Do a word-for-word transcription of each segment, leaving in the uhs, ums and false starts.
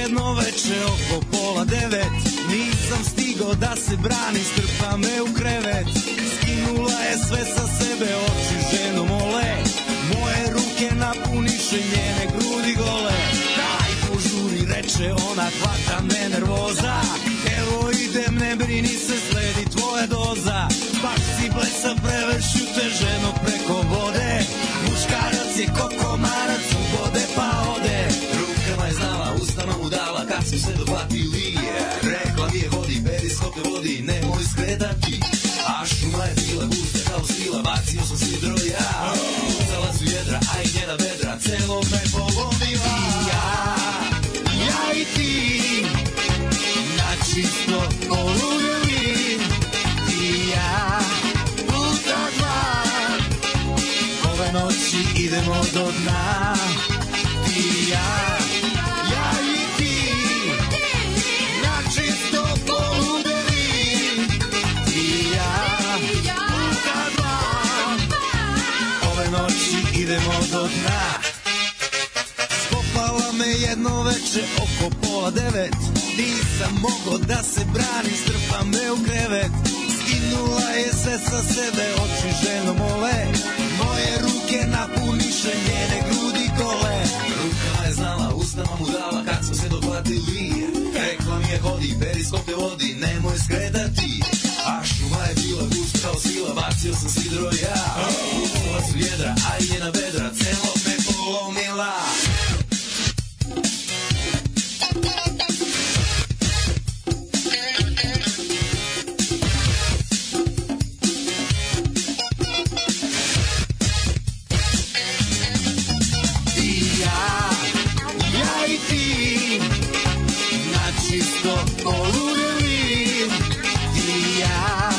jedno veče oko pola devet, nisam stigo da se brani, strpa me u krevet. Skinula je sve sa sebe, oči ženo mole, moje ruke napuniše njene grudi gole. Daj požuri, reče ona, hvata me nervoza, evo idem, ne brini se, sledi tvoja doza. Baš si blesa, prevršu te ženo preko vode, muškarac je ko komarac, ubode pa ode. Rukama je znala, ustama mu dala, kad smo se dohvatili, rekla mi je hodi, periskop te vodi, nemoj skretati. A šuma je bila gusta kao svila, bacio sam sidro ja, uzala su jedra, a i njena vedra, celo me polomila. I ja, ja i ti, na čisto poludeli, ti ja, puta dva, ove noći idemo do dna. Ti ja, ja i ti, na čisto poludeli, ti ja, puta dva, ove noći idemo do dna. Skopala me jedno veče oko pola devet, nisam mogo da se branim, strpa me u krevet. Skinula je sve sa sebe, oči ženo mole, moje ruke napuniše njene grudi gole. Rukama je znala, ustama mu dala, kad smo se dohvatili, rekla mi je hodi, periskop te vodi, nemoj skretati. A šuma je bila gusta kao svila, bacio sam sidro ja, uzela su jedra, a i njena vedra, celo me polomila. Čisto poludeli, ti ja,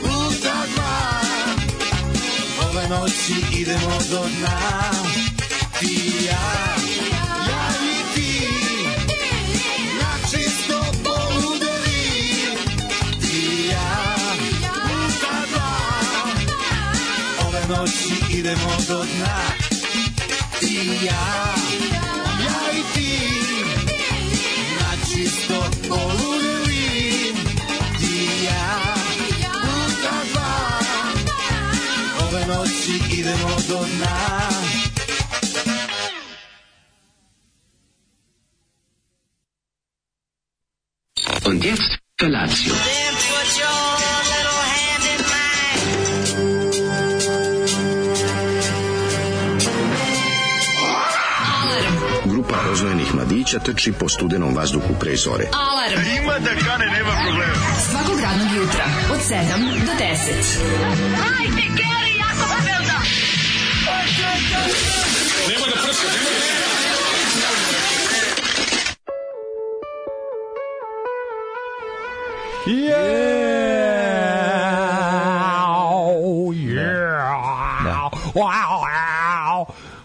puta dva, ove noći idemo do dna. Ti ja, ja i ti, na čisto poludeli, ti ja, puta dva, ove noći idemo do dna. Ti ja, ja i ti, čisto poludeli, ti ja, puta dva, ove noći idemo do dna. Und jetzt Felatio. Then put your little hand in mine. Grupa rozvojenih mladića trči po studenom vazduhu pre zore. Alarm! Ima da kane, nema problema. Svakog radnog jutra, od sedam do deset. Hajde, Geri, jako se velda! Nema da prska, nema da prska.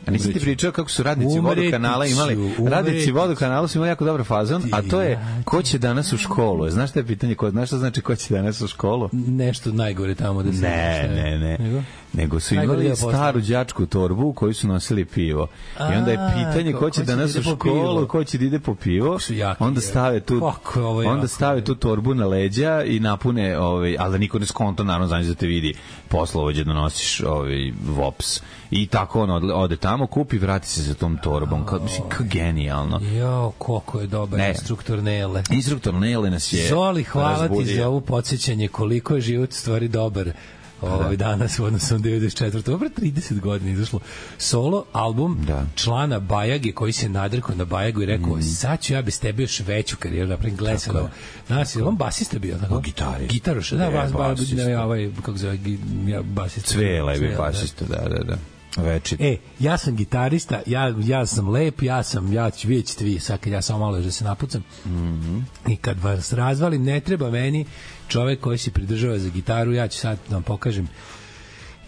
A nisi ti pričao kako su radnici vodokanala imali, radnici vodokanala su imali jako dobar fazon, a to je ko će danas u školu? Znaš što je pitanje, ko, znaš što znači ko će danas u školu? Nešto najgore tamo da se... Ne, ne, ne. Nego? Nego su imali staru đačku torbu u kojoj su nosili pivo. I onda je pitanje ko će danas u školu, ko će da ide po pivo, onda stave tu, onda stave tu torbu na leđa i napune, ovaj, ali da niko ne skonto, naravno, znači da te vidi poslovođe da nosiš ovaj, vops. I tako on ode tamo, kupi, vrati se za tom torbom. Kao, mislim, kao genijalno. Jo, koliko je dobar ne. instruktor Nele. Instruktor Nele nas je Zoli, hvala razbudio. Ti za ovo podsjećanje koliko je život stvari dobar. Ovaj danas u odnosu na devedeset četvrtu Dobro, trideset godina izašlo solo album da. člana Bajage koji se nadrkao na Bajagu i rekao mm. sad ću ja bez tebe još veću karijeru napravim Glesalo. Nas je on basista bio tako. O gitari. Gitaroš, da, bas, bas, ne, ovaj kako zove, ja basista. Cvela je basista, da, da, da. Večit. E, ja sam gitarista, ja, ja sam lep, ja sam, ja ću vidjeti vi, sad kad ja samo malo da se napucam. Mm-hmm. I kad vas razvalim, ne treba meni čovek koji se pridržava za gitaru, ja ću sad da vam pokažem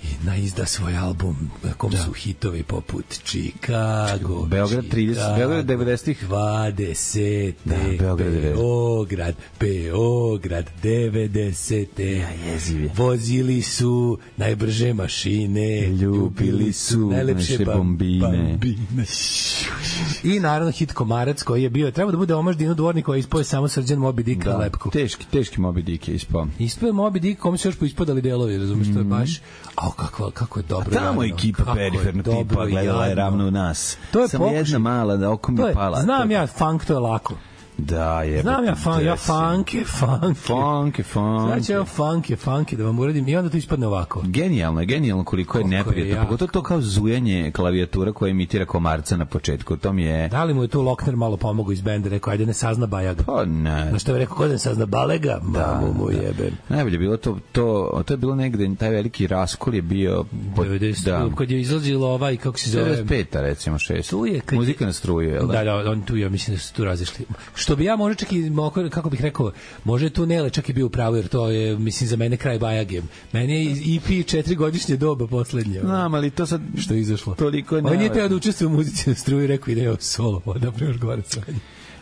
i naizda svoj album na kom da. su hitovi poput Chicago, Beograd trideset, Beograd devedesetih dvadeset da, Beograd Beograd Beograd devedesete ja, jeziv je. Vozili su najbrže mašine, ljubili su najlepše bombine. bombine i naravno hit Komarac koji je bio, treba da bude omaž Dinu Dvorniku, koji je ispao samo Srđan Moby Dick na lepku. Teški, teški Moby Dick je ispao. Ispao je Moby Dick, kom se još poispadali delovi, razumiješ, mm-hmm. to je baš, a kako, kako je dobro. A tamo je ekipa periferna tipa, gledala je ravno u nas. To je samo jedna mala, da oko mi pala. Znam ja, funk to je lako. Da, je. Znam ja, fun, ja funke, funke. Funke, funke. Znači ja funke, funke, da vam uradim i onda to ispadne ovako. Genijalno je, genijalno koliko je neprijatno. Pogotovo to kao zujanje klavijatura koja imitira Komarca na početku. To mi je... Da li mu je tu Lokner malo pomogao iz benda, rekao, ajde ne sazna Bajaga. Pa ne. Na što je rekao, ko ne sazna Balega? Da, mamu mu da. jebem. Najbolje bilo to, to, to je bilo negde, taj veliki raskol je bio... Pod, devedeset, da. Kad je izlazilo ovaj, kako se zove... devedeset peta recimo, šest. Tu je, kad muzika na struju, je da? Da, da, on tu, ja mislim da su tu razišli. Što bi ja možda čak i, kako bih rekao, može tu Nele čak i bio u pravu, jer to je, mislim, za mene kraj Bajage. Meni je E P četiri-godišnje doba poslednje. Znam, ali to sad... Što je izašlo? Toliko ne... On nije teo da učestvuje u muzici na struju i rekao, ide ovo solo, da premaš gore sranje.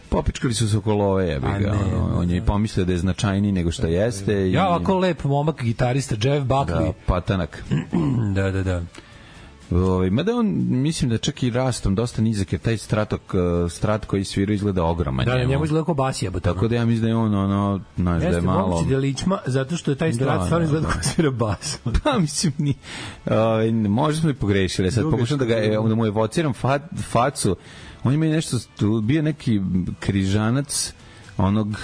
Popičkali su se oko love, ja bih ga. On, on je i pomislio da je značajniji nego što jeste. I... Ja, ovako lep momak, gitarista, Jeff Buckley. Da, patanak. da, da, da. Ovaj, mada on, mislim da čak i rastom dosta nizak, jer taj stratok, strat koji svira izgleda ogroman. Da, njemu izgleda kao bas jebote. Tako da ja mislim da je on, ono, znaš, da je malo... Jeste mogući da ličma, zato što je taj strat stvarno izgleda kao svira bas. Pa, mislim, ni... Ovaj, možda smo i pogrešili. Sad pokušam da, ga, da mu evociram fa, facu. On ima nešto, bio neki križanac onog...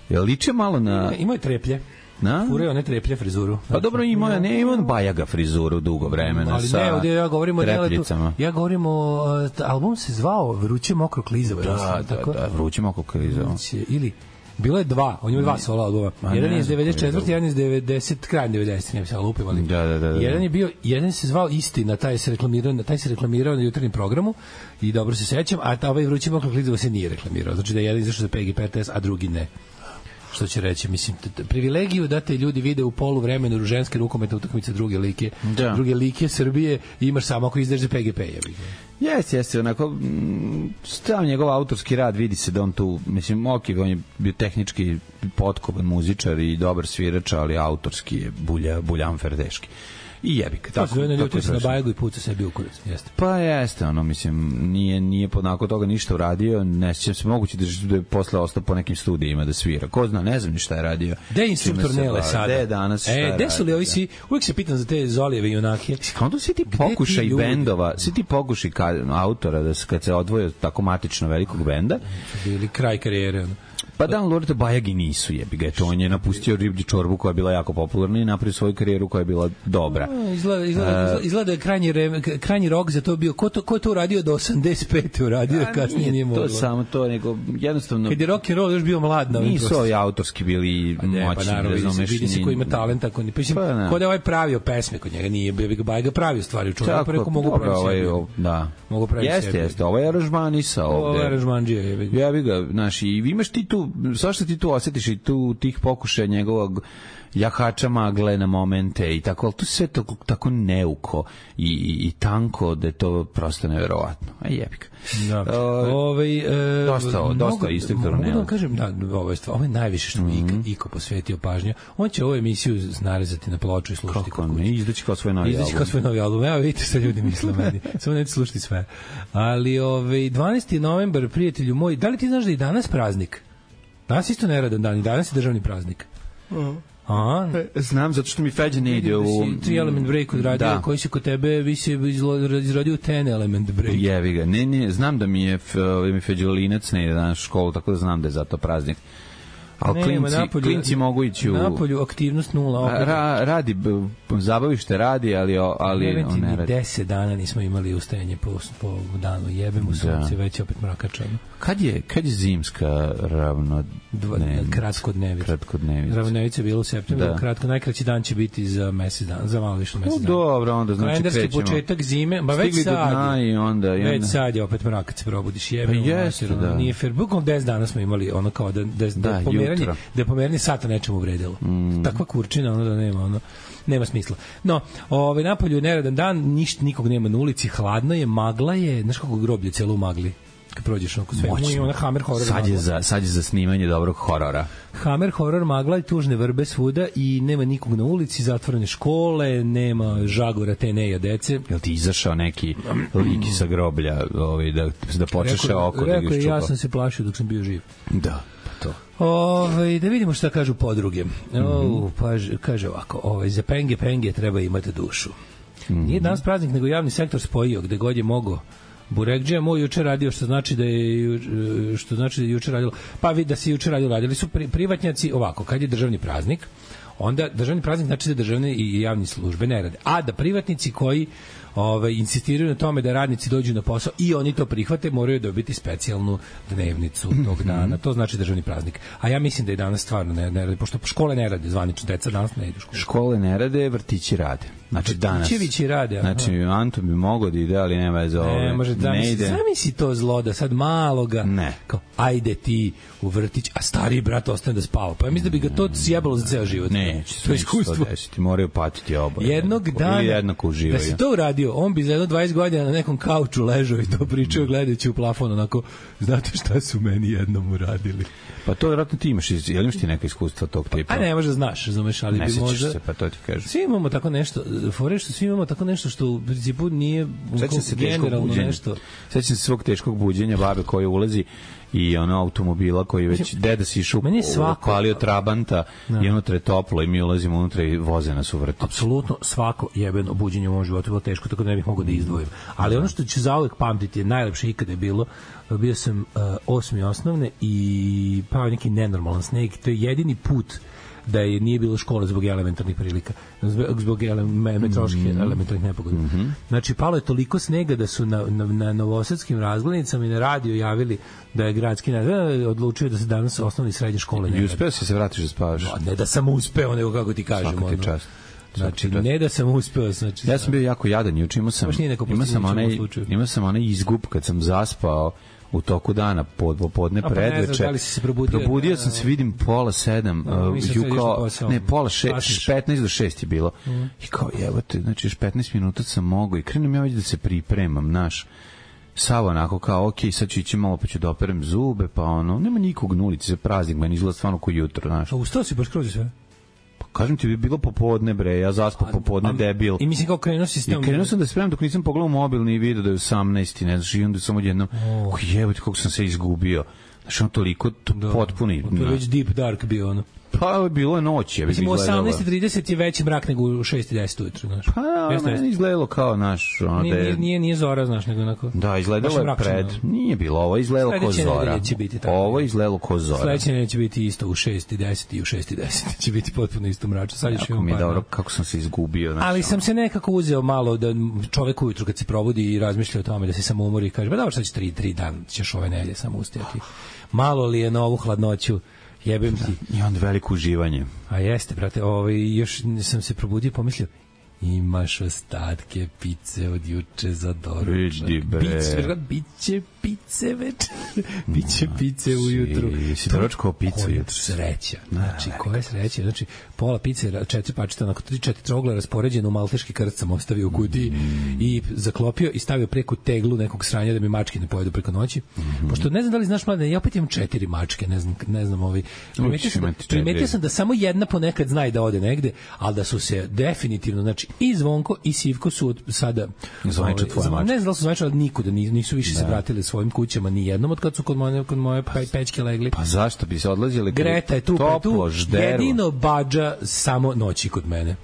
Je liče malo na... Imao je treplje. Na? Fureo ne treplje frizuru. Pa dobro, ima, ne, ima on Bajaga frizuru dugo vremena. Ali sa ne, ovdje ja govorim o deletu. Ja govorim o... Album se zvao Vruće mokro klizavo. Da, da, tako? da, Vruće mokro klizavo. Ili... Bilo je dva, on ima dva solo albuma. A jedan je iz devedeset četvrte, jedan je iz devedeset, kraj devedeset, ne bi se lupim, ali. Da, da, da, da. Jedan je bio, jedan se zvao Istina, taj se reklamirao, taj se reklamirao na jutarnjem programu i dobro se sećam, a ta ovaj Vruće mokro klizavo se nije reklamirao. Znači da je jedan izašao za P G P R T S, a drugi ne. Što će reći, mislim, privilegiju da te ljudi vide u polu vremenu ženske rukometne utakmice druge like, da. druge like Srbije imaš samo ako izdeš za P G P. Jeste, jeste, onako, stav njegov autorski rad, vidi se da on tu, mislim, ok, on je bio tehnički potkovan muzičar i dobar svirač, ali autorski je bulja, buljanfer teški. I jebik. Tako, tako, tako se na Bajagu i puca sebi u kurac. Jeste. Pa jeste, ono, mislim, nije, nije podnako toga ništa uradio, ne sjećam se moguće da je posle ostao po nekim studijima da svira. Ko zna, ne znam ni šta je radio. Gde je instruktor Nele sada? Gde je danas, šta e, je gde su li ovi si, uvijek se pitam za te Zolijeve junake. Onda svi ti pokušaj bendova, svi ti pokušaj autora da se, kad se odvoje tako matično velikog benda. Bili kraj karijere, ono. Pa da, Lorete Bajagi nisu, jebi ga, to on je napustio Riblji čorbu koja je bila jako popularna i napravio svoju karijeru koja je bila dobra. A, izgleda, izgleda, uh, izgleda je krajnji, re, krajnji rok za to bio, ko, to, ko je to uradio do osamdeset pete uradio, a, kasnije nije, nije moglo. To samo to, nego jednostavno... Kad je rock and roll još bio mlad na ovim nisu ovi autorski bili pa ne, moćni. Pa naravno, vidi, vidi se ko ima talenta, ko, pa, ko da je ovaj pravio pesme kod njega, nije bio Bajga pravio stvari u čovjeku, pa rekao mogu praviti ovaj, da. Mogu praviti jeste, jeste, ovo je aranžmanisa ovde. Ovo je aranžmanđija, jebi ga. Jebi ga, znaš, i imaš ti tu, zašto ti tu osjetiš i tu tih pokušaja njegovog jahača magle na momente i tako, ali to sve to tako neuko i, i, i tanko da je to prosto neverovatno. A jebik. Da. Uh, Ove, e, dosta, mogu, dosta instruktora. Mogu da vam kažem, da, ovo je, ovo je najviše što mi mm-hmm. Iko posvetio pažnja. On će ovu emisiju narezati na ploču i slušati. Kako ne, izdaći kao svoj novi izdaći album. Izdaći kao svoj novi album. Evo vidite šta ljudi misle meni. Samo neću slušati sve. Ali ove, dvanaesti novembar, prijatelju moj, da li ti znaš da je danas praznik? Danas isto neradan dan i danas je državni praznik. Uh-huh. A, znam, zato što mi Feđa ne ide u... Tri Element Break odradio, da. Koji se kod tebe više izrodio Ten Element Break. Jevi ga. Ne, ne, znam da mi je Feđolinac ne ide danas u školu, tako da znam da je zato praznik. Ali klinci, napolju, klinci mogu ići u... Napolju aktivnost nula. Ra, radi, zabavište radi, ali, ali on ne radi. Deset dana nismo imali ustajanje po, po danu. Jebemo sunce, već opet mrakačano. Kad je, kad je zimska ravno... Kratkodnevica. Kratkodnevica. Ravnodevica je bilo u septembru. Da. Kratko, najkraći dan će biti za mesec dana, za malo više mesec dana. Dobro, onda znači kalendarski krećemo. Početak zime, ba već sad je. Onda, već onda. Sad je opet mrakac se probudiš. Jebemo. Pa jeste, da. Nije fair. Bukom deset dana smo imali ono kao da, da, da, da pomeranje, da je pomeranje sata nečemu vredilo. Mm. Takva kurčina, ono da nema, ono, nema smisla. No, ovaj, napolju je neradan dan, ništa, nikog nema na ulici, hladno je, magla je, znaš kako groblje cijelo u magli. Kad prođeš oko sve, ima ona Hammer horror. Sad je, za, sad je za snimanje dobrog horora. Hammer horror, magla i tužne vrbe svuda i nema nikog na ulici, zatvorene škole, nema žagora te neja dece. Jel ti izašao neki lik sa groblja ovaj, da, da počeše oko? Rekao da je, ja sam se plašio dok sam bio živ. Da, pa to. Ove, da vidimo šta kažu podruge. Mm-hmm. O, pa, kaže ovako, ovaj, za penge penge treba imati dušu. Mm-hmm. Nije danas praznik, nego javni sektor spojio, gde god je mogo. Burekđija moj juče radio, što znači da je što znači da je juče radilo. Pa vidi da se juče radilo, radili su pri, privatnjaci ovako, kad je državni praznik, onda državni praznik znači da državne i javne službe ne rade. A da privatnici koji ovaj insistiraju na tome da radnici dođu na posao i oni to prihvate, moraju dobiti specijalnu dnevnicu tog dana. To znači državni praznik. A ja mislim da je danas stvarno ne, ne rade, pošto škole ne rade, zvanično deca danas ne idu u školu. Škole ne rade, vrtići rade. Znači danas. Vrtićevići rade. Aha. Znači Anton bi mogao da ide, ali nema za ove. Ne, može da ne ide. Zamisli to zlo da sad maloga. Ne. Kao ajde ti u vrtić, a stari brat ostane da spava. Pa ja mislim da bi ga to sjebalo za ceo život. Ne, to je iskustvo. Ti moraju patiti oboje. Jednog dana. Ili jednako uživaju. Da si to uradio, on bi za jedno dvadeset godina na nekom kauču ležao i to pričao gledajući u plafon, onako, znate šta su meni jednom uradili. Pa to vjerojatno ti imaš, jel imaš ti neka iskustva tog tipa? A ne, možda znaš, razumeš, ali ne bi možda... Ne se, pa to ti kažem. Svi imamo tako nešto, fore što svi imamo tako nešto što u principu nije generalno nešto. Sećam se svog teškog buđenja babe koja ulazi i ono automobila koji već deda si išao upalio Trabanta no. I unutra je toplo i mi ulazimo unutra i voze nas u vrtić. Apsolutno svako jebeno buđenje u mom životu je bilo teško, tako da ne bih mogao da izdvojim. Ali ono što ću zauvek pamtiti je najlepše ikada je bilo, bio sam uh, osmi osnovne i pao neki nenormalan sneg, to je jedini put da je nije bilo škole zbog elementarnih prilika, zbog, zbog ele, meteoroloških mm-hmm. elementarnih nepogoda. Mm-hmm. Znači, palo je toliko snega da su na, na, na novosadskim razglednicama i na radio javili da je gradski nadzor odlučio da se danas osnovne i srednje škole ne radi. I uspeo si se vratiš da spavaš? No, ne da sam uspeo, nego kako ti kažem. Svaka ti čast. Znači, ne da sam uspeo. Znači, ja sam bio jako jadan, juče imao sam, imao sam, onaj, imao sam onaj izgub kad sam zaspao u toku dana pod popodne predveče. Da li si se probudio? Probudio sam se, vidim pola sedam, no, uh, kao, ne, pola šest, petnaest do šest je bilo. Mm. I kao, jebote, znači još petnaest minuta sam mogao i krenem ja već da se pripremam, naš. Sav onako kao, ok, sad ću ići malo pa ću da operem zube, pa ono, nema nikog na ulici za praznik, meni izgleda stvarno ko jutro, znaš. A ustao si baš kroz sve? Kažem ti, bi bilo popodne, bre, ja zaspao popodne, debil. I mislim kao krenuo si s tem... I krenuo sam da spremam dok nisam pogledao mobil ni video da je osamnaest, ne znaš, i onda sam odjednom, oh. jebote, kako sam se izgubio. Znaš, ono toliko to da, potpuni. To je već deep dark bio, ono. Pa, bilo je noć, je. Mislim, u osamnaest i trideset je veći mrak nego u šest i deset ujutru, znaš. Pa, jeste, meni izgledalo kao, naš, ono nije, da je... Nije, nije zora, znaš, nego onako... Da, izgledalo je pred... Nije bilo, ovo je izgledalo ko zora. Ovo je izgledalo ko zora. Sledeće neće biti isto u šest i deset i u šest i deset. Će biti potpuno isto mračno. Sad još imam mi je dobro, kako sam se izgubio. Znači, ali sam se nekako uzeo malo da čovek ujutru kad se probudi i razmišlja o tome da se samo umori i kaže, ba dobro, sad će tri, tri dan, ćeš ove nelje samo ustajati. Malo li je na ovu hladnoću? Jebem ti. I onda veliko uživanje. A jeste, brate, ovaj, još sam se probudio i pomislio, imaš ostatke pice od juče za doručak. Vidi, bre. Biće, biće pice večer. Biće pice ujutru. Si doručkao picu jutru. Sreća. Znači, koja je sreća? Znači, pola pice, četiri pačeta, onako tri, četiri trogle raspoređene u malteški krst sam ostavio u kutiji mm. i zaklopio i stavio preko teglu nekog sranja da mi mačke ne pojedu preko noći. Mm-hmm. Pošto ne znam da li znaš, mlade, ja opet imam četiri mačke, ne znam, ne znam ovi. Primetio sam, primetio sam da samo jedna ponekad zna da ode negde, ali da su se definitivno, znači, i Zvonko i Sivko su od sada zvanično tvoje mačke. Ne znam da li su zvanično, ali nikuda nisu više da. se vratili svojim kućama ni jednom od kad su kod moje, kod moje pećke legli. Pa zašto bi se odlazili? Greta je tu, toplo, pa tu. Jedino Badža samo noći kod mene.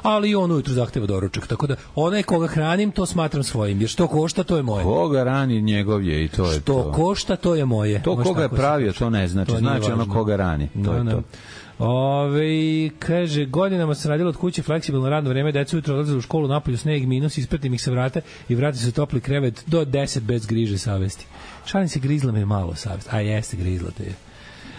Ali on ujutru zahteva doručak, tako da onaj koga hranim, to smatram svojim, jer što košta, to je moje. Koga rani, njegov je i to je što to. Što košta, to je moje. To koga je pravio, to ne znači. To znači ono koga rani, to no, je no. to. Ove, kaže, godinama se radilo od kuće fleksibilno radno vreme, deca ujutro odlaze u školu, napolju sneg, minus, ispratim ih se vrata i vrati se topli krevet do deset bez griže savesti. Šalim se, grizla me malo savest. A jeste, grizla te je.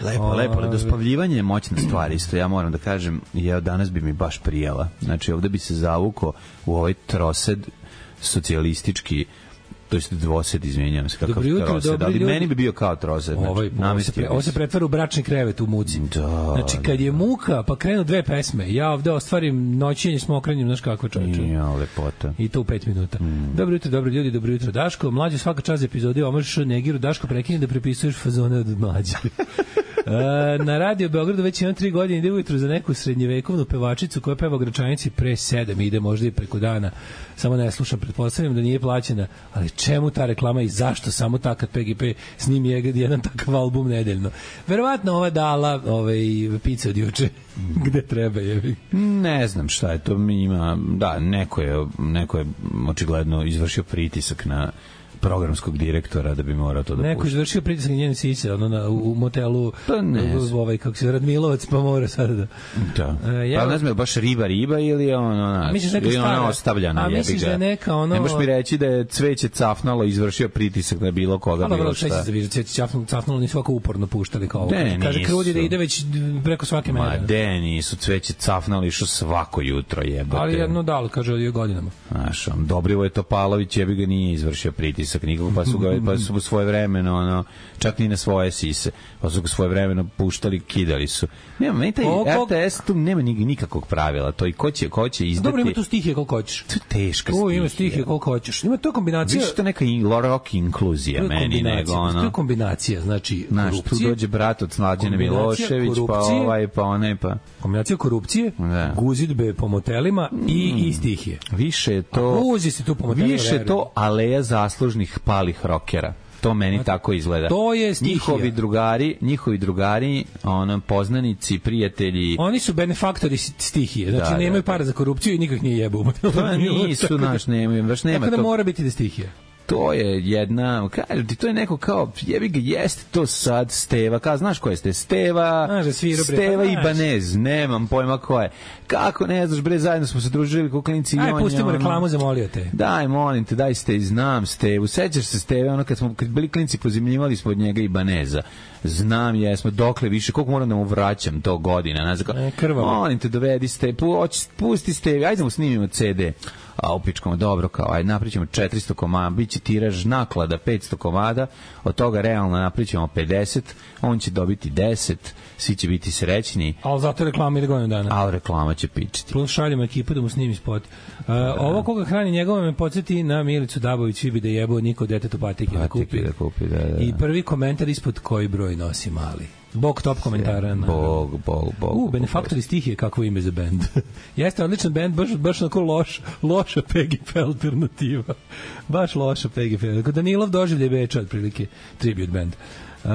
Lepo, o, lepo, ali dospavljivanje je moćna stvar isto, ja moram da kažem, ja danas bi mi baš prijela. Znači, ovde bi se zavukao u ovaj trosed socijalistički to jest dvosed, izvinjavam se, kakav jutro, trosed, ali ljudi. Meni bi bio kao trosed. Znači, ovaj, ovo, se pre, ovo se pretvara u bračni krevet u muci. Da, znači, kad je muka, pa krenu dve pesme, ja ovde ostvarim noćenje s mokranjem, znaš kako čovječe. Ja, lepota. I to u pet minuta. Mm. Dobro jutro, dobro ljudi, dobro jutro, Daško. Mlađe svaka čast epizodi omaš Negiru, Daško prekini da prepisuješ fazone od mlađe. Uh, na radio Beogradu već imam tri godine, ide ujutru za neku srednjevekovnu pevačicu koja peva Gračanici pre sedam, ide možda i preko dana, samo ne slušam, pretpostavljam da nije plaćena, ali čemu ta reklama i zašto samo ta kad P G P snimi jedan takav album nedeljno? Verovatno ova dala ovaj, pice od juče gde treba je. Ne znam šta je to, mi ima, da, neko je, neko je očigledno izvršio pritisak na programskog direktora da bi morao to da pušta. Neko izvršio pritisak na njene sice, ono na, u motelu, pa ne, ovaj, kako se Radmilovac, pa mora sada da... Da. E, ja, pa ne znam, baš riba riba ili ono, naš, ili ona ostavljana jebiga. A misliš da je neka ono... Ne možeš mi reći da je Cveće cafnalo izvršio pritisak na bilo koga, bilo, bilo šta. Ali dobro, Cveće cafnalo, cafnalo nisu ovako uporno puštali kao ovo. Kaže Krudi da ide već preko svake mere. Ma de, nisu Cveće cafnalo išlo svako jutro jebate. Ali jedno dal, kaže od godinama. Znaš, on, Dobrivoje Topalović jebiga nije izvršio pritisak nikako, pa su ga pa su svoje vremeno ono čak ni na svoje sise, pa su ga svoje vremeno puštali, kidali su. Nema, meni taj R T S tu nema nikakvog pravila, to i ko će, ko će izdati. Dobro, ima tu stihije koliko hoćeš. To je teška stihija. To ima stihije koliko hoćeš. Ima to kombinacija. Više to neka rock inkluzija meni nego ono. To je kombinacija, znači znaš, tu dođe brat od Mlađane Milošević, pa ovaj, pa onaj, pa... Kombinacija korupcije, da. Guzidbe po motelima i, mm. i stihije. Više to... Guzi se tu po motelima. Više to aleja zaslužnih palih rokera. To meni znači, tako izgleda. To je stihija. Njihovi drugari, njihovi drugari, ono, poznanici, prijatelji... Oni su benefaktori stihije. Znači, da, nemaju da, para za korupciju i nikak nije jebu. Pa nisu, naš, nemaju. Baš nema tako da to... mora biti da stihija. To je jedna, kažem ti, to je neko kao, jebi ga, jeste to sad Steva, kao, znaš ko je Steva? Steva, znaš, sviru, bre, Steva i Banez, nemam pojma ko je. Kako ne znaš, bre, zajedno smo se družili ko klinci. Aj, pustimo ono, reklamu, zamolio te. Daj, molim te, daj Steve, znam Stevu. Sećaš se Steve, ono kad smo, kad bili klinci, pozimljivali smo od njega i Baneza. Znam, jesmo, dokle više, koliko moram da mu vraćam to godina. Ne znam, molim te, dovedi Steve, pusti Steve, ajde da mu snimimo C D. A upičkamo, dobro, kao, ajde, napričamo četiristo komada, bit će tiraž naklada petsto komada, od toga realno napričamo pedeset, on će dobiti deset, svi će biti srećni. Ali zato reklama ide godinu dana. Ali reklama će pičiti. Plus šaljemo ekipu da mu snimi spot. Uh, ovo koga hrani njegove me podsjeti na Milicu Dabović, svi bi da jebao niko detetu patike da kupi. Da kupi da, da. I prvi komentar ispod koji broj nosi mali. Bog top komentara. Na... Bog, bog, bog. U, Benefaktori stihije, kakvo ime za bend. Jeste odličan bend, baš, baš onako loš, loša P G P alternativa. Baš loša P G P. Danilov doživlje Beča, otprilike, tribute band. Uh,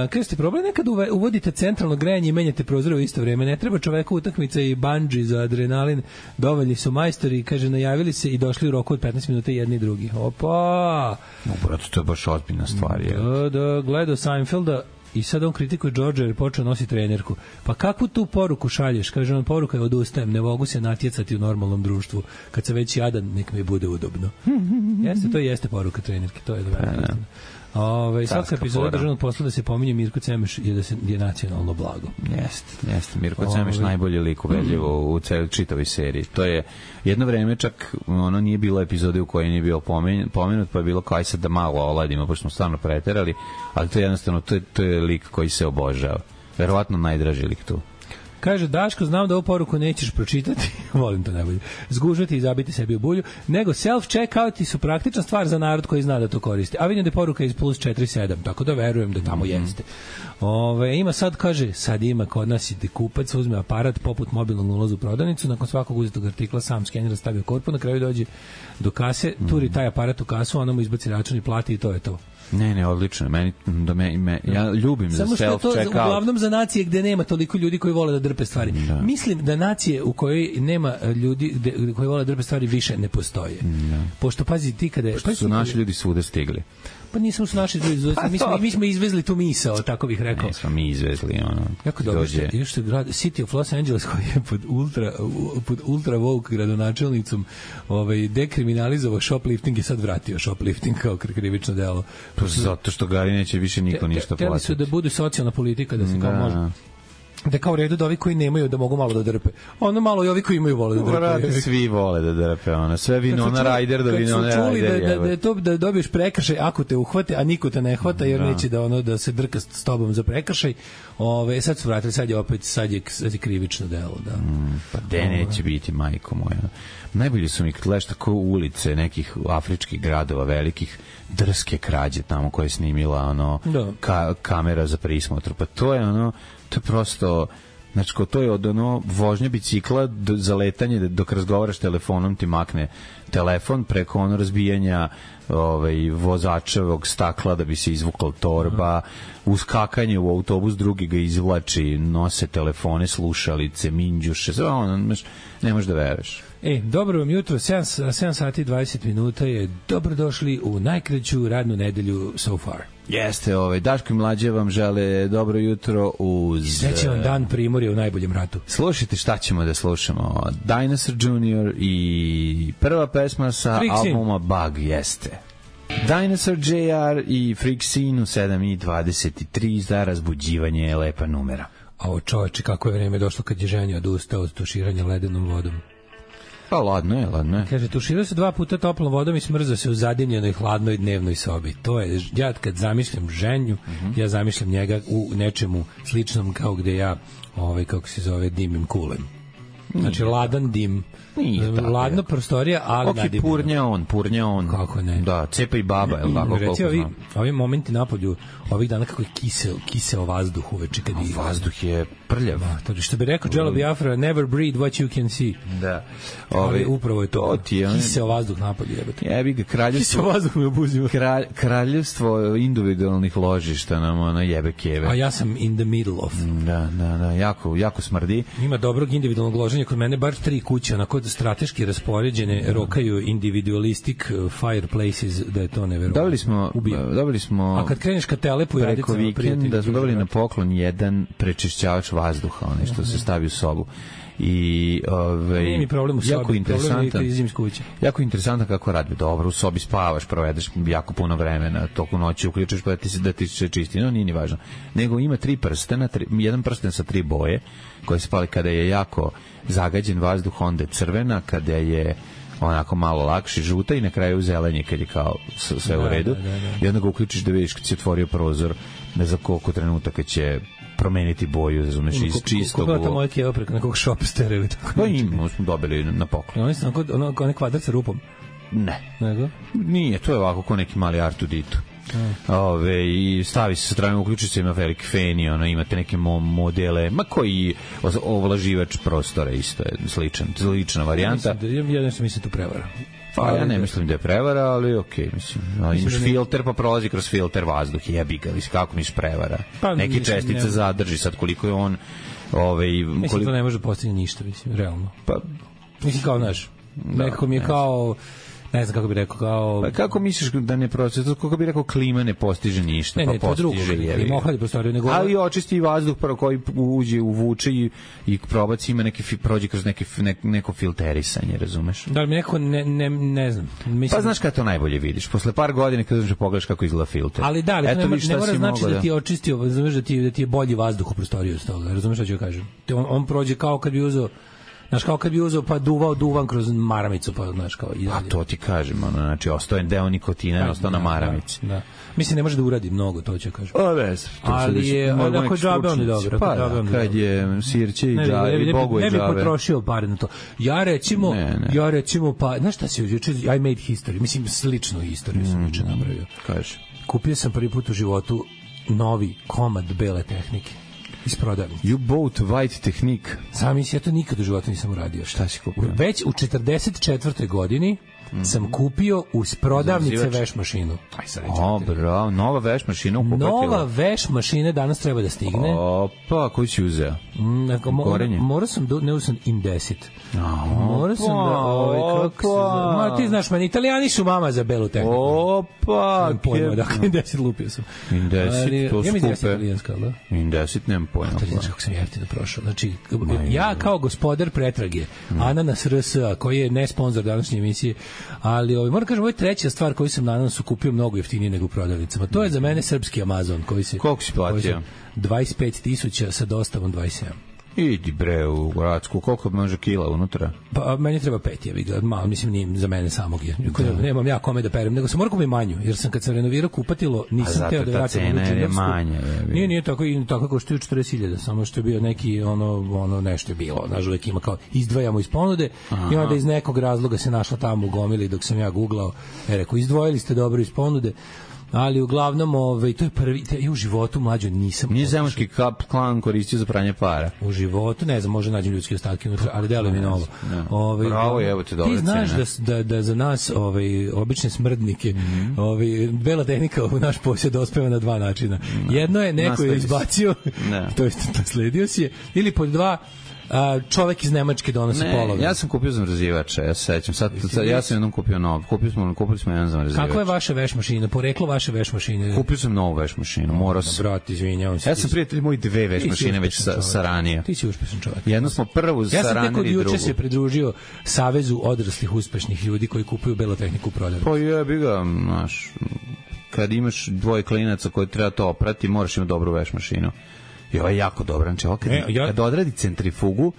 kada ste problem, nekad uvodite centralno grejanje i menjate prozore u isto vreme. Ne treba čoveku utakmica i bungee za adrenalin. Dovoljni su majstori, kaže, najavili se i došli u roku od petnaest minuta jedni i drugi. Opa! No, brate, to je baš ozbiljna stvar. Je. Da, da, gledao Seinfelda i sad on kritikuje George jer je počeo nositi trenerku. Pa kakvu tu poruku šalješ? Kaže on, poruka je odustajem, ne mogu se natjecati u normalnom društvu. Kad se već jadan, nek mi bude udobno. Jeste, to jeste poruka trenerke, to je dobro. Ove, svaka epizoda državnog posla da se pominje Mirko Cemeš je da se je nacionalno blago. Jeste, jeste. Mirko Ove. Cemeš najbolji lik ubedljivo u celoj čitavoj seriji. To je jedno vreme čak ono nije bilo epizode u kojoj nije bio pomen, pomenut, pa je bilo kao aj sad da malo oladimo, pošto smo stvarno preterali, ali to je jednostavno, to je, to je lik koji se obožava. Verovatno najdraži lik tu. Kaže, Daško, znam da ovu poruku nećeš pročitati, volim to najbolje, zgužvati i zabiti sebi u bulju, nego self-checkouti su praktična stvar za narod koji zna da to koristi. A vidim da je poruka iz plus četiri sedam, tako da verujem da tamo mm-hmm. jeste. Ove, ima sad, kaže, sad ima kod nas i da kupac uzme aparat poput mobilnog ulaza u prodavnicu, nakon svakog uzetog artikla sam skenira, stavio korpu, na kraju dođe do kase, turi taj aparat u kasu, ona mu izbaci račun i plati i to je to. Ne, ne, odlično. Meni, da me, me, ja ljubim samo za self-checkout. Samo što je to uglavnom za nacije gde nema toliko ljudi koji vole da drpe stvari. Da. Mislim da nacije u kojoj nema ljudi gde, koji vole da drpe stvari više ne postoje. Da. Pošto, pazi, ti kada... Pošto su naši ljudi svuda stigli. Pa nismo su naši ljudi, pa mi, smo, mi smo izvezli tu misao, tako bih rekao. Ne smo mi izvezli, ono. Kako dobro ste, još se grad, City of Los Angeles koji je pod ultra, pod ultra woke gradonačelnicom ovaj, dekriminalizovao shoplifting i sad vratio shoplifting kao krivično delo. Pa zato što Gari neće više niko ništa platiti. Htjeli su da budu socijalna politika, da se kao može... da kao u redu da ovi koji nemaju da mogu malo da drpe. Ono malo i ovi koji imaju vole da drpe. Vrati, svi vole da drpe, ona. Sve Winona Ryder do Winona Ryder. Da, da, da, to, da dobiješ prekršaj ako te uhvate, a niko te ne hvata jer da. neće da ono da se drka s tobom za prekršaj. Ove, sad su vratili, sad je opet sad je, sad je krivično delo. Da. Mm, pa de neće biti, majko moja. Najbolji su mi kad leš tako ulice nekih afričkih gradova velikih, drske krađe tamo koje je snimila ono, da. ka, kamera za prismotru. Pa to je ono, to je prosto, znači ko to je od ono vožnje bicikla do, za letanje dok razgovaraš telefonom ti makne telefon preko ono razbijanja ovaj, vozačevog stakla da bi se izvukla torba, uskakanje u autobus, drugi ga izvlači, nose telefone, slušalice, minđuše, sve ono, ne možeš da veruješ. E, dobro vam jutro, sedam sati i dvadeset minuta je dobrodošli u najkraću radnu nedelju so far. Jeste, ovaj, Daško i Mlađe vam žele dobro jutro uz... Srećan vam dan Primorja u najboljem ratu. Slušajte šta ćemo da slušamo. Dinosaur junior i prva pesma sa Freak albuma Bug, jeste. Dinosaur J R i Freak Scene u sedam i dvadeset tri za razbuđivanje je lepa numera. A o čoveče, kako je vreme došlo kad je ženja odustao od tuširanja ledenom vodom. Pa ladno je, ladno je. Kaže, tuširao se dva puta toplom vodom i smrzao se u zadimljenoj hladnoj dnevnoj sobi. To je, ja kad zamišljam ženju, mm-hmm. ja zamišljam njega u nečemu sličnom kao gde ja, ovaj, kako se zove, dimim kulem. Znači, ladan dim. Ladno prostorija, ali okay, nadimljeno. Purnja on, purnja on. Kako ne? Da, cepa i baba, je li tako? Reci, ovi, ovi momenti napolju, ovih dana kako je kiseo, kiseo vazduh uveče. Kad je, vazduh je prljav. Da, što bi rekao Jello Biafra, never breathe what you can see. Da. Ovi, upravo je to. to kiseo vazduh napolju, jebate. Jebi ga, kraljevstvo. Kiseo vazduh me obuzio. Kralj, kraljevstvo individualnih ložišta nam ona jebe keve. A ja sam in the middle of. Da, da, da, jako, jako smrdi. Ima dobrog individualnog loženja, kod mene bar tri kuće, onako strateški raspoređene, da. Rokaju individualistic fireplaces, da je to neverovatno. Dobili smo, dobili smo a kad kreneš ka Telepu i preko vikenda smo dobili na poklon jedan prečišćavač vazduha, onaj što se stavi u sobu. I ovaj nije mi problem u sobi, jako interesantan, kuće. Jako interesantno kako radi. Dobro, u sobi spavaš, provedeš jako puno vremena, toku noći uključiš pa da ti se da ti se čisti, no nije ni važno. Nego ima tri prstena, tri, jedan prsten sa tri boje koje se pali kada je jako zagađen vazduh, onda je crvena, kada je onako malo lakši, žuta i na kraju zelenje kad je kao sve da, u redu. Da, da, da. I onda ga uključiš da vidiš kad se otvorio prozor, ne za koliko trenutaka će promeniti boju, razumeš, iz čistog. Kako ta moja keva preko nekog shopstera ili tako? Pa im smo dobili na poklon. Oni su onako, onako ne kvadrat sa rupom? Ne. Nego? Nije, to je ovako ko neki mali Artuditu. Ove, i stavi se sa strane, uključi se, ima veliki fen i ono, imate neke mo modele, ma koji ovlaživač prostora isto je sličan, slična varijanta. Ja, ja nešto mislim tu prevara. Pa ja ne mislim da je prevara, ali okej, okay, mislim. No, imaš da filter, pa prolazi kroz filter vazduh, jebi ga, mislim, kako misliš prevara? Pa, neke čestice ne zadrži, sad koliko je on... Ove, mislim, koliko... to ne može postići ništa, mislim, realno. Pa, mislim, kao, znaš, da, nekako mi je kao... Ne znam kako bi rekao, kao... Pa kako misliš da ne proces, kako bi rekao klima ne postiže ništa, ne, pa ne, postiže je. Klima ohladi prostoriju, nego... Ali očisti vazduh prvo koji uđe, uvuče i, i probaci ima neki, prođe kroz neki, ne, neko filterisanje, razumeš? Da li mi neko, ne, ne, ne znam. Mislim... Pa znaš kada to najbolje vidiš, posle par godina kada znaš pogledaš kako izgleda filter. Ali da, ali eto, ne, ne mora znači da ti je očistio, razumeš da ti, da ti je bolji vazduh u prostoriju s toga, razumeš šta ću kažem? On, on prođe kao kad bi uzeo znaš, kao kad bi uzeo pa duvao duvan kroz maramicu, pa znaš kao i dalje. A to ti kažem, ono, znači, ostojen deo nikotina je ostao na maramici. Da, da. Mislim, ne može da uradi mnogo, to ću kažem. O, bez. Ali je, ako je džabe, on je dobro. Pa da, kad je sirće i džabe, i Bogu je džabe. Ne bi potrošio pare na to. Ja recimo, ne, ne. ja recimo, pa, znaš šta si juče, I made history, mislim, sličnu istoriju sam juče napravio. Kaže. Kupio sam prvi put u životu novi komad bele tehnike. Iz prodavnice. You bought white Technique. Sam mislim, ja to nikad u životu nisam uradio. Šta si kupio? Već u četrdeset četvrtoj godini mm-hmm. sam kupio uz prodavnice veš mašinu. Aj sad reći. O, bravo, nova veš mašina upopatila. Nova veš mašina danas treba da stigne. Opa, koju si uzeo? Mm, mo, morao sam, do, ne uzeo sam Indesit. Morao sam da, ovaj, kako se, ma ti znaš, meni, italijani su mama za belu tehniku. Opa, pojma, dakle, Indesit lupio sam. Indesit, to skupe. Ja mi Indesit italijanska, da? Indesit, nemam pojma. To je znaš kako sam jeftino prošao. Znači, ja kao gospodar pretrage, mm. Ananas R S A, koji je ne sponsor današnje emisije, Ali ovaj, moram kažem, ovo je treća stvar koju sam nadam su kupio mnogo jeftinije nego u prodavnicama. To je za mene srpski Amazon koji se... Koliko si platio? dvadeset pet tisuća sa dostavom dvadeset sedam. Idi bre u Gradsku, koliko može kila unutra? Pa meni treba pet, ja bih ga, malo, mislim nije za mene samog je. Da. Nemam ja kome da perem, nego sam morao kupiti manju, jer sam kad sam renovirao kupatilo, nisam teo da vraćam u cena je manja. Je, nije, nije tako, i tako koštuje četrdeset hiljada, samo što je bio neki, ono, ono nešto je bilo, znaš, uvek ima kao, izdvajamo iz ponude. Aha. I onda iz nekog razloga se našla tamo u gomili dok sam ja googlao, je rekao, izdvojili ste dobro iz ponude. Ali uglavnom, ovaj, to je prvi, te, ja u životu mlađo nisam... Nije zemunski kap klan koristio za pranje para. U životu, ne znam, može nađem ljudske ostatke unutra, ali deluje mi novo. Ovaj, Bravo, evo te dobre cene. Ti znaš da, da, da za nas, ovaj, obične smrdnike, mm-hmm. ovaj, bela tehnika u naš posjed ospeva na dva načina. No. Jedno je, neko je izbacio, to je nasledio si je, ili pod dva, a, čovek iz Nemačke donosi polovinu. Ja sam kupio zamrzivača, ja se sećam. Sad, sad ja sam jednom kupio novo. Kupili smo, kupili smo jedan zamrzivač. Kako je vaša veš mašina? Poreklo vaše veš mašine? Kupio sam novu veš mašinu. Morao sam. Brat, izvinjavam se. Ja sam prijatelj moj dve veš mašine već sa, sa ranije. Ti si uspešan čovjek. Jedno smo prvu ja sa ranije i drugu. Ja sam juče se pridružio Savezu odraslih uspešnih ljudi koji kupuju belotehniku u prodavnici. Pa jebi ga, znaš, kad imaš dvoje klinaca koji treba to oprati, moraš imati dobru veš mašinu. I ovo je jako dobro. Znači, ovo kad, e, ja... kad odradi centrifugu,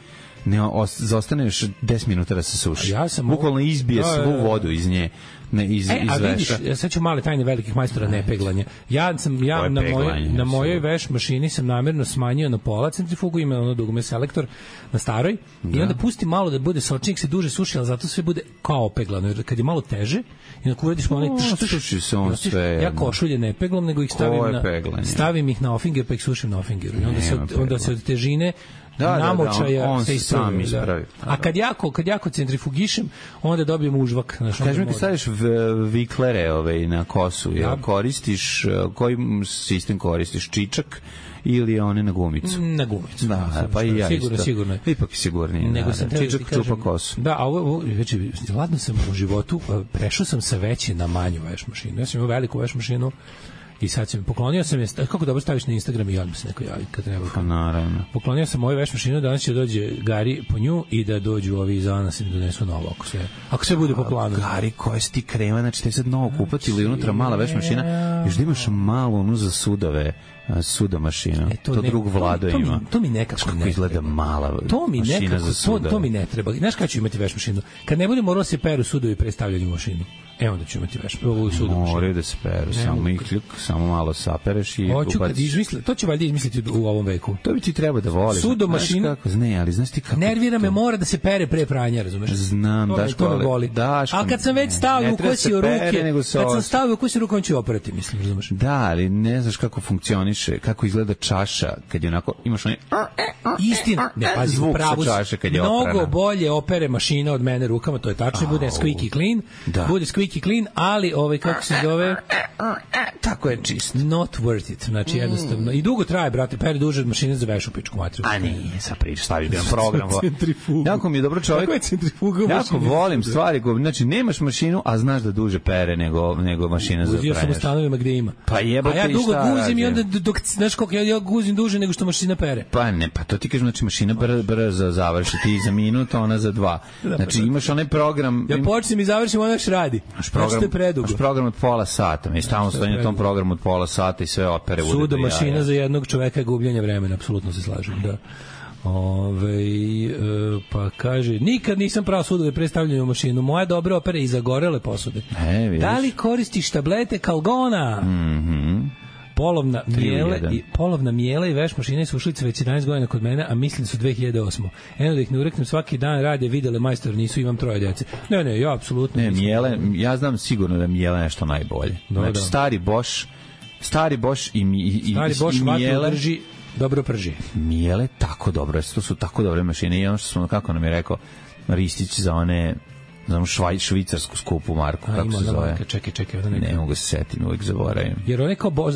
ne zostaneš deset minuta da se suši. Ja sam bukvalno izbije svu vodu iz nje, ne iz e, iz veša. A vidiš, ja sad ću male tajne velikih majstora nepeglanja. Ja sam ja na mojoj na mojoj veš mašini sam namerno smanjio na pola centrifugu, ima ono dugme selektor na staroj da. I onda pustim malo da bude sočnik se duže suši, al zato sve bude kao opeglano. Jer kad je malo teže i na uradiš onaj suši se on sve. Ja košulje ne peglam, nego ih stavim na peglanje. Stavim ih na ofinger pa ih sušim na ofingeru. I onda se onda se od težine da, namočaja da, da, on, on se sam ispravi. Da. A kad jako, kad jako centrifugišem, onda dobijem užvak. Kaži mi kad staviš viklere ove, na kosu, ja. Koristiš, koji sistem koristiš? Čičak ili one na gumicu? Na gumicu. Da, da pa i ja sigurno, isto. Sigurno, sigurno. Ipak je sigurnije. Nego da, sam da. Čičak čupa kosu. Da, a ovo, već, ladno sam u životu, prešao sam sa veće na manju veš mašinu. Ja sam imao veliku veš mašinu, i sad sam poklonio sam je, kako dobro staviš na Instagram i odmah se neko javi kad treba. Pa naravno. Poklonio sam moju veš mašinu, danas će dođe Gari po nju i da dođu ovi iz Anas i da donesu novo ako sve. Ako sve bude po planu. Gari, koje si ti krema, znači te sad novo kupati ili unutra mala veš mašina, još da imaš malo onu za sudove, suda mašina. E, to to ne, drug Vlado to, to ima. Mi, to mi nekako kako ne izgleda treba. Mala to mi mašina nekako, za sudove. To, to mi ne treba. Znaš kada ću imati veš mašinu? Kad ne bude moralo se peru sudovi pre stavljanja u mašinu. E onda ću imati veš. Ovu sudu mašinu. Moraju da se peru, ne, samo ikljuk, samo malo sapereš i hoću kad izmisli, to će valjda izmisliti u ovom veku. To bi ti treba da voliš. Sudo mašinu. Ne, ali znaš ti kako. Nervira me, mora da se pere pre pranja, razumeš? Znam, Daško, to me voli. Daško. A kad sam već stavio u kosi ruke, kad sam stavio u kosi ruke, on će operati, mislim, razumeš? Da, ali ne znaš kako funkcioniše, kako izgleda čaša kad je onako imaš onaj istina, ne pazi, zvuk pravo sa čaše kad je mnogo oprana. Bolje opere mašina od mene rukama, to je tačno, bude squeaky clean, da. Bude squeaky clean, ali ovaj kako se zove, tako je čist. Not worth it, znači jednostavno. I dugo traje, brate, pere duže od mašine za vešu pičku materiju. A nije, sa priča, staviš jedan program. Centrifugu. Jako mi je dobro čovjek. Kako je centrifuga? Jako volim stvari, znači nemaš mašinu, a znaš da duže pere nego, nego mašina za pranje. Ja sam u stanovima gde ima. Pa jebote, a ja dugo guzim i onda, dok, znaš koliko, ja, ja guzim duže nego što mašina pere. Pa ne, pa to ti kažem, znači mašina brzo br završi, ti za minut, ona za dva. Znači imaš onaj program... Ja počnem i završim, ona još radi. Naš program, naš program od pola sata, mi stalno stojimo na tom programu od pola sata i sve opere. Sudo mašina ja. Za jednog čoveka je gubljenje vremena, apsolutno se slažem, da. Ove, e, pa kaže, nikad nisam pravo sudove predstavljaju mašinu, moja dobra opera i zagorele posude. E, da li koristiš tablete Kalgona? Mhm. Polovna mijele i polovna mijela i veš mašine su ušlice već jedanaest godina kod mene, a mislim su dve hiljade osme. Eno da ih ne ureknem, svaki dan rade, videle majstor, nisu, imam troje djece. Ne, ne, ja apsolutno ne, mijele, ja znam sigurno da mijela nešto najbolje. Do, znači, da. stari Bosch, stari Bosch i, i, i, stari Bosch i mijele, drži, dobro prži. Mijele tako dobro, to su tako dobre mašine i ono što smo, kako nam je rekao Ristić za one znam švaj, švicarsku skupu marku, a, kako se zove. Marka, čekaj, čekaj, ona neka. Ne mogu se setiti, uvijek zaboravim. Jer on je kao Bož,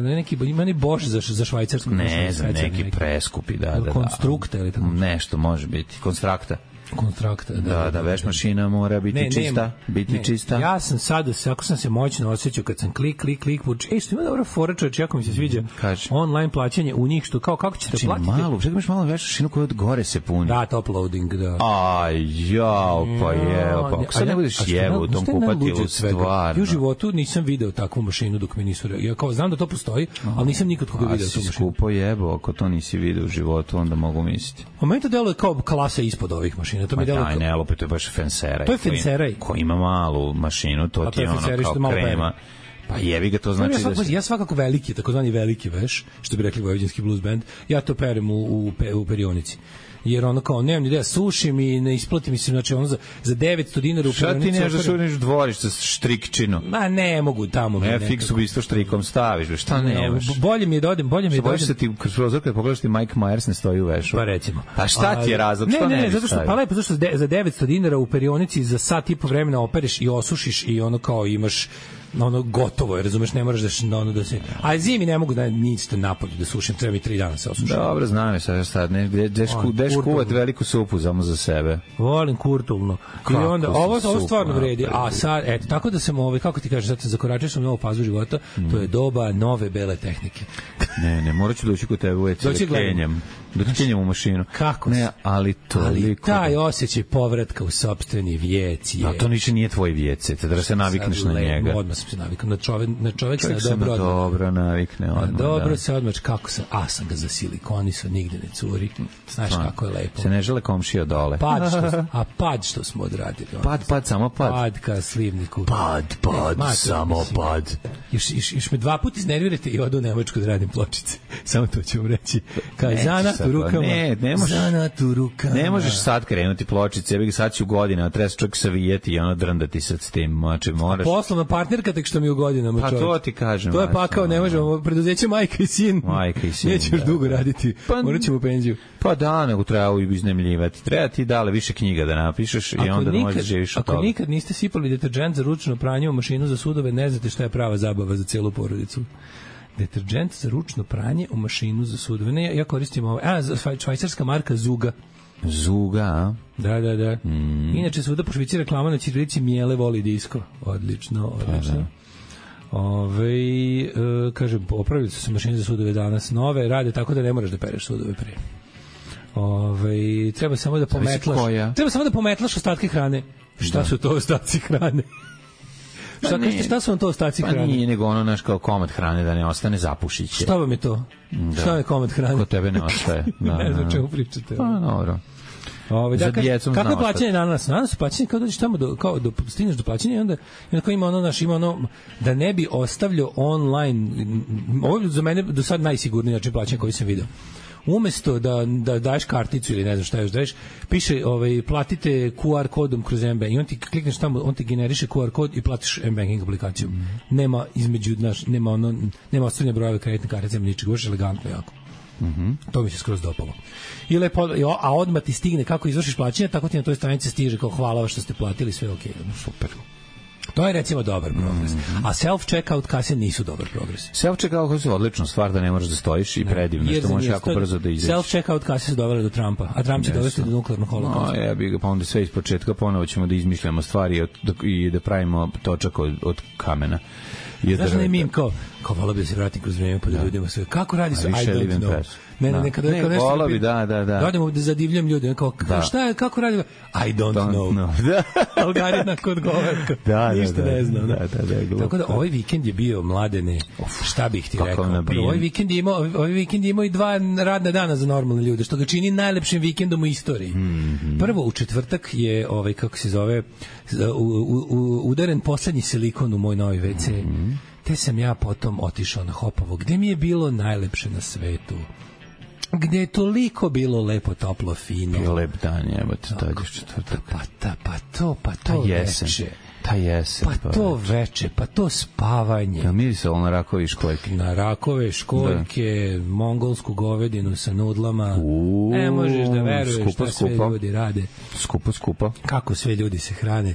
neki, ima ni Bož za, za švajcarsku. Ne, za neki, neki preskupi, da, da, da. Konstrukta ili tako? Nešto može biti, konstrakta. Konstrakta, da, da, da, veš mašina mora biti ne, čista, nema, biti ne. čista. Ja sam sad, ako sam se moćno osjećao kad sam klik, klik, klik, ej, što ima dobra fora, čovječ, jako mi se sviđa Kaži. online plaćanje u njih, što kao, kako ćete znači, platiti? Malo, čekaj, imaš malo veš mašinu koja od gore se puni. Da, top loading, da. Aj, jao, pa je, pa ako sad ne budeš jevo u tom kupatilu, stvarno. Ja u životu nisam video takvu mašinu dok mi nisu, ja kao znam da to postoji, ali nisam nikad koga video tu mašinu. A si skupo jebo, ako to nisi video u životu, onda mogu misliti. A meni to deluje kao klasa ispod ovih mašina. To mi deluje kao... ne, opet to je baš fenseraj. To je fenseraj. Ko ima malu mašinu, to ti je ono kao krema. Pa jebi ga, to znači ja svakako, da si... ja svakako veliki, takozvani veliki veš, što bi rekli vojvođanski blues band, ja to perem u, u, u perionici. Jer ono kao, nemam ni ideja, sušim i ne isplati mi se, znači ono za, za devetsto dinara u perionici. Šta ti neš da šuriš dvorište sa štrikčinom? Ma ne mogu tamo. Ne, fiksu bi isto štrikom staviš, šta nemaš? No, bolje mi je da odem, bolje mi je da odem. Se ti kroz prozor kad pogledaš ti Mike Myers ne stoji u vešu. Pa recimo. Pa šta ti je razlog, što ne? Ne, ne, zato što, pa lepo, zato što za devetsto dinara u perionici za sat i po vremena opereš i osušiš i ono kao imaš ono gotovo je, razumeš, ne moraš da ono da se. A zimi ne mogu da nič te napolju da sušim, treba mi tri dana se osušim. Dobro, znam je sad šta, ne, deš deš kuvat veliku supu samo za sebe. Volim kurtulno. I onda ovo ovo stvarno vredi. A sad eto, tako da sam ovaj kako ti kažeš, sad zakoračio sam novu fazu života, mm. to je doba nove bele tehnike. Ne, ne, morat ću doći kod tebe u E C kenjem. Doćenjem u mašinu. Kako? Ne, ali to ali taj osjećaj povratka u sopstveni vijec je. A to niče nije tvoj vijec, da se navikneš sad, na njega. Odmah sam se navikao na čovjek, na čovjek, čovjek se dobro, dobro navikne odmah. Dobro da. se odmah, kako sam, a sam ga zasilikonisao, nigde ne curi. Znaš Svan. Kako je lepo. Se ne žele komšija dole. Pad što, a pad što smo odradili. Pad, pad, samo pad. Pad ka slivniku. Pad, pad, ne, samo mislim, pad. Još, još, još me dva puta iznervirate i odu u Nemačku da radim pločice. Samo to ću vam reći. Kao zanat u rukama. Ne, ne možeš. Zanat u rukama. Ne možeš sad krenuti pločice, jebi ga sad ću godina, treba se čovjek savijeti i ono drndati sad s tim. Znači, moraš. A poslovna partnerka tek što mi u godinama čovjek. Pa to ti kažem. To je pakao, ne možemo, preduzeće majka i sin. Majka i sin. Neće još da, dugo da. raditi. Pa, morat ćemo u penziju. Pa da, nego treba iznajmljivati. Treba ti dale više knjiga da napišeš ako i onda nikad, možeš živiš od toga. Ako nikad niste sipali deterđent za ručno pranje u mašinu za sudove, ne znate šta je prava zabava za celu porodicu. Deterđent za ručno pranje u mašinu za sudove. Ne, ja koristim ovo. A, švajcarska marka Zuga. Zuga, a? Da, da, da. Mm. Inače, svuda po Švici reklama na ćirilici Mijele voli disko. Odlično, odlično. Da, da. Ove, e, kaže, opravili su se mašine za sudove danas nove, rade tako da ne moraš da pereš sudove prije. Ove, treba samo da pometlaš. Treba samo da pometlaš ostatke hrane. Šta da. Su to ostaci hrane? Pa šta, kažete, šta su vam to ostaci pa hrane? Pa nije nego ono naš kao komad hrane da ne ostane zapušiće. Šta vam je to? Da. Šta je komad hrane? Kod tebe ne ostaje. Da, ne znam čemu pričate. Pa dobro. Ove, da, kako, kako je plaćanje danas? Danas plaćanje kao dođeš tamo do, kao do, stigneš do plaćanja i onda, i onda ima ono naš, ima ono da ne bi ostavljao online, ovo je za mene do sad najsigurniji način plaćanja koji sam video. Umesto da, da daješ karticu ili ne znam šta još daješ, piše ovaj, platite Q R kodom kroz M-Bank i on ti klikneš tamo, on ti generiše Q R kod i platiš M-Banking aplikaciju. Mm. Nema između, naš, nema ono, nema ostavljanja brojeva kreditne kartice, nema ničeg, još elegantno jako. Mhm. To mi se skroz dopalo. I lepo, a odmah ti stigne kako izvršiš plaćanje, tako ti na toj stranici stiže kao hvala što ste platili, sve okej. Okay. Super. To je recimo dobar progres. Mm-hmm. A self-checkout kase nisu dobar progres. Self-checkout kase su odlična stvar da ne moraš da stojiš i predivno, što možeš jako brzo da izađeš. Self-checkout kase su dovele do Trumpa, a Trump će dovesti do nuklearnog holokausta. No, ja bih ga, pa onda sve iz početka ponovo ćemo da izmišljamo stvari i da pravimo točak od, od kamena. Znaš da ne mim kao, kao volao bi da se vratim kroz vreme pa da ljudima sve. Kako radi se? I don't know. Ne, ne, nekada ne, ne, volao bi, da, da, da. Radimo da zadivljam ljude, kao, da. Šta je, kako radi? I don't, don't know. know. Da. Algarina kod govorka. Da, ništa da, da, ne znam. Da, da, da, da, tako da ovaj vikend je bio, Mladene, šta bih ti rekao? Prvo, ovaj vikend je imao, ovaj vikend je imao i dva radna dana za normalne ljude, što ga čini najlepšim vikendom u istoriji. Mm -hmm. Prvo, u četvrtak je, ovaj, kako se zove, u, u, u, udaren poslednji silikon u moj novi ve ce. Mm -hmm. Te sam ja potom otišao na Hopovo, gde mi je bilo najlepše na svetu. Gde je toliko bilo lepo, toplo, fino. Bio lep dan, evo te dođeš četvrtak. Pa, ta, pa to, pa to jesen, veče. Ta jesen. Pa, pa to veče. veče, pa to spavanje. Ja mirisalo na rakove i školjke. Na rakove, školjke, da. Mongolsku govedinu sa nudlama. Uuu, ne možeš da veruješ skupo, šta sve skupo. ljudi rade. Skupo, skupo. Kako sve ljudi se hrane.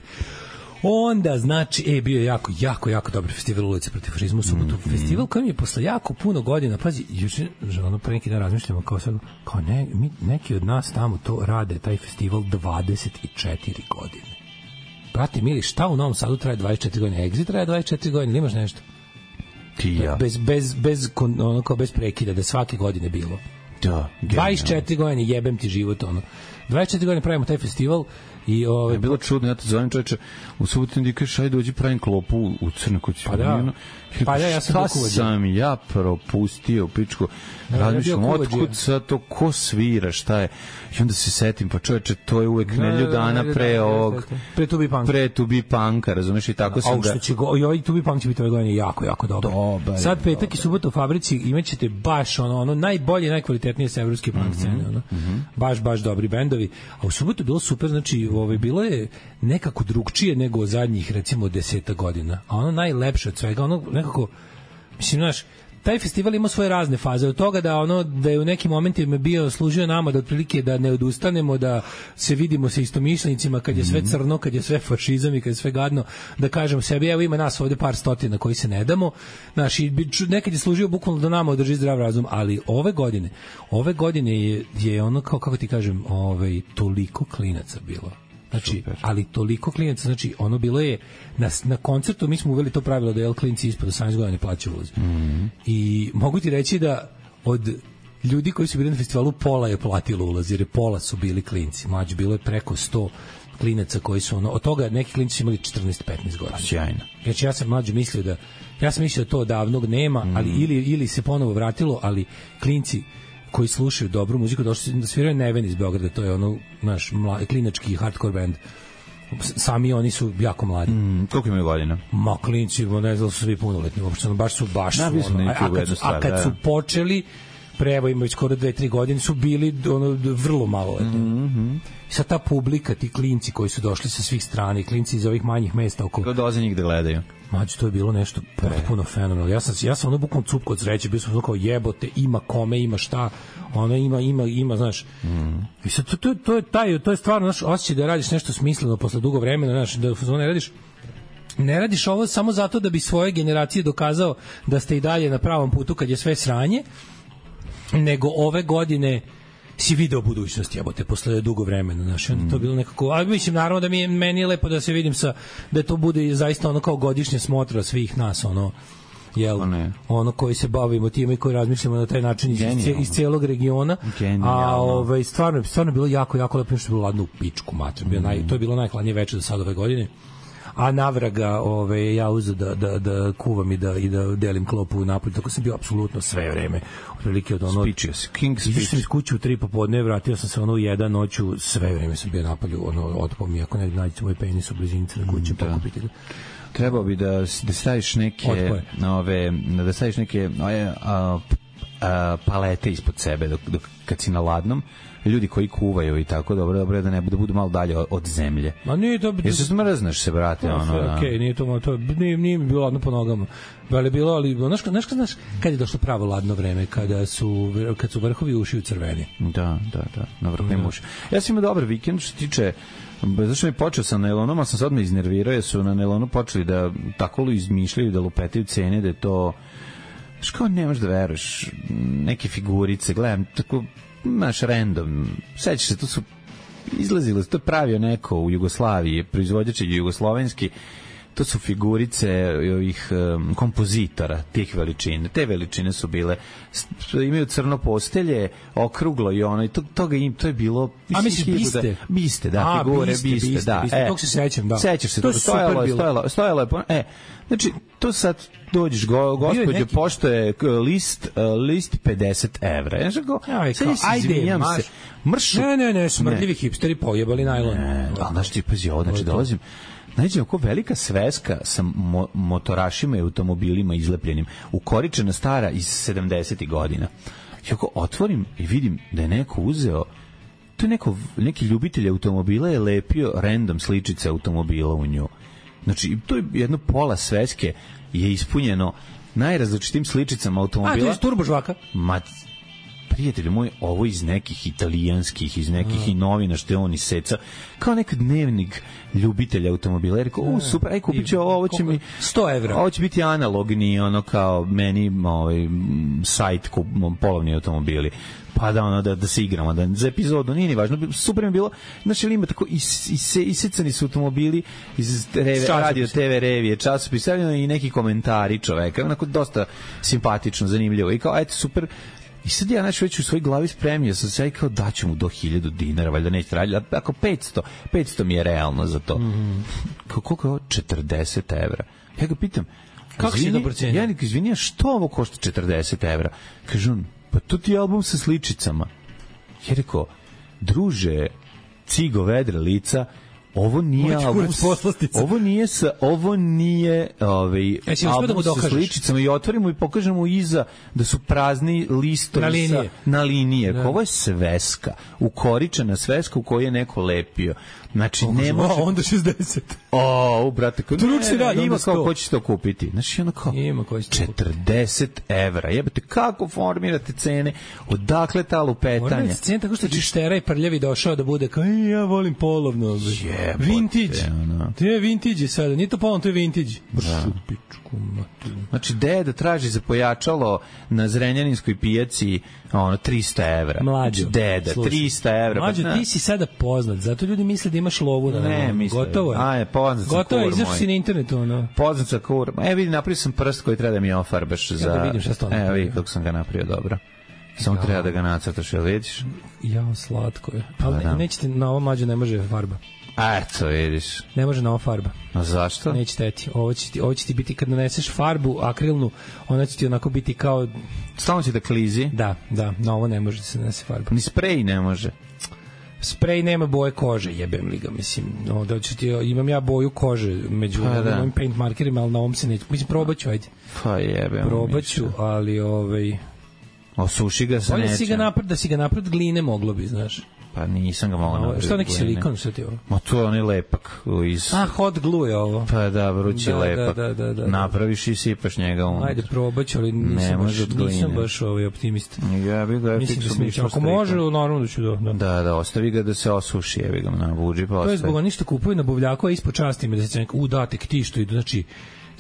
Onda, znači, e, bio je jako, jako, jako dobar festival Ulice protiv fašizma u subotu. Mm-hmm. Festival koji mi je posle jako puno godina, pazi, juče, ono, pre neki dan razmišljamo, kao sad, kao ne, mi, neki od nas tamo to rade, taj festival dvadeset četiri godine. Brate, mili, šta u Novom Sadu traje dvadeset četiri godine? Exit traje dvadeset četiri godine, ili imaš nešto? Ti ja. Bez, bez, bez, ono, kao bez prekida, da svake godine bilo. Da, dvadeset četiri godine, jebem ti život, ono. dvadeset četiri godine pravimo taj festival i ovaj je bilo čudno, ja te zovem čoveče, u subotu mi kažeš ajde dođi pravim klopu u Crnoj Kući. Pa da, pa ja, ja sam šta sam ja propustio u pičku, razmišljam otkud sad to, ko svira, šta je, i onda se setim, pa čoveče, to je uvek nedlju dana pre ovog, pre Tubi Panka, pre Tubi Panka, razumeš, i tako sam da... I ovaj Tubi Punk će biti ove godine jako, jako dobro. Dobar, sad petak i subota u fabrici imaćete baš ono, ono najbolje, najkvalitetnije sa evropske punk scene, ono. Baš, baš dobri bendovi, a u subotu bilo super, znači, ovaj, bilo je nekako drugčije nego zadnjih, recimo, deseta godina, a ono najlepše od svega, ono nekako, mislim, znaš, taj festival ima svoje razne faze, od toga da ono da je u nekim momentima bio služio nama da otprilike da ne odustanemo, da se vidimo sa istomišljenicima kad je sve crno, kad je sve fašizam i kad je sve gadno, da kažemo sebi, evo ima nas ovde par stotina koji se ne damo, znaš, i nekad je služio bukvalno da nama održi zdrav razum, ali ove godine, ove godine je, je ono kao, kako ti kažem, ovaj, toliko klinaca bilo. Znači, super. Ali toliko klinaca, znači ono bilo je na, na koncertu mi smo uveli to pravilo da je klinci ispod osamnaest godina ne plaćaju ulaz. Mm-hmm. I mogu ti reći da od ljudi koji su bili na festivalu pola je platilo ulaz, jer je pola su bili klinci. Mlađe bilo je preko sto klinaca koji su ono, od toga neki klinci su imali četrnaest petnaest godina. Sjajno. Znači ja sam mlađe mislio da ja sam mislio da to davnog nema, mm. ali ili ili se ponovo vratilo, ali klinci koji slušaju dobru muziku, došli da sviraju Neven iz Beograda, to je ono naš mladi, klinački hardcore band. Sami oni su jako mladi. Mm, koliko imaju godina? Ma klinci, ne znam, su svi punoletni, uopšte, baš su baš da, su, ono, a, a kad, su, a kad su počeli, pre evo imaju skoro dve tri godine, su bili ono, vrlo maloletni. Mm-hmm. Sad ta publika, ti klinci koji su došli sa svih strana, klinci iz ovih manjih mesta oko... Kako dolaze njih da gledaju? Mađe, to je bilo nešto potpuno fenomenalno. Ja sam, ja sam ono bukvalno cupko od sreće, bio sam kao jebote, ima kome, ima šta, ono ima, ima, ima, znaš. Mm. I sad, to, to, to, je taj, to je stvarno, znaš, osjećaj da radiš nešto smisleno posle dugo vremena, znaš, da ne radiš ne radiš ovo samo zato da bi svoje generacije dokazao da ste i dalje na pravom putu kad je sve sranje, nego ove godine si video budućnost, jebote, posle dugo vremena, znaš, onda to je bilo nekako, a mislim, naravno da mi je, meni je lepo da se vidim sa, da to bude zaista ono kao godišnje smotra svih nas, ono, jel, ono koji se bavimo time i koji razmišljamo na taj način iz, iz cijelog regiona. Genijalno. A ovaj, stvarno, stvarno je bilo jako, jako lepo, što je bilo ladno u pičku, mater, bio naj, to je bilo najhladnije večer do sad ove godine. A navraga, ove, ja uzeo da, da, da kuvam i da, i da delim klopu u napolju, tako sam bio apsolutno sve vreme. Otprilike od ono... Speeches, King speech. Izašao sam iz kuće u tri popodne, vratio sam se ono u jedan noću, sve vreme sam bio napolju, ono, otpao mi, ako nekada nađete moj penis u blizinici na kuće, da. Pokupite ga. Trebao bi da, da staviš neke, ove, da staviš neke ove, a, a, palete ispod sebe, dok, dok, kad si na ladnom, ljudi koji kuvaju i tako, dobro, dobro da ne budu, budu malo dalje od zemlje. Ma nije to... Jer se smrzneš se, brate, ono, da. Okej, okay, nije to, to nije, nije mi bilo ladno po nogama. Veli bilo, ali, znaš, znaš, znaš, kad je došlo pravo ladno vreme, kada su, kad su vrhovi uši u crveni. Da, da, da, na vrhovim da. Uši. Ja sam imao dobar vikend, što tiče, zašto mi počeo sam na Elonom, a sam sad me iznervirao, jer su na Elonu počeli da tako lu izmišljaju, da lupetaju cene, da je to, znaš, kao nemaš da veruješ, neke figurice, gledam, tako, naš random, sećaš se, to su izlazilo, to je pravio neko u Jugoslaviji, proizvođač je jugoslovenski, to su figurice ovih um, kompozitora tih veličine, te veličine su bile, imaju crno postelje, okruglo i ono, i to, toga im, to je bilo... A misliš biste? Biste, da, A, figure, biste, biste, biste, da. Biste, e, tog se sećam, da. Sećaš se, to to stojalo je, stojalo, stojalo je, e, znači, to sad dođeš, go, gospođo, pošto je list, list pedeset evra. Ja go, ja, kao, ajde, se, mršu. Ne, ne, ne, smrdljivi ne. Hipsteri pojebali najlon. Ne, ali znaš ti, pazi, ovo, znači, dolazim, znači, oko velika sveska sa mo, motorašima i automobilima izlepljenim, ukoričena stara iz sedamdesetih godina. I ako otvorim i vidim da je neko uzeo, to je neko, neki ljubitelj automobila je lepio random sličice automobila u nju. Znači, to je jedno pola sveske je ispunjeno najrazličitim sličicama automobila. A, to je turbo žvaka? Ma, pa prijatelju moj, ovo iz nekih italijanskih, iz nekih i novina što je on iseca, kao nek dnevnik ljubitelja automobila. Rekao, u, super, aj kupit ću ovo, ovo će mi... sto evra. Ovo će biti analogni, ono kao meni ovaj, sajt kup, polovni automobili. Pa da, ono, da, da se igramo, da za epizodu, nije ni važno, super mi bilo, znači ili ima tako is, is, isecani su automobili iz reve, radio, te ve revije, časopis, i neki komentari čoveka, onako dosta simpatično, zanimljivo, i kao, eto, super. I sad ja znači već u svojoj glavi spremio sam se i kao daću mu do hiljadu dinara, valjda neće raditi, ako petsto, petsto mi je realno za to. Mm-hmm. Kao, koliko je ovo? četrdeset evra. Ja ga pitam, kako si to procenio? Ja nek izvinija, što ovo košta četrdeset evra? Kaže on, pa to ti je album sa sličicama. Ja rekao, druže, cigo vedre lica, ovo nije album, ovo nije sa, ovo nije ovaj, e, album da sa sličicama i otvorimo i pokažemo iza da su prazni listovi na linije. Sa, na linije. Da. Ovo je sveska, ukoričena sveska u kojoj je neko lepio. Znači, o, ne može... O, onda šezdeset. O, brate, kao, ne, ne, radi, ima kao ko će to kupiti. Znači, ono kao, ima ko će četrdeset evra. Jebate, kako formirate cene? Odakle ta lupetanja? Formirate cene tako što čištera i prljavi došao da bude kao, ja volim polovno. Jebote, vintage. Ono. To je vintage sada. Nije to polovno, to je vintage. Da. Znači, deda traži za pojačalo na Zrenjaninskoj pijaci ono, trista evra. Mlađo. Znači, deda, slušaj, trista evra. Mlađo, pa, ti si sada poznat. Zato ljudi misle da imaš lovu na ne, misle. Gotovo je. A, je, poznat sam Gotovo kur je, izašao si na internetu, ono. Poznat sam kur. E, vidi, napravio sam prst koji treba da mi ofarbaš za... Ja da vidim šta sto. E, vidi kako sam ga napravio dobro. Samo ja. Treba da ga nacrtaš, jel vidiš? Jao, slatko je. Ali pa, nećete, na ovo mlađe ne može farba. A, eto, vidiš. Ne može na ovo farba. A zašto? Neće teti. Ovo će ti, ovo će ti biti, kad naneseš farbu akrilnu, ona će ti onako biti kao... Stalno će da klizi? Da, da. Na ovo ne može da se nanese farba. Ni sprej ne može? Sprej nema boje kože, jebem li ga, mislim. No, da ću ti, imam ja boju kože među pa, da. Mojim paint markerima, ali na ovom se neću. Mislim, probat ću, ajde. Pa jebem. Probat ću, ali ovaj... Osuši ga se neće. Da si ga napred, da si ga napred gline moglo bi, znaš. Pa nisam ga mogao napraviti. Što neki silikon, što ti ovo? Ma to je onaj lepak. Iz... A, hot glue je ovo. Pa da, vrući da, lepak. Da, da, da, da. Napraviš i sipaš njega unutra. Ajde, probat ću, ali nisam, baš, nisam baš ovaj optimist. Ja bih ga mislim da smišao. Ako može, naravno da ću do... Da. da, da, ostavi ga da se osuši, jebi ga na buđi, pa ostavi. To je zbog onih što kupuju na buvljaku, a ispod časti me da se u datek ti što idu, znači...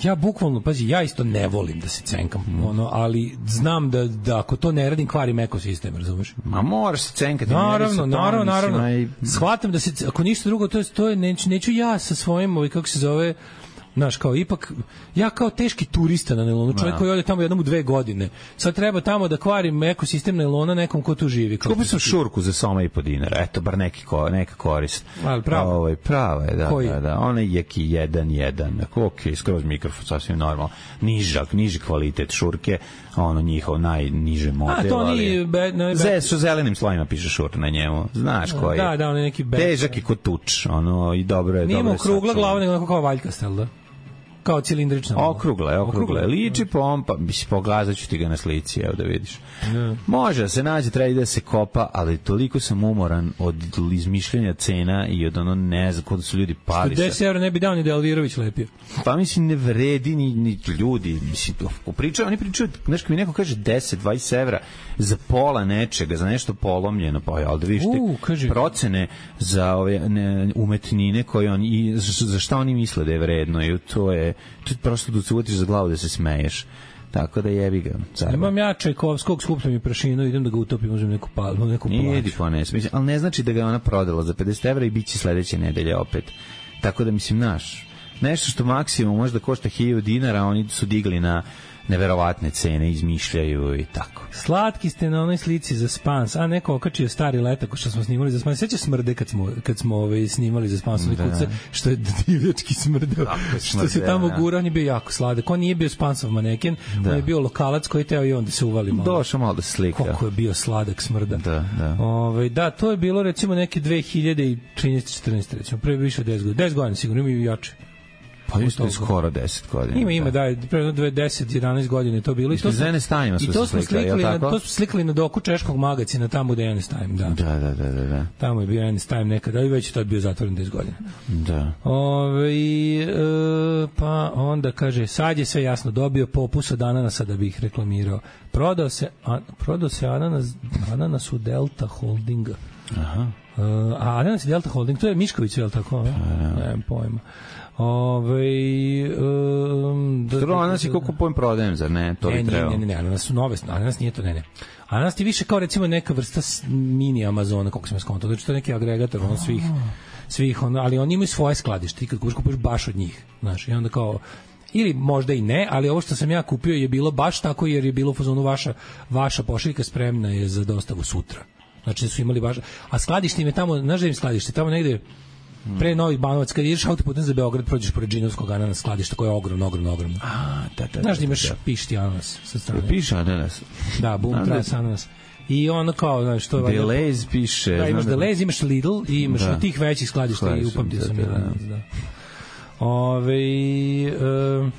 Ja bukvalno, pazi, ja isto ne volim da se cenkam, mm. ono, ali znam da, da ako to ne radim, kvarim ekosistem, razumeš? Ma moraš se cenkati. Naravno, naravno, naravno. I... Shvatam da se, ako ništa drugo, to je, to je neću, neću ja sa svojim, ovaj, kako se zove, znaš, kao ipak, ja kao teški turista na nailonu, čovjek no. koji ode tamo jednom u dve godine, sad treba tamo da kvarim ekosistem nailona nekom ko tu živi. Kupio sam šurku za soma i po dinara, eto, bar neki ko, neka korist. Ali pravo? Ovaj, pravo je, da, koji? da, da, ona je jeki jedan, jedan, ok, skroz mikrofon, sasvim normalno, nižak, niži kvalitet šurke, ono njihov najniže model. A, to nije... Be, ne, be... Sa zelenim slojima piše šur na njemu, znaš koji je. Da, da, on je neki... Be... Težak i kod tuč, ono, i dobro je, nije dobro je. Nije mu krugla glava, nego kao valjkastel, da? Kao cilindrična. Okrugla je, okrugla je. Liči pompa, mislim, pogledaću ti ga na slici, evo da vidiš. Ne. Može da se nađe, treba da se kopa, ali toliko sam umoran od izmišljenja cena i od ono, ne znam, kod su ljudi pali. deset evra ne bi dao ni da Elvirović lepio. Pa mislim, ne vredi ni, ni ljudi. Mislim, pričaju, oni pričaju, znaš, kad mi neko kaže deset dvadeset evra za pola nečega, za nešto polomljeno, pa ja, ali da vidiš te procene za ove ne, umetnine koje oni, i za šta oni misle da je vredno i to je tu prosto da se uvatiš za glavu da se smeješ. Tako da jebi ga. Zarba. Imam ja Čajkovskog, skupljam i prašinu, idem da ga utopim, uzmem neku palmu, neku plaću. Idi po ne, mislim, ali ne znači da ga ona prodala za pedeset evra i bit će sledeće nedelje opet. Tako da, mislim, naš, nešto što maksimum možda košta hiljadu dinara, oni su digli na neverovatne cene, izmišljaju i tako. Slatki ste na onoj slici za Spans, a neko okačio stari letak što smo snimali za Spans. Seća smrde kad smo, kad smo ovaj, snimali za Spans, da. Kuce, što je divljački smrdeo, što se tamo gura, on je bio jako sladak. On nije bio Spansov maneken, da. On je bio lokalac koji teo i on da se uvali malo. Došao malo da slika. Koliko je bio sladak smrda. Da, da. Ove, da, to je bilo recimo neke dve hiljade trinaeste četrnaeste recimo, pre više od deset godina. deset godina sigurno, imaju jače. Pa isto je skoro deset godina. Ima, ima, da, pre deset jedanaest godina je to bilo. I to Zene Stanjima su se slikali, na, to smo slikali na doku češkog magazina, tamo gde je Ene Stajm, da. Da, da, da, da. Tamo je bio Ene Stajm nekada, i već je tad bio zatvoren deset godina. Da. Ove, e, pa onda kaže, sad je sve jasno, dobio popus od ananasa da bi ih reklamirao. Prodao se, a, prodao se ananas, ananas u Delta Holdinga. Aha. Uh, a ananas i Delta Holding, to je Mišković, je li tako? Ne, nemam pojma. Ove, um, da, ananas je koliko pojem prodajem, zar ne? To ne, bi trebao. Ne, ne, ne, ananas su nove, ananas nije to, ne, ne. Ananas ti više kao recimo neka vrsta mini Amazona, kako sam ja skontao, znači to je neki agregator ono svih, svih ono, ali oni imaju svoje skladište, ti kad kupiš baš od njih, znaš, i onda kao, ili možda i ne, ali ovo što sam ja kupio je bilo baš tako, jer je bilo u fazonu vaša, vaša pošiljka spremna je za dostavu sutra. Znači da su imali baš, a skladište im je tamo, znaš da im skladište, tamo negde pre Novih Banovac, kad ideš autoputem za Beograd, prođeš pored Džinovskog ananas skladišta koje je ogromno, ogromno, ogromno. A, da, da, znaš da imaš pišti ananas sa strane. Piše ananas? Da, boom, tras ananas. I ono kao, znaš, to je... Deleuze piše. Da, imaš Deleuze, imaš Lidl i imaš da. Tih većih skladišta i upamtio sam jedan ananas, da. Ove, um,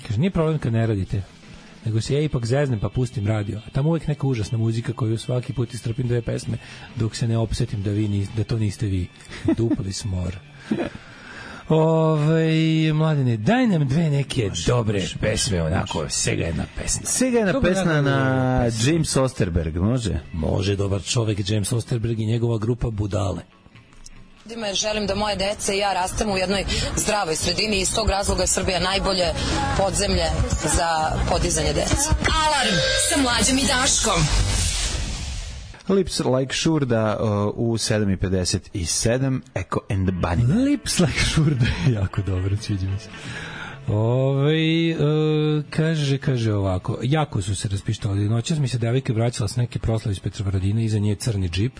kaže, nije problem kad ne radite, nego se ja ipak zeznem pa pustim radio. A tamo uvijek neka užasna muzika koju svaki put istrpim dve pesme dok se ne opsetim da, vi nis, da to niste vi. Dupli smor. Ove, mladine, daj nam dve neke može, dobre može, pesme, onako, može. Sega jedna pesma. Sega jedna pesma na, na James Osterberg, može? Može, dobar čovek, James Osterberg i njegova grupa Budale. Jer želim da moje dece i ja rastemo u jednoj zdravoj sredini i iz tog razloga je Srbija najbolje podzemlje za podizanje dece. Alarm sa Mlađom i Daškom. Lips Like Šurda uh, u sedam i pedeset sedam, Echo and the Bunny. Lips Like Šurda, jako dobro, sviđa mi se. Ove, uh, kaže, kaže ovako, jako su se raspištali. Noćas mi se devojka vraćala s neke proslave iz Petrovaradina, iza nje crni džip.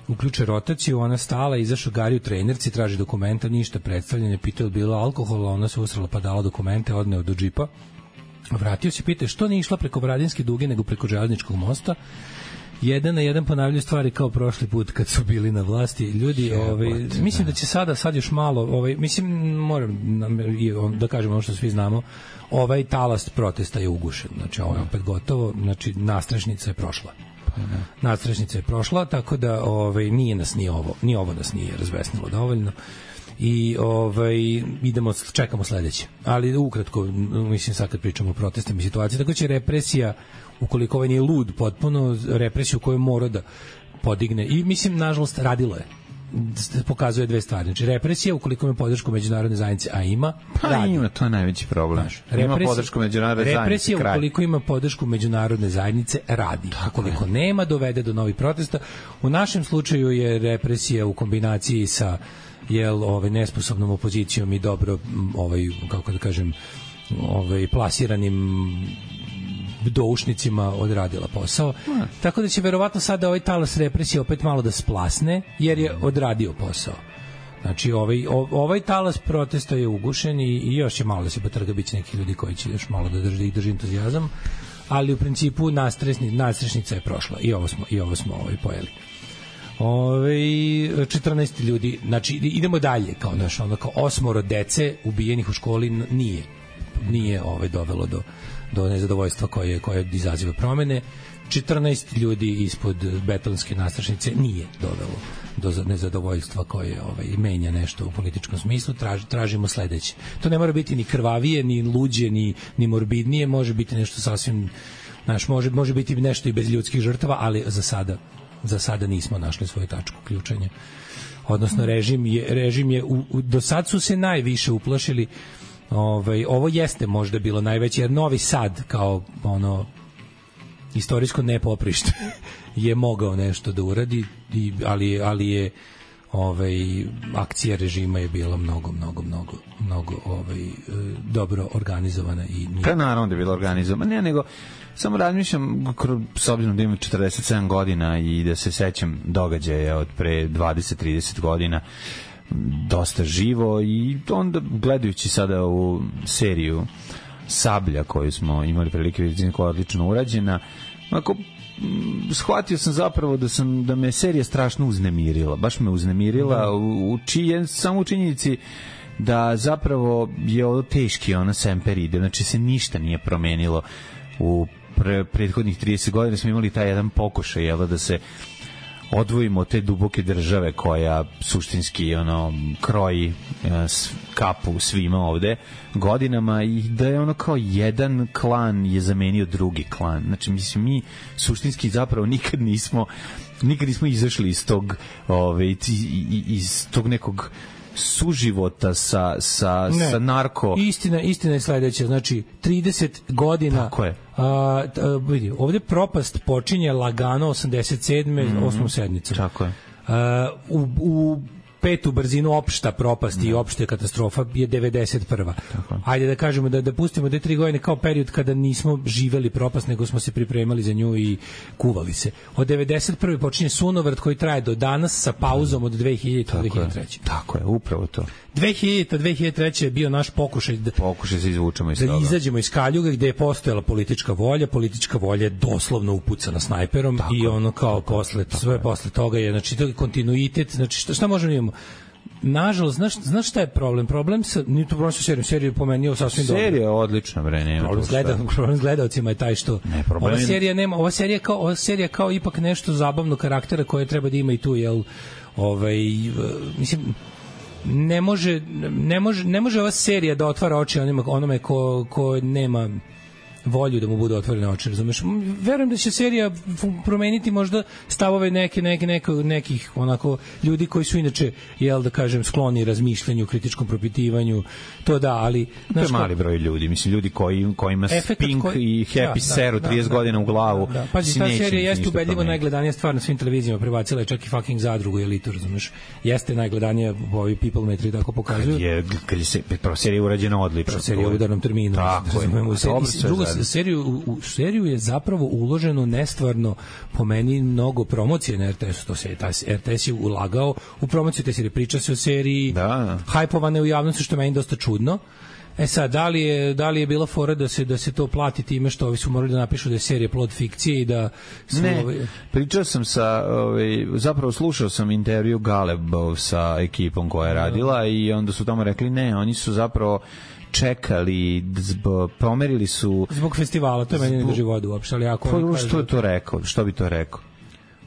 Uključe rotaciju, ona stala, izašao Gari u trenerci, traži dokumenta, ništa predstavljanje, pitao je bilo alkohola, ona se usrala pa dala dokumente, odneo do džipa. Vratio se, pita što nije išla preko Bradinske duge nego preko železničkog mosta. Jedan na jedan ponavljaju stvari kao prošli put kad su bili na vlasti. Ljudi, ovaj, mislim da će sada, sad još malo, ovaj, mislim, moram da kažem ono što svi znamo, ovaj talas protesta je ugušen. Znači, ovo je opet gotovo, znači, nastrešnica je prošla. Nadstrešnica je prošla, tako da ovaj nije nas ni ovo, ni ovo nas nije razbesnilo dovoljno. I ovaj idemo, čekamo sledeće. Ali ukratko, mislim sad kad pričamo o protestima i situaciji, tako će represija, ukoliko ovaj nije lud potpuno, represiju koju mora da podigne. I mislim, nažalost, radilo je. Pokazuje dve stvari. Znači, represija, ukoliko ima podršku međunarodne zajednice, a ima, pa radi. Ima, to je najveći problem. Znaš, ima podršku međunarodne zajednice, represija, ukoliko ima podršku međunarodne zajednice, radi. Ukoliko nema, dovede do novih protesta. U našem slučaju je represija u kombinaciji sa jel, ovaj, nesposobnom opozicijom i dobro, ovaj, kako da kažem, ovaj, plasiranim doušnicima odradila posao. Hmm. Tako da će verovatno sada ovaj talas represije opet malo da splasne, jer je odradio posao. Znači, ovaj, ovaj talas protesta je ugušen i, i još je malo da se potrga, bit će neki ljudi koji će još malo da drži, drži entuzijazam, ali u principu nastresni, nastrešnica je prošla i ovo smo, i ovo smo ovaj, pojeli. Ove, četrnaest ljudi, znači idemo dalje, kao naš, ono, kao osmoro dece ubijenih u školi nije, nije ovaj, dovelo do do nezadovoljstva koje, koje izaziva promene. četrnaest ljudi ispod betonske nastrašnice nije dovelo do nezadovoljstva koje ovaj, menja nešto u političkom smislu. Traž, tražimo sledeće. To ne mora biti ni krvavije, ni luđe, ni, ni morbidnije, može biti nešto sasvim, znaš, može, može biti nešto i bez ljudskih žrtava, ali za sada, za sada nismo našli svoju tačku ključanja. Odnosno, režim je, režim je u, u, do sad su se najviše uplašili. Ovaj, ovo jeste možda bilo najveće, jer Novi Sad kao ono istorijsko nepoprište je mogao nešto da uradi, i, ali, ali je ovaj, akcija režima je bila mnogo, mnogo, mnogo, mnogo ovaj, dobro organizovana. I nije... Pa naravno da je bila organizovana, ne, nego samo razmišljam, s obzirom da imam četrdeset sedam godina i da se sećam događaja od pre dvadeset trideset godina, dosta živo, i onda gledajući sada u seriju Sablja koju smo imali prilike vidjeti, koja je odlično urađena, ako shvatio sam zapravo da sam da me serija strašno uznemirila, baš me uznemirila u, u čije, samo u činjenici da zapravo je ovo teški ona semper ide, znači se ništa nije promenilo u pre, prethodnih trideset godina. Smo imali taj jedan pokušaj, jel, da se odvojimo te duboke države koja suštinski ono kroji kapu svima ovde godinama i da je ono kao jedan klan je zamenio drugi klan. Znači, mislim, mi suštinski zapravo nikad nismo nikad nismo izašli iz tog ove, iz tog nekog suživota sa, sa, ne, sa narko. Istina, istina je sledeća, znači trideset godina. Tako je. A, a, vidi, ovde propast počinje lagano osamdeset sedme Mm-hmm. osmom sednicom. Tako je. A, u, u petu brzinu opšta propast i opšta katastrofa je devedeset prva Tako. Ajde da kažemo da da pustimo da tri godine kao period kada nismo živeli propast, nego smo se pripremali za nju i kuvali se. Od devedeset prve počinje sunovrat koji traje do danas sa pauzom od dve hiljadite do dve hiljade treće Tako je, upravo to. dve hiljadite do dve hiljade treće je bio naš pokušaj da pokušaj se izvučemo iz da toga. Da izađemo iz kaljuga gde je postojala politička volja, politička volja je doslovno upucana snajperom tako, i ono kao tako, posle tako sve je. Posle toga je, znači to je kontinuitet, znači šta, šta možemo imamo? Nažalost, znaš, znaš šta je problem? Problem sa, nije to problem sa serijom, seriju pomenio sasvim dobro. Serija je odlična, bre, nema problem s gleda, problem s gledalcima je taj što ne, problem... ova serija nema, ova serija kao, ova serija kao ipak nešto zabavno karaktera koje treba da ima i tu, jel, ovaj, mislim, ne može, ne može, ne može ova serija da otvara oči onima, onome ko, ko nema volju da mu bude otvorene oči, razumeš? Verujem da će serija promeniti možda stavove neke, neke, neke, nekih onako ljudi koji su inače, jel da kažem, skloni razmišljanju, kritičkom propitivanju, to da, ali... To je mali broj ljudi, mislim, ljudi koji, kojima Pink koji, i Happy da, seru da, trideset da, godina u glavu. Da, da. Pazi, ta serija jeste ubedljivo najgledanija stvar na svim televizijama, prebacila je čak i fucking Zadrugu i Elitu, razumeš? Jeste najgledanija, ovi People Metri tako pokazuju. Kad je, kad je se, prvo serija urađena odlično. Prvo serija u udarnom terminu. Tako je. Drugo, seriju, u, u seriju je zapravo uloženo nestvarno po meni mnogo promocije na er te esu, to se er te es je ulagao u promociju te serije, priča se o seriji, da. hajpovane u javnosti, što meni dosta čudno. E sad, da li je, da li je bila fora da se, da se to plati time što ovi su morali da napišu da je serija plod fikcije i da su ne, ovi... pričao sam sa, ovaj, zapravo slušao sam intervju Galebov sa ekipom koja je radila i onda su tamo rekli ne, oni su zapravo čekali, zbog, pomerili su... Zbog festivala, to je meni ne drži vodu uopšte, ali ako... Pa, što je to rekao? Što bi to rekao?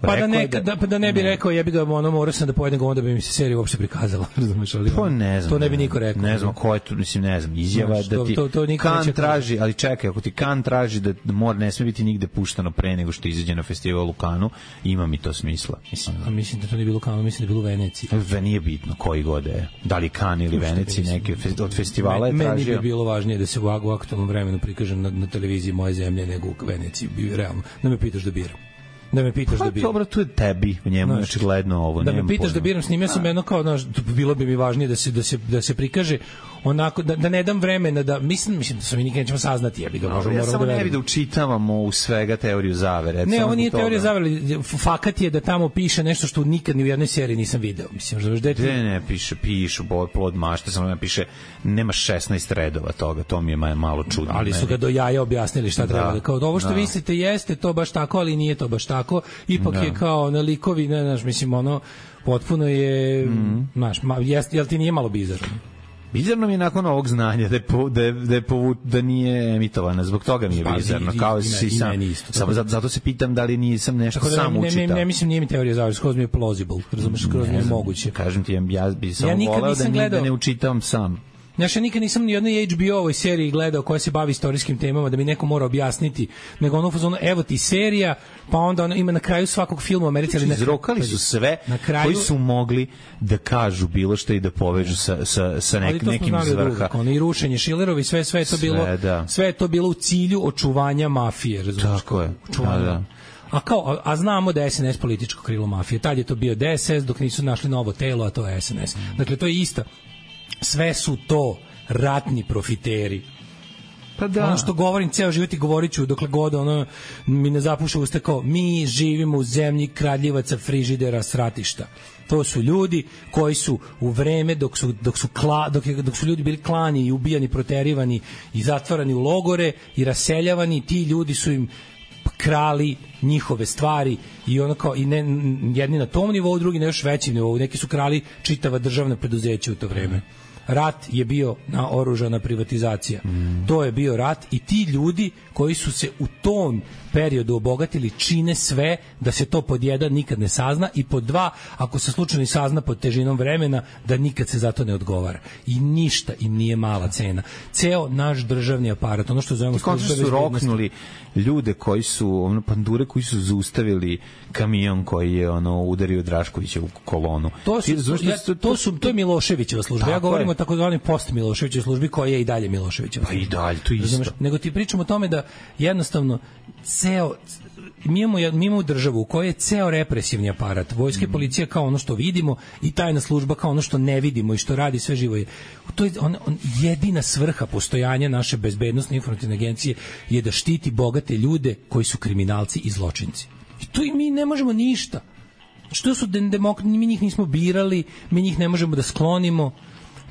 Pa da ne, da, da, da ne bi rekao, jebi ga, ono, morao sam da pojedem ga, onda bi mi se serija uopšte prikazala, razumeš, ali to ne znam, to ne bi niko rekao. Ne znam ko je to, mislim, ne znam, izjava znaš, da ti to, to, to Kan traži, ali čekaj, ako ti Kan traži da mora, ne sme biti nigde puštano pre nego što izađe na festival u Kanu, ima mi to smisla. Mislim, a, a mislim da to nije bilo u Kanu, mislim da je bilo u Veneciji. Ve nije bitno koji god je, da li Kan ili Veneciji, neki od festivala je tražio. Meni bi bilo važnije da se u, u aktualnom vremenu prikaže na, na televiziji moje zemlje nego u Veneciji, realno. Da me pitaš da biram. Da me pitaš pa, da biram. Dobro, tu je tebi, u njemu znači gledno ovo. Da me pitaš pojma. Da biram, snimio sam jedno kao, znaš, bilo bi mi važnije da se, da se, da se prikaže onako, da, da ne dam vremena, da, mislim, mislim da se mi nikad nećemo saznati, jebi ga, možemo, ja moramo samo da ne bi da učitavamo u svega teoriju zavere. Ne, ovo nije teorija zavere, fakat je da tamo piše nešto što nikad ni u jednoj seriji nisam video, mislim, znaš, da je... Ne, ne, piše, piše, plod mašte, samo ne piše, nema šesnaest redova toga, to mi je malo čudno. Ali su ga do jaja objasnili šta treba, da, kao ovo što da. Mislite jeste to baš tako, ali nije to baš tako, ipak da. Je kao na likovi, ne, znaš, mislim, ono, potpuno je, mm. znaš, jel ti nije malo bizarno? Bizarno mi je nakon ovog znanja da je, po, da, je, da, je povu, da nije emitovana, zbog toga mi je bizarno. Kao i, si sam, isto, sam, zato, zato se pitam da li nisam nešto da, sam ne, učitao. Ne, ne, ne mislim, nije mi teorija zavere, skroz mi je plausible, razumeš, skroz mi je moguće. Kažem ti, ja bi samo ja voleo da, gledao, da ne učitavam sam. Znaš, ja nikad nisam ni jednoj H B O-ovoj seriji gledao koja se bavi istorijskim temama da mi neko mora objasniti, nego ono fazonu, evo ti serija, pa onda ono ima na kraju svakog filma u Americi. Ali izrokali su sve kraju, koji su mogli da kažu bilo što i da povežu sa, sa, sa nek, nekim iz vrha. Ono, i rušenje Šilerovi, sve, sve, je to bilo, sve, da. Sve je to bilo u cilju očuvanja mafije, razumiješ? Tako je, da, da. A kao, a, a znamo da je S N S političko krilo mafije. Tad je to bio D S S dok nisu našli novo telo, a to je S N S. Dakle, to je isto. Sve su to ratni profiteri. Pa da. Ono što govorim ceo život i govorit ću dokle god ono mi ne zapuša usta kao mi živimo u zemlji kradljivaca, frižidera, sratišta. To su ljudi koji su u vreme dok su, dok su, kla, dok, je, dok su ljudi bili klani i ubijani, proterivani i zatvarani u logore i raseljavani, ti ljudi su im krali njihove stvari i ono kao i ne, jedni na tom nivou, drugi na još većem nivou. Neki su krali čitava državna preduzeća u to vreme. rat je bio naoružana privatizacija. Mm. To je bio rat i ti ljudi koji su se u tom periodu obogatili čine sve da se to pod jedan nikad ne sazna i pod dva, ako se slučajno sazna pod težinom vremena, da nikad se za to ne odgovara. I ništa im nije mala cena. Ceo naš državni aparat, ono što zovemo službe bezbednosti, su roknuli ljude koji su, ono, pandure koji su zaustavili kamion koji je ono udario Draškovića u kolonu. To su, ja, to su to je Miloševićeva služba. Ja govorim o takozvanoj post Miloševićevoj službi koja je i dalje Miloševićeva. Pa i dalje, to isto. Razumeš? Nego ti pričamo o tome da jednostavno ceo mi imamo, mi imamo državu u kojoj je ceo represivni aparat, vojska i policija kao ono što vidimo i tajna služba kao ono što ne vidimo i što radi sve živo. To je on, on, jedina svrha postojanja naše bezbednosne informativne agencije je da štiti bogate ljude koji su kriminalci i zločinci. I tu i mi ne možemo ništa. Što su demokrati, mi njih nismo birali, mi njih ne možemo da sklonimo.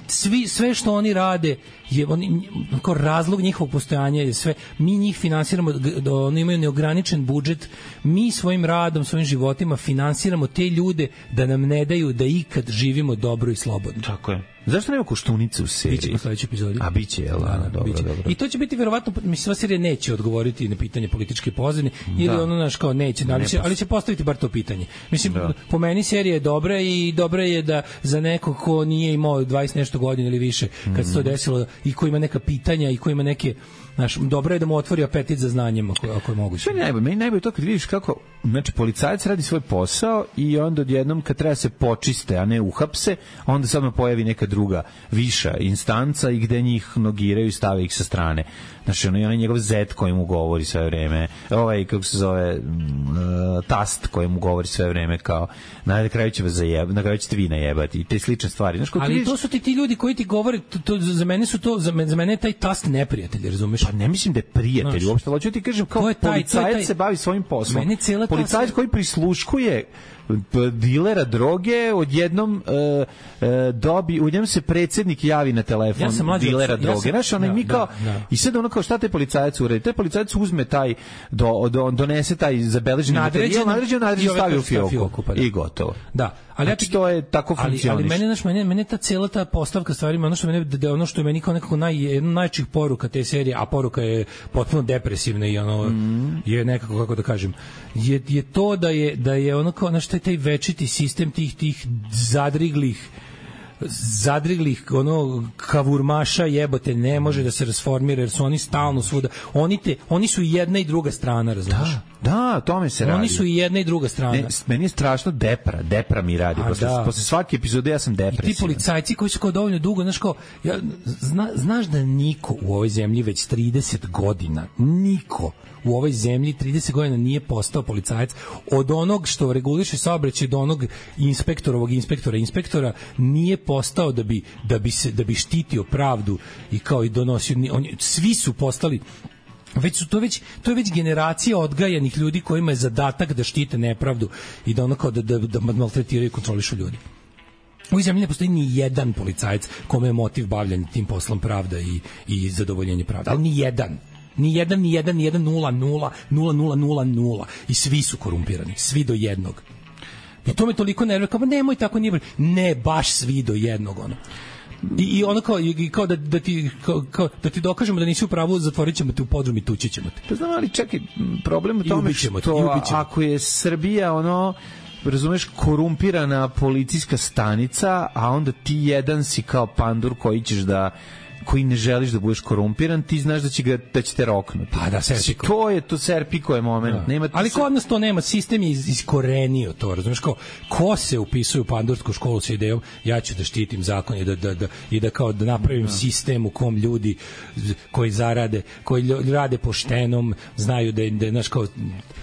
Svi, sve što oni rade je oni, kao razlog njihovog postojanja je sve, mi njih finansiramo, da oni imaju neograničen budžet, mi svojim radom, svojim životima finansiramo te ljude da nam ne daju da ikad živimo dobro i slobodno. Tako je. Zašto nema Koštunice u seriji? Biće u sledećoj epizodi. A biće, jel? Da, dobro, biće. Dobro. I to će biti verovatno, mislim, sva serija neće odgovoriti na pitanje političke pozadine, ili da. ono, naš, kao neće, ali, ne će, ali će postaviti bar to pitanje. Mislim, da. po meni serija je dobra i dobra je da za neko ko nije imao dvadeset nešto godina ili više, kad se to desilo, i ko ima neka pitanja i ko ima neke, znaš, dobro je da mu otvori apetit za znanjem ako, ako je moguće. Sve najbolje, meni najbolje to kad vidiš kako, znači, policajac radi svoj posao i onda odjednom kad treba se počiste, a ne uhapse, onda sad mu pojavi neka druga, viša instanca i gde njih nogiraju i stave ih sa strane. Znači, ono je onaj njegov zet koji mu govori sve vreme, ovaj, kako se zove, uh, tast koji mu govori sve vreme kao, na kraju će vas zajebati, na kraju ćete vi najebati i te slične stvari. Znaš, ali vidiš, to su ti ti ljudi koji ti govore, to, to, za mene su to, za mene, za mene je taj tast neprijatelj, razumeš? Pa ne mislim da je prijatelj, znaš, uopšte, hoću ti kažem, kao taj, policajac taj, se bavi svojim poslom. Policajac koji prisluškuje dilera droge, odjednom uh, uh, dobi, u njem se predsjednik javi na telefon ja dilera droge. Ja sam, znaš, ono, da, mi kao, da, da. I sad ono kao, šta taj policajac uredi? Taj policajac uzme taj, do, do, donese taj zabeleženi materijal, nadređen, nadređen, stavi u fioku, fioku pa da. I gotovo. Da. Ali znači, ja to je tako funkcioniše. Ali, ali mene, znaš, mene, mene ta cijela ta postavka stvarima, ono što mene, da ono što je meni kao nekako naj, jedna najčih poruka te serije, a poruka je potpuno depresivna i ono, mm. je nekako, kako da kažem, je, je to da je, da je ono kao, znaš, taj, taj večiti sistem tih, tih zadriglih zadriglih ono kavurmaša jebote ne može da se rasformira jer su oni stalno svuda. Oni te oni su i jedna i druga strana, razumiješ? Da, da, tome se radi. Oni su i jedna i druga strana. Ne, meni je strašno depra, depra mi radi. Posle, da. posle svake epizode ja sam depresivan. I ti policajci koji su kao dovoljno dugo, znaš kao, ja, zna, znaš da niko u ovoj zemlji već trideset godina, niko u ovoj zemlji trideset godina nije postao policajac, od onog što reguliše saobraćaj do onog inspektorovog inspektora inspektora nije postao da bi da bi se da bi štitio pravdu i kao i donosio, on, svi su postali već su to već to je već generacija odgajanih ljudi kojima je zadatak da štite nepravdu i da ono kao da da, da maltretiraju i kontrolišu ljudi. U ovoj zemlji ne postoji ni jedan policajac kome je motiv bavljanja tim poslom pravda i i zadovoljenje pravde, ali ni jedan. Ni jedan, ni jedan, ni jedan, nula, nula, nula, nula, nula, nula. I svi su korumpirani, svi do jednog. I to me toliko nervira, kao nemoj tako, nije. Ne, baš svi do jednog, ono. I, i ono kao, i kao, da, da, ti, kao, kao da ti dokažemo da nisi u pravu, zatvorit ćemo te u podrum i tući ćemo te. Pa znam, ali čekaj, problem u tome što te, ako je Srbija, ono, razumeš, korumpirana policijska stanica, a onda ti jedan si kao pandur koji ćeš da koji ne želiš da budeš korumpiran, ti znaš da će ga da će te roknuti. Pa da, Serpiko. To je to Serpiko je moment. Da. Nema ali kod nas to nema, sistem je iz, iskorenio to, razumeš, kao ko se upisuje u pandursku školu sa idejom ja ću da štitim zakon i da, da, da, i da kao da napravim da. sistem u kom ljudi koji zarade, koji rade poštenom, znaju da da znaš kao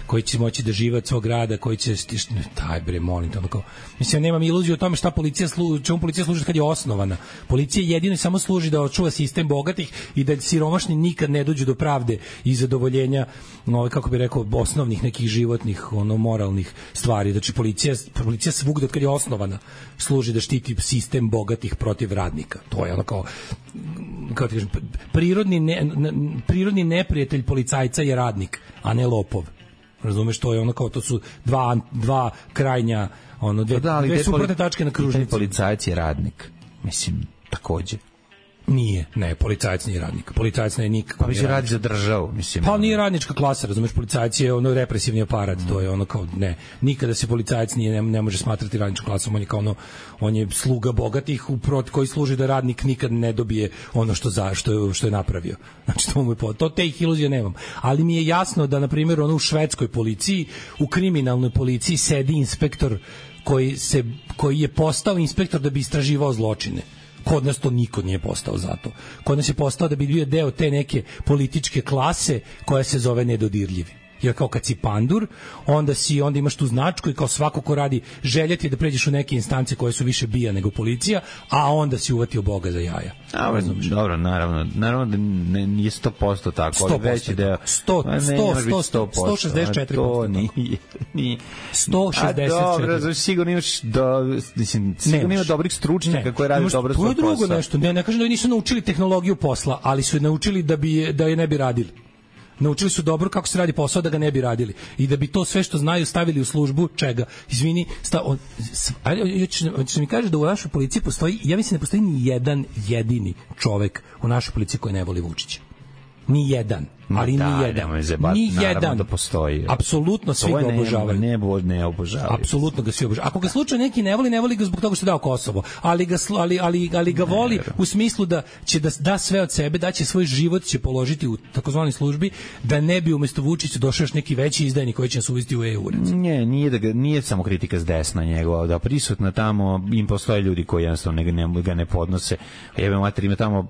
koji će moći da žive od svog rada, koji će taj bre molim tamo kao mislim nemam iluziju o tome šta policija služi, čemu policija služi kad je osnovana. Policija jedino samo služi da očuva sistem bogatih i da siromašni nikad ne dođu do pravde i zadovoljenja, no, kako bi rekao, osnovnih nekih životnih, ono, moralnih stvari. Znači, policija, policija svugde od kad je osnovana služi da štiti sistem bogatih protiv radnika. To je ono kao, kao ti kažem, prirodni, ne, prirodni neprijatelj policajca je radnik, a ne lopov. Razumeš, to je ono kao, to su dva, dva krajnja, ono, dve, da, dve suprotne tačke na kružnici. Policajac je radnik. Mislim, takođe. Nije, ne, policajac nije radnik. Policajac ne nikako. Pa bi se radi za državu, mislim. Pa nije radnička klasa, razumeš, policajac je ono represivni aparat, mm. to je ono kao ne, nikada se policajac nije ne, ne može smatrati radničkom klasom, on je kao ono, on je sluga bogatih uprot koji služi da radnik nikad ne dobije ono što za što je, što je napravio. Znači to mu je po, to te iluzije nemam. Ali mi je jasno da na primjer ono u švedskoj policiji, u kriminalnoj policiji sedi inspektor koji se koji je postao inspektor da bi istraživao zločine. Kod nas to niko nije postao zato. Kod nas je postao da bi bio deo te neke političke klase koja se zove nedodirljivi. Jer kao kad si pandur, onda si onda imaš tu značku i kao svako ko radi željeti da pređeš u neke instance koje su više bija nego policija, a onda si uvatio Boga za jaja. A, dobro, naravno, naravno da ne, nije sto posto tako, ali veći deo. sto, sto, sto, sto šezdeset četiri posto. To nije, nije. sto šezdeset četiri. A dobro, znači sigurno imaš, do, mislim, sigurno ima dobrih stručnjaka koji rade dobro svoj posao. To je drugo nešto, ne, ne kažem da nisu naučili tehnologiju posla, ali su je naučili da, bi, da je ne bi radili. Naučili su dobro kako se radi posao da ga ne bi radili i da bi to sve što znaju stavili u službu čega. Izvini, sta on ali hoćeš mi kažeš da u našoj policiji postoji, ja mislim da postoji ni jedan jedini čovek u našoj policiji koji ne voli Vučića. Ni jedan, ali da, ni jedan. Ni jedan da postoji. Apsolutno svi ga obožavaju. Ne, ne, ne obožavaju. Apsolutno ga svi obožavaju. Ako ga slučajno neki ne voli, ne voli ga zbog toga što je dao Kosovo, ali ga ali ali ali ga voli ne, u smislu da će da da sve od sebe, da će svoj život će položiti u takozvanoj službi da ne bi umesto Vučića došao još neki veći izdajnik koji će nas uvesti u E U. Ne, nije da ga, nije samo kritika s desna njegova, da prisutna tamo im postoje ljudi koji jednostavno ne, ne, ga ne podnose. Jebe mater, ima tamo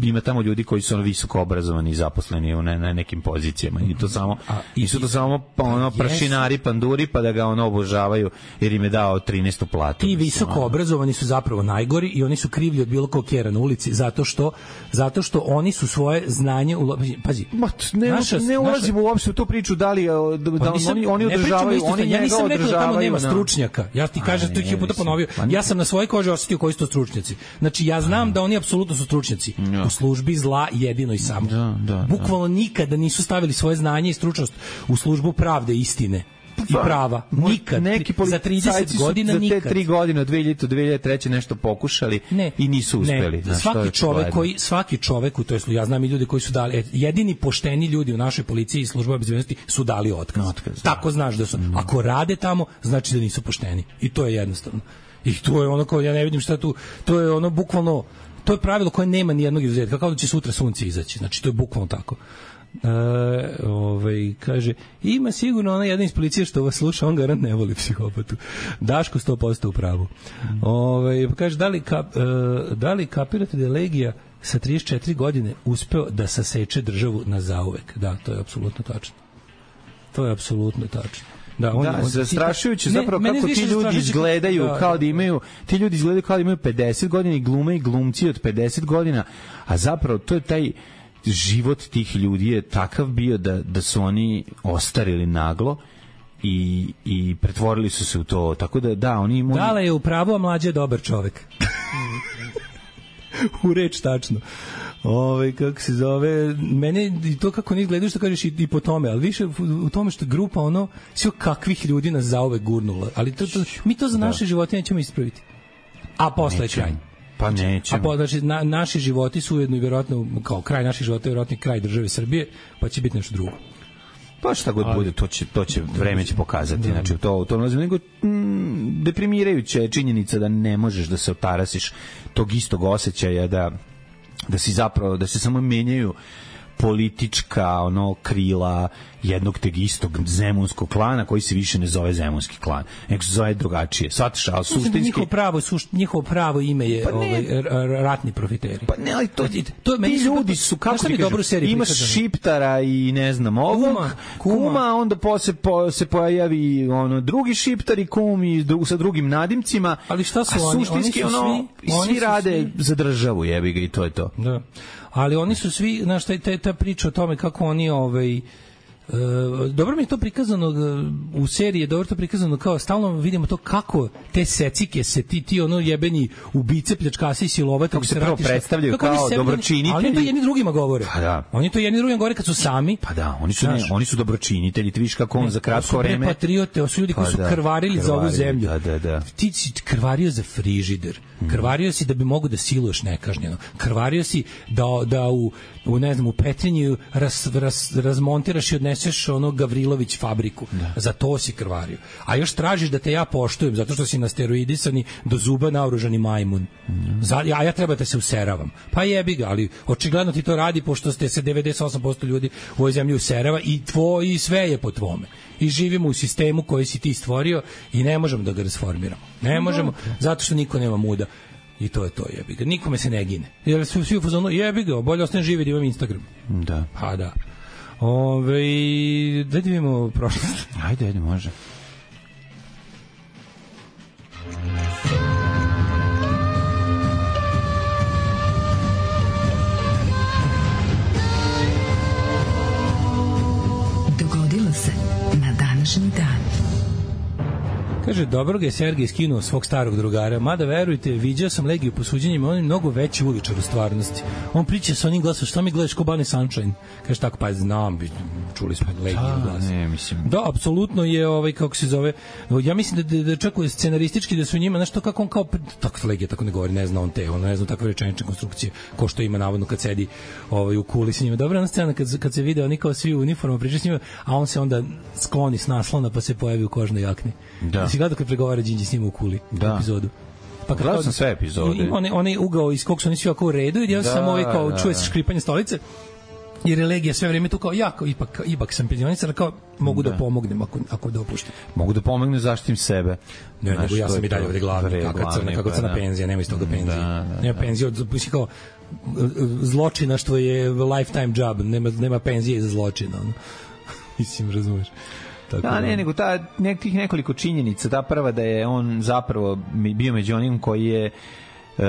ima tamo ljudi koji su ono visoko obrazovani i zaposleni u ne, na nekim pozicijama i to samo a, i su to samo pa, ono prašinari, panduri pa da ga ono obožavaju jer im je dao trinaestu platu. Ti visoko obrazovani su zapravo najgori i oni su krivlji od bilo kog kjera na ulici zato što zato što oni su svoje znanje u, pazi Ma, ne, naša, ne ulazimo naša... uopšte u tu priču da li da, da nisam, oni oni održavaju oni njega ja nisam rekao da tamo nema na... stručnjaka. Ja ti kažem to ih puta ponovio. Ja sam na svojoj koži osetio koji su to stručnjaci. Znači ja znam da oni apsolutno su stručnjaci ja. U službi zla jedino i samo. Da, da, bukvalno nikada nisu stavili svoje znanje i stručnost u službu pravde i istine i prava. Nikad. Neki za trideset godina za nikad. Za te tri godine, od dve hiljade do dve hiljade treće nešto pokušali ne, i nisu uspeli. Ne. Svaki čovek koji, svaki čovek, to je, ja znam i ljudi koji su dali, jedini pošteni ljudi u našoj policiji i službama bezbednosti su dali otkaz. otkaz Tako znaš da su. Ako rade tamo, znači da nisu pošteni. I to je jednostavno. I to je ono kao, ja ne vidim šta tu, to je ono bukvalno, to je pravilo koje nema ni jednog izuzetka, kao da će sutra sunce izaći. Znači, to je bukvalno tako. E, ovaj, kaže, ima sigurno ona jedna iz policije što vas sluša, on garant ne voli psihopatu. Daško sto posto u pravu. Ovaj, kaže, da li, kap, e, da li kapirate da je Legija sa trideset četiri godine uspeo da saseče državu na zauvek? Da, to je apsolutno tačno. To je apsolutno tačno. Da, on, da, on, zastrašujuće zapravo kako ti ljudi izgledaju da, kao da imaju ti ljudi izgledaju kao da imaju pedeset godina i glume i glumci od pedeset godina, a zapravo to je taj život tih ljudi je takav bio da, da su oni ostarili naglo i, i pretvorili su se u to, tako da da, oni imaju... Dale je u pravu, a mlađe je dobar čovek. U reč tačno. Ove, kako se zove, mene i to kako oni gledaju što kažeš i, i po tome, ali više u, u tome što grupa ono, sve kakvih ljudi nas zauvek gurnula, ali to, to, mi to za naše da. živote nećemo ispraviti. A posle je kraj. Pa nećemo. A po, znači, na, naši životi su ujedno i vjerojatno, kao kraj naših života je vjerojatno kraj države Srbije, pa će biti nešto drugo. Pa šta god ali, bude, to će, to će vreme će pokazati. Da. Znači, to, to ne nego mm, deprimirajuća je činjenica da ne možeš da se otarasiš tog istog osjećaja da da si zapravo, da se samo menjaju politička ono krila jednog teg istog zemunskog klana koji se više ne zove zemunski klan, nego se zove drugačije. Shvataš, ali suštinski njihovo pravo, suš, njihovo pravo ime je pa ovaj, ratni profiteri. Pa ne, ali to, to ti ljudi su, kako ti kažem, imaš šiptara i ne znam ovog, kuma, kuma. kuma onda posle po, se pojavi ono, drugi šiptar i kum i dru, sa drugim nadimcima, ali šta su a oni? Suštinski oni su ono, svi, svi oni rade svi, za državu, jebi ga i to je to. Da. Ali oni su svi, znaš, ta, ta priča o tome kako oni ovaj Uh, dobro mi je to prikazano uh, u seriji, je dobro to prikazano kao stalno vidimo to kako te secike se ti ti ono jebeni ubice, pljačkasi i silovatelji kako se prvo predstavljaju kao dobročinitelji, ali oni to jedni drugima govore. Pa da. Oni to jedni drugima govore kad su sami. Pa da, oni su ne, oni su dobročinitelji, ti vidiš kako on ne, za kratko vreme patriote, su ljudi koji pa su da, krvarili, krvarili za ovu zemlju. Da, da, da. Ti si krvario za frižider. Krvario si da bi mogu da siluješ nekažnjeno. Krvario si da, da u, u, ne znam, u Petrinji raz, raz, razmontiraš i odneseš ono Gavrilović fabriku. Da. Za to si krvario. A još tražiš da te ja poštujem zato što si na steroidisani do zuba naoružani majmun. Mm. Za, a ja treba da se useravam. Pa jebi ga, ali očigledno ti to radi pošto ste se devedeset osam posto ljudi u ovoj zemlji userava i, tvo, i sve je po tvome. I živimo u sistemu koji si ti stvorio i ne možemo da ga rasformiramo. Ne možemo, zato što niko nema muda. I to je to, jebi ga. Nikome se ne gine. Jer su svi u fazonu, jebi ga, bolje ostane živi da imam Instagram. Da. Pa da. Ove, da vidimo prošlost. Ajde, ajde, može. Dogodilo se na današnji dan. Kaže, dobro ga je Sergej skinuo svog starog drugara, mada verujte, viđao sam Legiju po suđenjima, on je mnogo veći uličar u stvarnosti. On priča sa onim glasom, šta mi gledaš ko Bunny Sunshine? Kaže tako, pa znam, čuli smo Legiju glas. Ne, mislim. Da, apsolutno je, ovaj, kako se zove, ja mislim da, da, da čak scenaristički da su njima, znaš to kako on kao, tako Legija tako ne govori, ne zna on te, on ne zna takve rečenične konstrukcije, ko što ima navodno kad sedi ovaj, u kuli sa njima. Dobra ona scena kad, kad se vide, oni kao svi u uniformu priča s njima, a on se onda skloni s naslona pa se pojavi u kožnoj jakni. Da. Si gledao kad pregovara Đinđi s njim u kuli da. epizodu. Pa kad gledao sam sve epizode. On, on je ugao iz kog su oni svi ovako u redu i ja da, samo ovaj kao da, čuje se škripanje stolice jer je Legija sve vreme tu kao ja, kao, ipak, ipak sam penzionisar, kao mogu da, da pomognem ako, ako dopuštam. Mogu da pomognem, zaštitim sebe. Ne, nego ja sam i dalje ovde glavni, kako crna, kako crna penzija, nema iz toga penzije. Da, da, nema penzije, od, kao zločina što je lifetime job, nema, nema penzije za zločina. Ono. Mislim, razumeš. Tako da, ne, nego ta, nek, tih nekoliko činjenica, ta prva da je on zapravo bio među onim koji je uh,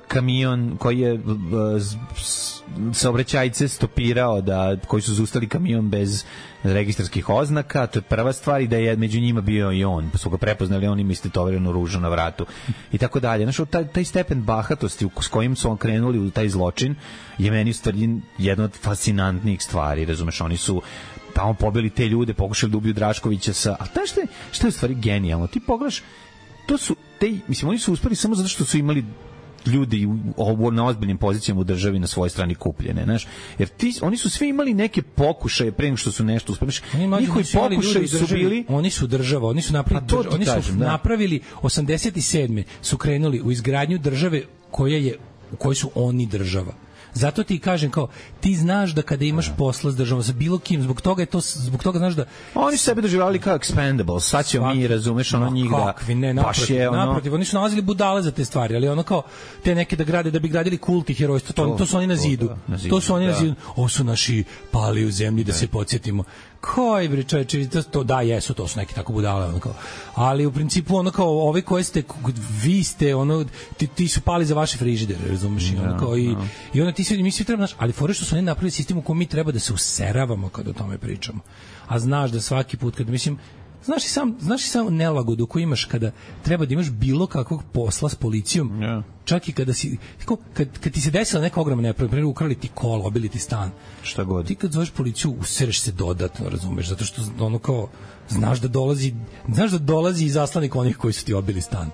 kamion, koji je uh, saobraćajce stopirao, da, koji su zaustavili kamion bez registarskih oznaka, to je prva stvar, i da je među njima bio i on, pa su ga prepoznali, on ima istetoverenu ružu na vratu i tako dalje. Znaš, taj, taj stepen bahatosti s kojim su on krenuli u taj zločin je meni u stvari jedna od fascinantnijih stvari, razumeš, oni su tamo pobili te ljude, pokušali da ubiju Draškovića sa... A ta šta je, šta je u stvari genijalno? Ti pogledaš, to su te, mislim, oni su uspeli samo zato što su imali ljudi u, na ozbiljnim pozicijama u državi na svojoj strani kupljene, znaš, jer ti, oni su svi imali neke pokušaje pre nego što su nešto uspeli. Njihovi pokušaji su bili... Oni su država, oni su napravili, država, oni su kažem, napravili osamdeset sedme su krenuli u izgradnju države koja je, u kojoj su oni država. Zato ti kažem kao ti znaš da kada imaš posla s državom sa bilo kim, zbog toga je to, zbog toga znaš da oni su sebe doživljavali kao expendables. Sad ćemo mi, razumeš, ono njih da ne, naprotiv, je, ono... naprotiv, oni su nalazili budale za te stvari, ali ono kao te neke da grade da bi gradili kult i herojstvo, to, to, to su oni na zidu. To, da, na zidu, to su oni da. na zidu. Ovo su naši pali u zemlji da, da se podsjetimo. Koji bre čoveče, to, to da jesu, to su neki tako budale, ono kao. Ali u principu ono kao ovi koji ste vi ste ono ti, ti su pali za vaše frižidere, razumeš, i ono kao i i onda ti svi mi svi treba naš, ali fore što su oni napravili sistem u kojem mi treba da se useravamo kad o tome pričamo. A znaš da svaki put kad mislim Znaš i sam, znaš i sam nelagodu koju imaš kada treba da imaš bilo kakvog posla s policijom, yeah. Čak i kada si, kad, kad ti se desila neka ogromna nepravda, primjer ukrali ti kola, obili ti stan, šta god. Ti kad zoveš policiju, usereš se dodatno, razumeš, zato što ono kao, znaš da dolazi, znaš da dolazi i zaslanik onih koji su ti obili stan.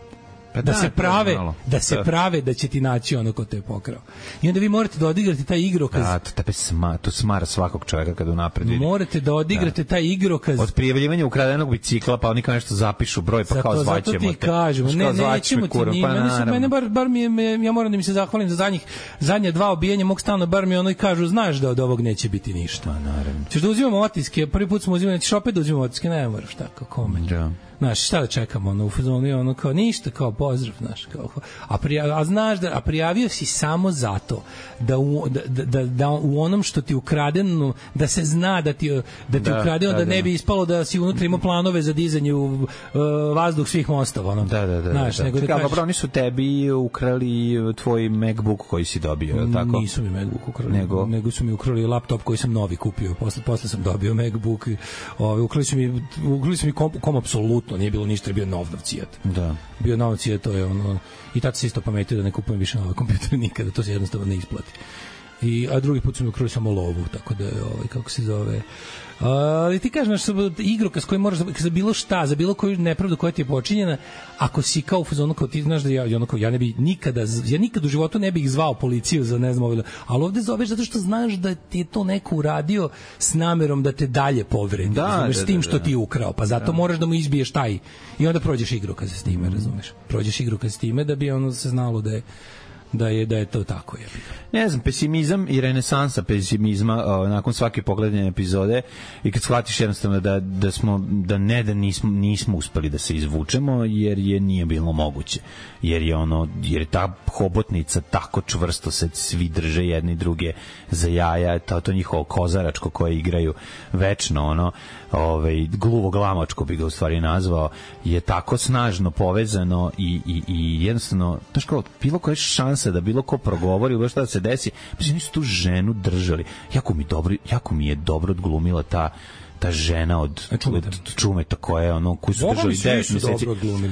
Da, da se prave da se prave da će ti naći ono ko te je pokrao. I onda vi morate da odigrate taj igrokaz. Da, to tebe sma, to smara svakog čovjeka kad unapred vidi. Morate da odigrate da. taj igrokaz. Od prijavljivanja ukradenog bicikla, pa oni kao nešto zapišu broj, pa zato, kao zvaćemo te. Zato ti kažemo, ne, nećemo ti njima. Pa mene bar, bar mi je, me, ja moram da mi se zahvalim za zadnjih, zadnje dva obijenja mog stana, bar mi ono i kažu, znaš da od ovog neće biti ništa. Pa naravno. Ćeš da uzimamo otiske, prvi put smo uzimali, ćeš opet da uzimamo otiske, ne moraš tako, kome. Da. Znaš, šta da čekamo, ono, u fazonu, ono, kao, ništa, kao, pozdrav, znaš, kao, a, prija, a znaš da, a prijavio si samo zato da u, da, da, da u onom što ti ukradeno, da se zna da ti, da ti da, ukradeno, da, da, da ne bi ispalo da si unutra imao planove za dizanje u uh, vazduh svih mostova, ono. Da, da, da. Znaš, da, da. nego da kažeš... kažeš... Oni su tebi ukrali tvoj MacBook koji si dobio, je li tako? Nisu mi MacBook ukrali, nego, nego su mi ukrali laptop koji sam novi kupio, posle, posle sam dobio MacBook, ovaj, ukrali su mi, ukrali su mi kom, kom apsolutno nije bilo ništa, je bio nov novcijat. Da. Bio novcijat, to je ono, i tad se isto pametio da ne kupujem više nove kompjutere nikada, to se jednostavno ne isplati. I, a drugi put su mi ukrali samo lovu, tako da je, ovaj, kako se zove... Ali ti kažeš, igrokaz koji moraš za bilo šta, za bilo koju nepravdu koja ti je počinjena, ako si kao u fazonu, kao ti znaš da ja, onako, ja ne bi nikada, ja nikad u životu ne bih zvao policiju za ne znam ovo, ali ovde zoveš zato što znaš da ti je to neko uradio s namerom da te dalje povredi, da, razumeš, da, s tim što da, da. ti je ukrao, pa zato da. moraš da mu izbiješ taj, i onda prođeš igrokaz s time, mm. razumeš, prođeš igrokaz s time da bi ono se znalo da je da je da je to tako, je. Ne znam, pesimizam i renesansa pesimizma o, nakon svake pogledane epizode i kad shvatiš jednostavno da da smo da ne da nismo nismo uspeli da se izvučemo jer je nije bilo moguće. Jer je ono jer je ta hobotnica tako čvrsto se svi drže jedni druge za jaja, to to njihovo kozaračko koje igraju večno, ono, ovaj gluvo glamačko bi ga u stvari nazvao, je tako snažno povezano i i i jednostavno baš kao bilo koja šansa da bilo ko progovori, bilo šta da se desi, pa oni su tu ženu držali. Jako mi dobro, jako mi je dobro odglumila ta ta žena od, od Čumeta koja je ono koju su držali devet meseci.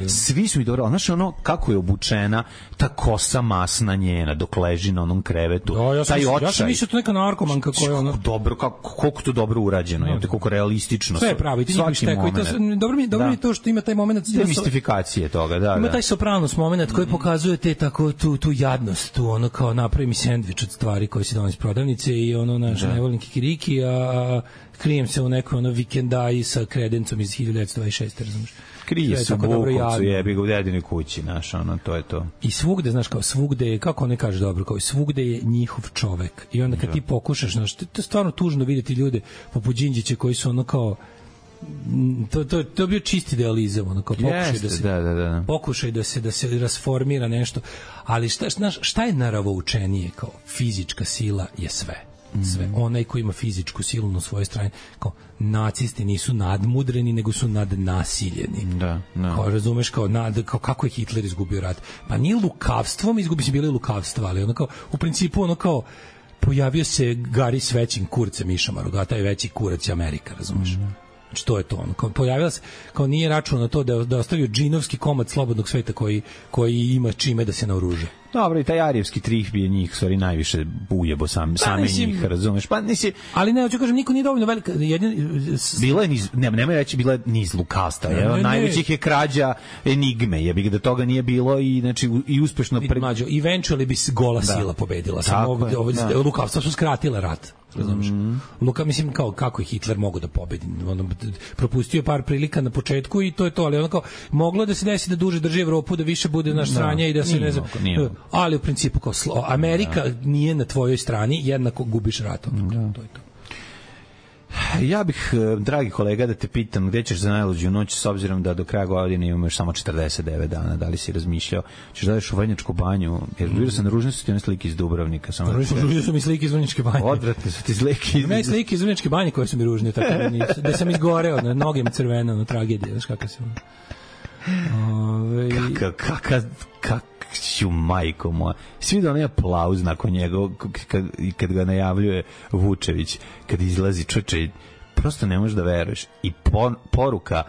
Svi su mi dobro, znaš ono kako je obučena, ta kosa masna njena dok leži na onom krevetu. Da, ja sam, taj očaj. Ja sam mislio to neka narkomanka koja je ono dobro, kako koliko to dobro urađeno, je, koliko realistično. Sve je pravo, i ti njihovi štekovi. Dobro mi, dobro mi to što ima taj momenat demistifikacije toga, da, ima da. taj Sopranos momenat koji pokazuje te tako tu tu jadnost, tu ono kao napravi mi sendvič od stvari koje se donosi iz prodavnice i ono naš ne volim kikiriki, a krijem se u nekoj ono vikendaji sa kredencom iz hiljadu devetsto dvadeset šeste, razumiješ? Krije se u Bukovcu, jebi ga u dedinoj kući, znaš, ono, to je to. I svugde, znaš, kao svugde je, kako ne kaže dobro, kao svugde je njihov čovek. I onda kad da. ti pokušaš, znaš, to je stvarno tužno vidjeti ljude poput Đinđića koji su ono kao, to to to bio čisti idealizam, ono kao pokušaj Jeste, da se da, da, da. pokušaj da se da se rasformira nešto, ali šta šta šta je naravoučenije, kao fizička sila je sve. Sve. Onaj ko ima fizičku silu na svojoj strani, kao nacisti nisu nadmudreni, nego su nadnasiljeni. Da, da. Kao, razumeš, kao, nad, kao kako je Hitler izgubio rat? Pa nije lukavstvom, izgubi se bili lukavstva, ali ono kao, u principu ono kao, pojavio se Gari s većim kurcem Išamaru, a taj veći kurac je Amerika, razumeš? Mm. Znači, to je to. Ono. Kao, pojavila se, kao nije račun na to da, da ostavio džinovski komad slobodnog sveta koji, koji ima čime da se naoruže. Dobro, i taj arijevski trih je njih, stvari, najviše bujebo sam, pa, same nisi, njih, razumeš? Pa nisi... Ali ne, hoću kažem, niko nije dovoljno velika... Jedin... Bilo je niz, ne, nemoj reći, bilo je niz lukasta. Ne, ne, najvećih je krađa Enigme, jebi ga da toga nije bilo i, znači, i uspešno... Pre... Mađo, eventually bi gola da. sila pobedila. Samo ovo, ovo, da. Lukavstva su skratila rat. Razumeš? Mm. Luka, mislim, kao, kako je Hitler mogu da pobedi? On propustio par prilika na početku i to je to, ali ono kao, moglo da se desi da duže drži Evropu, da više bude naš stranja i da se ne znam... Ali u principu kao slo, Amerika da. nije na tvojoj strani, jednako gubiš ratom. Da. To je to. Ja bih, dragi kolega, da te pitam gde ćeš za najluđu noć, s obzirom da do kraja godine imamo još samo četrdeset devet dana, da li si razmišljao, ćeš da ideš u Vrnjačku banju, jer vidio sam na ružne su ti one slike iz Dubrovnika. Ružne su mi slike iz Vrnjačke banje. Odvratne su ti slike iz... Ima i slike iz Vrnjačke banje koje su mi ružne, tako da, da sam izgoreo, na noge mi crvena, na tragedije, znaš kako sam... Ove... Kaka, kaka, kaka, ću majko moja. Svi da onaj aplauz nakon njega kad, kad ga najavljuje Vučević, kad izlazi čoče, prosto ne možeš da veruješ. I por, poruka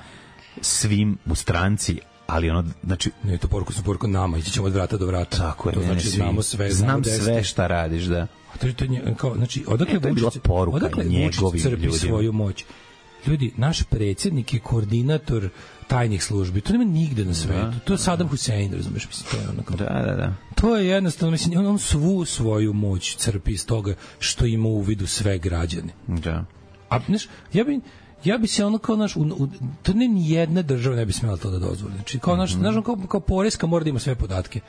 svim u stranci, ali ono, znači... Ne, to poruku su poruku nama, ići ćemo od vrata do vrata. Tako je, to znači, ne, znamo sve. Znam znamo sve šta radiš, da. A to je to, kao, znači, odakle e, Vučić, odakle Vučić crpi svoju moć? Ljudi, naš predsjednik je koordinator tajnih službi. To nema nigde na svetu. Da, to je Saddam Hussein, razumeš, mislim, to je onako. Da, da, da. To je jednostavno, mislim, on, on svu svoju moć crpi iz toga što ima u vidu sve građane. Da. A, znaš, ja bi ja bi se ono kao naš, u, u, to ne ni jedna država ne bi smela to da dozvoli. Znači, kao naš, mm-hmm. znaš, kao, kao poreska mora da ima sve podatke.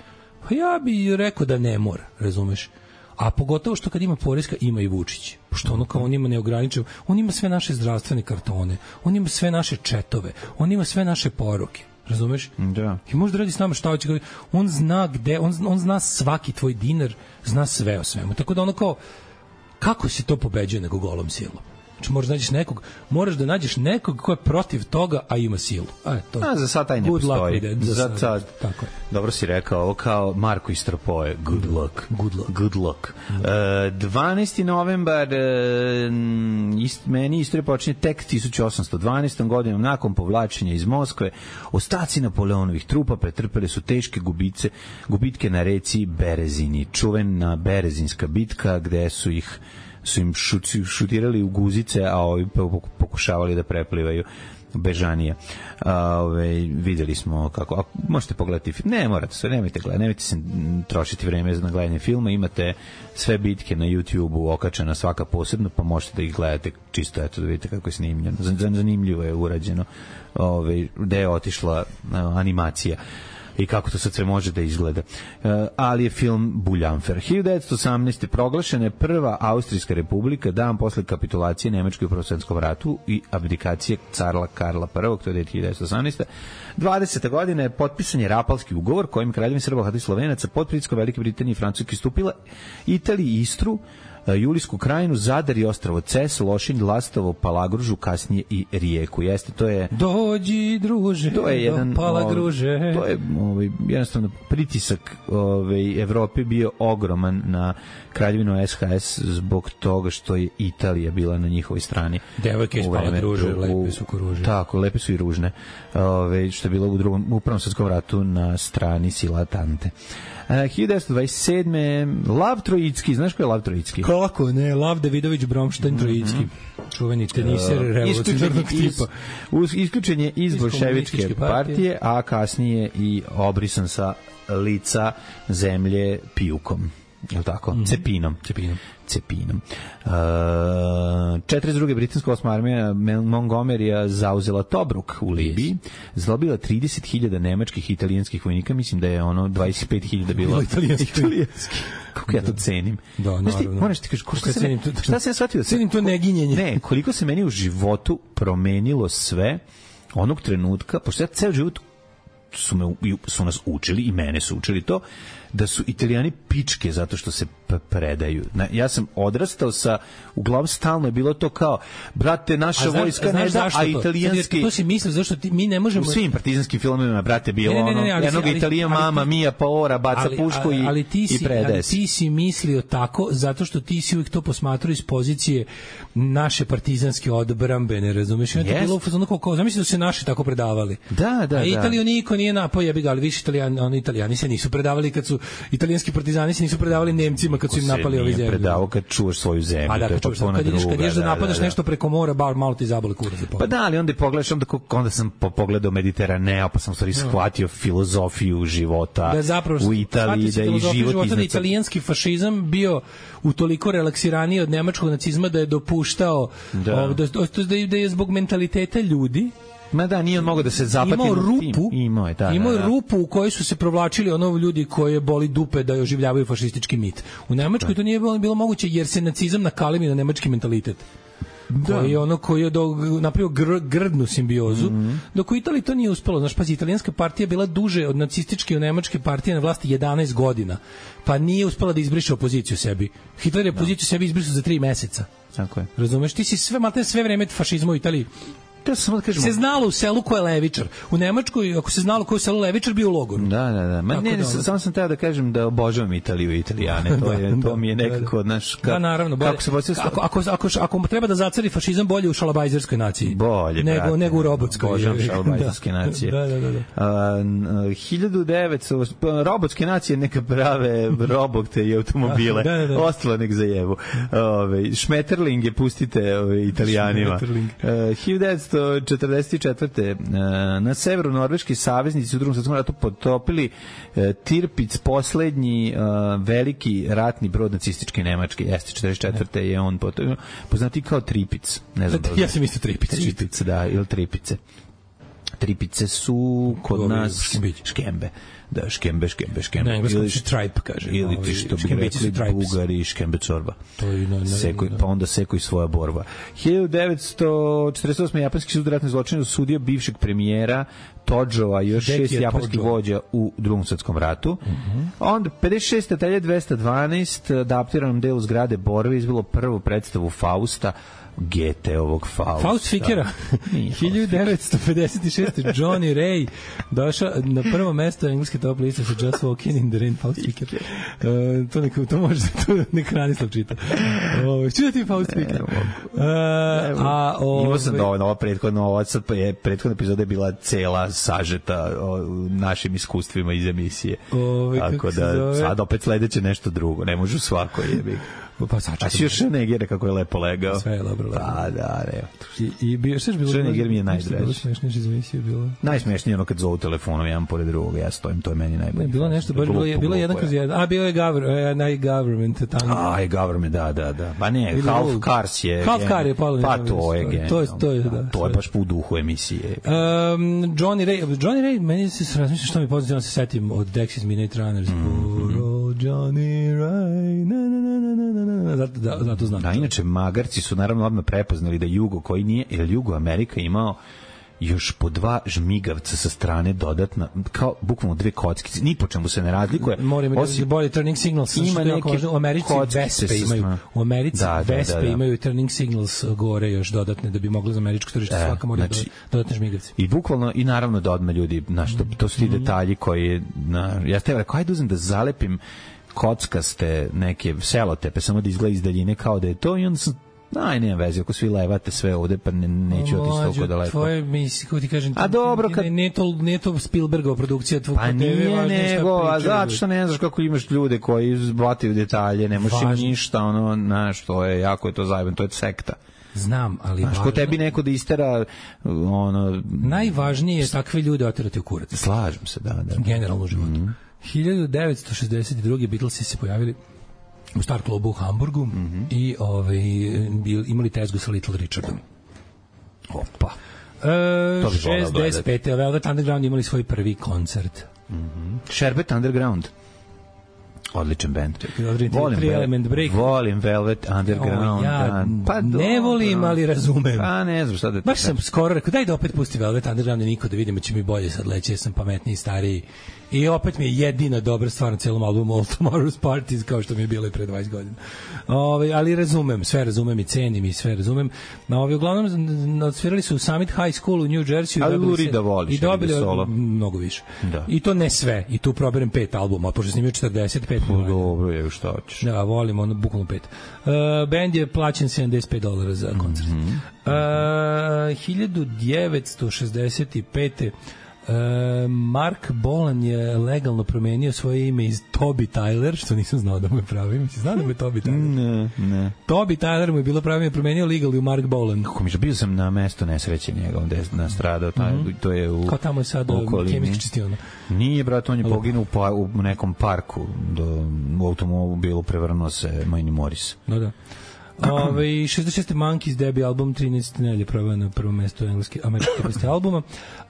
Pa ja bi rekao da ne mora, razumeš. A pogotovo što kad ima poreska, ima i Vučić. Pošto ono kao on ima neograničeno, on ima sve naše zdravstvene kartone, on ima sve naše četove, on ima sve naše poruke. Razumeš? Da. I može da radi s nama šta hoće. On zna gde, on, on zna svaki tvoj dinar, zna sve o svemu. Tako da ono kao, kako se to pobeđuje nego golom silom? Znači moraš da nađeš nekog, moraš da nađeš nekog ko je protiv toga, a ima silu. A, to, a za sad taj ne postoji. Za, za sad, tako je. Dobro si rekao, ovo kao Marko iz Tropoje. Good luck. Good luck. Good luck. Uh, dvanaesti novembar uh, ist, meni istorija počinje tek tisuću osamsto dvanaestom godinom nakon povlačenja iz Moskve. Ostaci Napoleonovih trupa pretrpeli su teške gubice, gubitke na reci Berezini. Čuvena Berezinska bitka gde su ih su im šuti, šutirali u guzice, a ovi pokušavali da preplivaju bežanije. A, ove, videli smo kako, a možete pogledati film, ne morate sve, nemojte gledati, nemojte se trošiti vreme na gledanje filma, imate sve bitke na YouTube-u okačena svaka posebno, pa možete da ih gledate čisto, eto da vidite kako je snimljeno, zanimljivo je urađeno, ove, gde je otišla a, animacija i kako to sad sve može da izgleda. Uh, ali je film Buljanfer. hiljadu devetsto osamnaeste. proglašena je prva Austrijska republika dan posle kapitulacije Nemačke u Prvom svetskom ratu i abdikacije carla Karla prvog. To je hiljadu devetsto osamnaeste. dvadesete godine je potpisan je Rapalski ugovor kojim kraljevina Srba, Hrvata i Slovenaca pod pritiskom Velike Britanije i Francuske stupila Italiji, Istru, Julijsku krajinu, Zadar i ostrvo Ces, Lošinj, Lastovo, Palagružu, kasnije i Rijeku. Jeste, to je... Dođi, druže, to je jedan, do Palagruže. Ovaj, to je ovaj, jednostavno pritisak ovaj, Evrope bio ogroman na kraljevinu S H S zbog toga što je Italija bila na njihovoj strani. Devojke iz Palagruže, lepe su ko ruže. Tako, lepe su i ružne. Ovaj, što je bilo u drugom, u Prvom svetskom ratu na strani sila Tante. Uh, hiljadu devetsto dvadeset sedme. Lav Trojicki, znaš ko je Lav Trojicki? Kako ne, Lav Davidović Bromštajn Trojicki, mm -hmm. čuveni teniser uh, revolucionarnog tipa. Iz, isključen je iz bolševičke partije, partije, a kasnije i obrisan sa lica zemlje pijukom. Je li tako? Mm -hmm. Cepinom. Cepinom. Cepinom. Uh, četrdeset druge britanska osma armija Montgomerya zauzela Tobruk u Libiji, zlobila trideset hiljada nemačkih i italijanskih vojnika, mislim da je ono dvadeset pet hiljada bilo italijanski. Kako ja to cenim. Da, naravno. Moraš ti kažeš, šta, cenim to, šta sam ja shvatio? Cenim to neginjenje. Ne, koliko se meni u životu promenilo sve onog trenutka, pošto ja ceo život su, me, su nas učili i mene su učili to, da su Italijani pičke zato što se predaju. Ja sam odrastao sa, uglavnom stalno je bilo to kao, brate, naša a vojska ne da, a italijanski... To si mislio, zašto ti, mi ne možemo... U svim partizanskim filmovima, brate, bilo ne, ne, ne, ne, ono, jednog Italija mama, Mia Paora, baca ali, pušku i, ali ti si, i predaje. Ali ti si mislio tako, zato što ti si uvijek to posmatrao iz pozicije naše partizanske odbrambene, razumeš? I yes. Bilo ono kao, kao, zamisli da se naši tako predavali. Da, da, a Italiju da. Niko nije napao, jebi ga, ali više Italijani, oni Italijani se nisu predavali kad su italijanski partizani se nisu predavali Nemcima kad su im napali ove zemlje. Predavao kad čuvaš svoju zemlju. A da, kad, čuvaš, kad ideš, kad ideš da, da napadaš da, da. nešto preko mora, bar malo ti zabole kurac da pa da, ali onda pogledaš, onda, onda sam pogledao Mediteraneo, pa sam stvari shvatio filozofiju života da, zapravo, u Italiji, da i život iznad... Da italijanski fašizam bio utoliko relaksiraniji od nemačkog nacizma da je dopuštao da, ov, da, da, da je zbog mentaliteta ljudi Ma da, nije on mogao da se zapati imao rupu, imao je, da, imao da, da. rupu u kojoj su se provlačili ono ljudi koje boli dupe da oživljavaju fašistički mit. U Nemačkoj da. To nije bilo, bilo moguće jer se nacizam nakalemi na nemački mentalitet. Da. Koji je ono koji je do, napravio gr, grdnu simbiozu, mm -hmm. dok u Italiji to nije uspelo. Znaš, pazi, italijanska partija je bila duže od nacističke i nemačke partije na vlasti jedanaest godina, pa nije uspela da izbriše opoziciju sebi. Hitler je opoziciju da. sebi izbrisao za tri meseca. Tako je. Razumeš, ti si sve, malte sve vreme fašizma u Italiji. Da samo da kažemo. Se znalo u selu ko je levičar. U Nemačkoj, ako se znalo ko je u selu levičar, bio u logoru. Da, da, da. Ma ne, ne, samo sam teo da kažem da obožavam Italiju i Italijane. To je, to mi je nekako, znaš, ka, da, naravno, bolje, kako se poslije... Ako, ako, ako, ako treba da zacari fašizam, bolje u šalabajzerskoj naciji. Bolje, nego, brate. Nego u robotskoj. Obožavam šalabajzerske nacije. Da, da, da. da. A, hiljadu devetsto robotske nacije neka prave robote i automobile. Da, da, da. Ostalo nek zajevu. Ove, Šmeterlinge pustite ove, Italijanima. hiljadu devetsto četrdeset četvrte na severu norveški saveznici u drugom svetskom ratu potopili Tirpitz, poslednji veliki ratni brod nacističke Nemačke. Jeste, četrdeset četvrte je on potopio, poznati kao Tripic. Ne znam. Ja sam isto Tripic. Tripic, da, ili Tripice. Tripice su kod nas škembe. Da, škembe, škembe, škembe. Na engleskom se tripe, kaže. Ili ti što bi rekli Bugari, škembe čorba. To je, no, no, seko, no. Pa onda seko i svoja borba. hiljadu devetsto četrdeset osme. Japanski sud ratnih zločina osudio bivšeg premijera Todžova i još šest japanskih vođa u Drugom svetskom ratu. Mm-hmm. Onda pedeset šeste. atelje dvesta dvanaest, adaptiranom delu zgrade Borove izbilo prvu predstavu Fausta, G T ovog Fausta. Faust Fikera. hiljadu devetsto pedeset šeste. Johnny Ray došao na prvo mesto engleske top liste sa Just Walking in the Rain. Faust Fiker. Uh, to, neko, to može, to neka Ranislav čita. Uh, Čuda ti Faust Fiker. Uh, a, ove... Imao sam dovoljno, ova prethodna, ova sad je, prethodna epizoda je bila cela sažeta o našim iskustvima iz emisije. Ove, tako da sad opet sledeće nešto drugo. Ne može svako jebi. Pa sačekaj. A si još Negere kako je lepo legao. Sve je dobro legao. Da, da, ne. I, i bio, što je bilo? Neger mi je najdraži. Bilo smešnije iz emisije bilo. Najsmešnije ono kad zovu telefonom jedan pored drugog, ja stojim, to je meni najbolje. Ne, bilo nešto, baš bilo je, bilo jedan kroz jedan. A, bilo je government, uh, government tamo. A, i government, da, da, da. Pa ne, Half Cars je. Half Car je palo. Pa to je gen. To je, to je, da. To je baš po duhu emisije. Um, Johnny Ray, Johnny Ray, meni se razmišlja što mi pozitivno se setim od Dexys Midnight Runners. Johnny Ray, na na na na na na, zato da, zato znam. Da, inače magarci su naravno odmah prepoznali da Jugo koji nije, jer Jugo Amerika imao još po dva žmigavca sa strane dodatna, kao bukvalno dve kockice, ni po čemu se ne razlikuje. Moramo da bolje turning signals, ima neke u Americi Vespe imaju, u Americi da, da, Vespe da, da. imaju turning signals gore još dodatne da bi mogli za američko tržište e, svaka mora znači, dodatne žmigavce. I bukvalno i naravno da odmah ljudi, znaš, to, to su ti detalji koji na, ja ste rekao, ajde uzem da zalepim kockaste neke selotepe, samo da izgleda iz daljine kao da je to i onda sam aj, nema veze, ako svi levate sve ovde, pa ne, neću otići toliko daleko. Tvoje misli, kako ti kažem, a dobro, kad... ne, to, ne to Spielbergova produkcija tvoj pa nije nego, a zato što ne znaš kako imaš ljude koji zbataju detalje, ne možeš im ništa, ono, znaš, to je, jako je to zajebano, to je sekta. Znam, ali znaš, ko tebi neko da istera, ono... Najvažnije je takve ljude oterati u kurac. Slažem se, da, da. Generalno u životu. Mm-hmm. hiljadu devetsto šezdeset druge. Beatlesi se pojavili u Star klubu u Hamburgu mm-hmm. i ovaj, imali tezgu sa Little Richardom. Opa. E, šezdeset pete. Velvet Underground imali svoj prvi koncert. Mm-hmm. Sherbet Underground. Odličan band. Volim, Vel- volim Velvet Underground. O, ja pa ne volim, ali razumem. Pa ne znam šta da ti baš sam skoro rekao, daj da opet pusti Velvet Underground i niko da vidimo će mi bolje sad leći, ja sam pametniji, stariji. I opet mi je jedina dobra stvar na celom albumu All Tomorrow's Parties, kao što mi je bilo i pre dvadeset godina. Ove, ali razumem, sve razumem i cenim i sve razumem. Na ovi uglavnom odsvirali su u Summit High School u New Jersey. Ali Luri da voliš. I dobili solo. Mnogo više. Da. I to ne sve. I tu proberem pet albuma, pošto snimio četrdeset pet. No, dobro, je šta hoćeš. Da, volim, ono, bukvalno pet. Uh, band je plaćen sedamdeset pet dolara za koncert. Mm-hmm. Uh, hiljadu devetsto šezdeset pete. Uh, Mark Bolan je legalno promenio svoje ime iz Toby Tyler, što nisam znao da mu je pravo ime. Si znao da mu je Toby Tyler? Ne, ne. Toby Tyler mu je bilo pravo ime, promenio legalno u Mark Bolan. Kako mi je, bio sam na mesto nesreće njega, onda je nastradao, taj, mm-hmm. to je u kao tamo je sad kemijski čistiona. Nije, brat, on je poginuo u, pa, u nekom parku, do, u automobilu prevrnuo se Manny Morris. Da, da. Ove, šezdeset šeste. Monkeys debut album, trinaeste nelje prava na prvom mestu engleske američke peste albuma.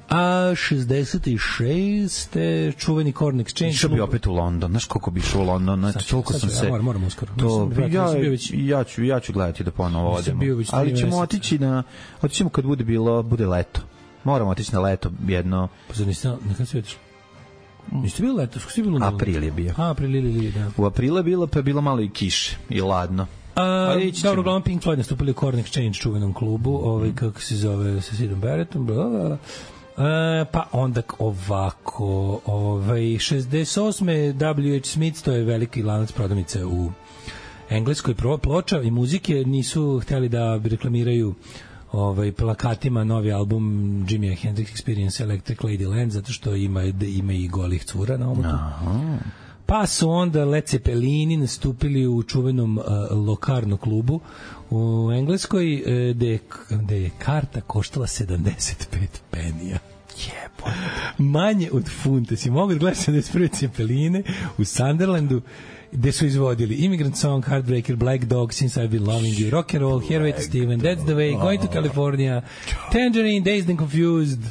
A šezdeset šeste. čuveni Korn Exchange. Išao bi opet u London, znaš koliko bi išao u London, znači toliko sam se... Ja moram, moram uskoro. To, ja, ja, ću, ja ću gledati da ponovo odemo. Ali ćemo otići na... Otićemo kad bude bilo, bude leto. Moramo otići na leto jedno... Pa zar niste, nekada si otišli? Niste bilo leto? Ste bilo na april je bio. A, april ili, da. U aprilu je bilo, pa je bilo malo i kiše i ladno. A, dobro, uglavnom Pink Floyd nastupili u Korn Exchange čuvenom klubu, ovaj, kako se zove, sa Sidom Barrettom, bla, bla, bla. E, pa onda ovako, ovaj, šezdeset osme. W H Smith, to je veliki lanac prodavnice u engleskoj ploča i muzike, nisu hteli da reklamiraju ovaj, plakatima novi album Jimi Hendrix Experience Electric Ladyland, zato što ima, ima i golih cura na omotu. Aha. Pa su onda Led Zeppelini nastupili u čuvenom uh, Locarno klubu u Engleskoj, uh, gde, gde je karta koštala sedamdeset pet penija. Jebo. Manje od funta. Si mogu da gledati sedamdeset prve Zeppeline u Sunderlandu, gde su izvodili Immigrant Song, Heartbreaker, Black Dog, Since I've Been Loving You, Rock and Roll, Here Waits Steven, That's the Way, Going to California, Tangerine, Dazed and Confused,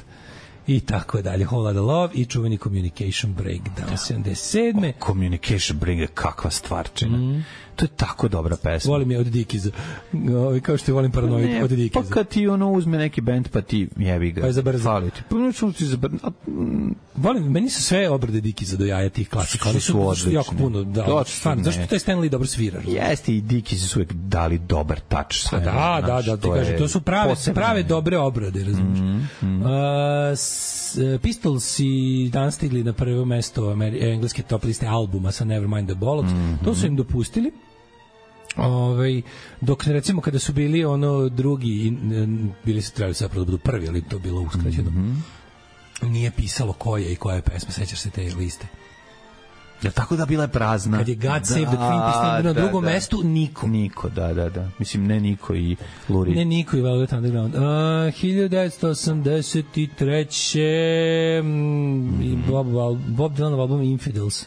i tako dalje. Whole Lotta Love i čuveni Communication Breakdown sedamdeset sedme. Oh, Communication Breakdown, kakva stvarčina. Mm. To je tako dobra pesma. Volim je od Dickiesa. Kao što je volim Paranoid ne, od Dickiesa. Pa kad ti ono uzme neki band pa ti jebi ga. Pa je zabrza. Fali ti. Pa neću ti zabrza. Volim, meni su sve obrade Dickiesa do jaja tih klasika. Oni su, su odlični. Jako puno. Da, stvarno, zašto to je Stanley dobro svira? Jeste i Dickiesi su uvijek dali dobar touch sve. Da, da, da, ti kažem, to su prave, prave dobre obrade, razumiješ. Mm, mm. Uh, s, Pistols i dan stigli na prvo mesto engleske top liste albuma sa Nevermind the Bollocks. Mm, to su im dopustili. Ovaj dok recimo kada su bili ono drugi bili su trebali zapravo da budu prvi, ali to bilo uskraćeno. Mm-hmm. Nije pisalo koja i koja je pesma, sećaš se te liste. Ja tako da bila je prazna. Kad je God da, Save the Queen pisao na drugom da. mestu niko. Niko, da, da, da. Mislim ne Niko i Luri. Ne Niko i Velvet Underground. Uh, hiljadu devetsto osamdeset treće mm-hmm. Bob, Bob Dylan album Infidels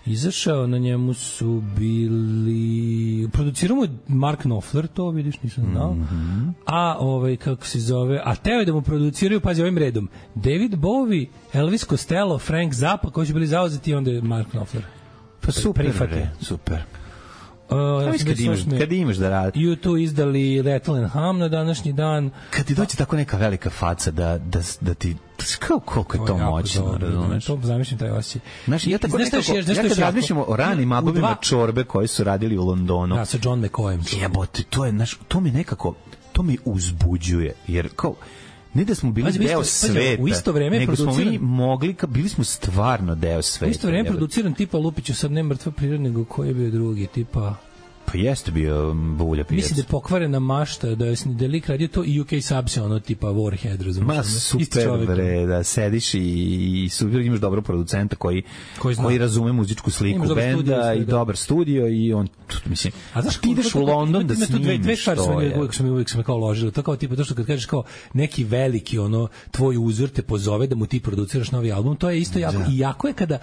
izašao, na njemu su bili produciramo je Mark Knopfler, to vidiš, nisam znao. Mm-hmm. A ovaj kako se zove, a teo je da mu produciraju, pazi ovim redom, David Bowie, Elvis Costello, Frank Zappa, koji su bili zauzeti, onda je Mark Knopfler. Pa super, re, super. Uh, kad, imaš, kad imaš da radi. U dva izdali Rattle and Hum na današnji dan. Kad ti dođe tako neka velika faca da, da, da ti kao koliko je to moćno, razumeš? To zamišljam taj osjećaj. Znaš, ja tako nekako, ja kad razmišljamo o ranim albumima Čorbe koji su radili u Londonu. Da, sa John McCoyem. Jebote, to je, znaš, to mi nekako, to mi uzbuđuje, jer kao, ne da smo bili pazi, deo isto, sveta, u isto vreme nego smo mi mogli, bili smo stvarno deo sveta. U isto vreme produciran tipa Lupiću, sad ne mrtva priroda, nego koji je bio drugi, tipa... Pa jeste bio Bulja pijac. Mislim da je pokvarena mašta, da je da lik radio to i U K Subs, ono tipa Warhead, razumiješ? Ma super, bre, da sediš i, i super, imaš dobrog producenta koji, koji, koji razume muzičku sliku benda i dobar studio i on, mislim, a znaš, ti ideš u London da snimiš dve, dve stvari što je. Uvijek sam, uvijek sam kao ložilo, to kao tipa to što kad kažeš kao neki veliki, ono, tvoj uzor te pozove da mu ti produciraš novi album, to je isto jako, i jako je kada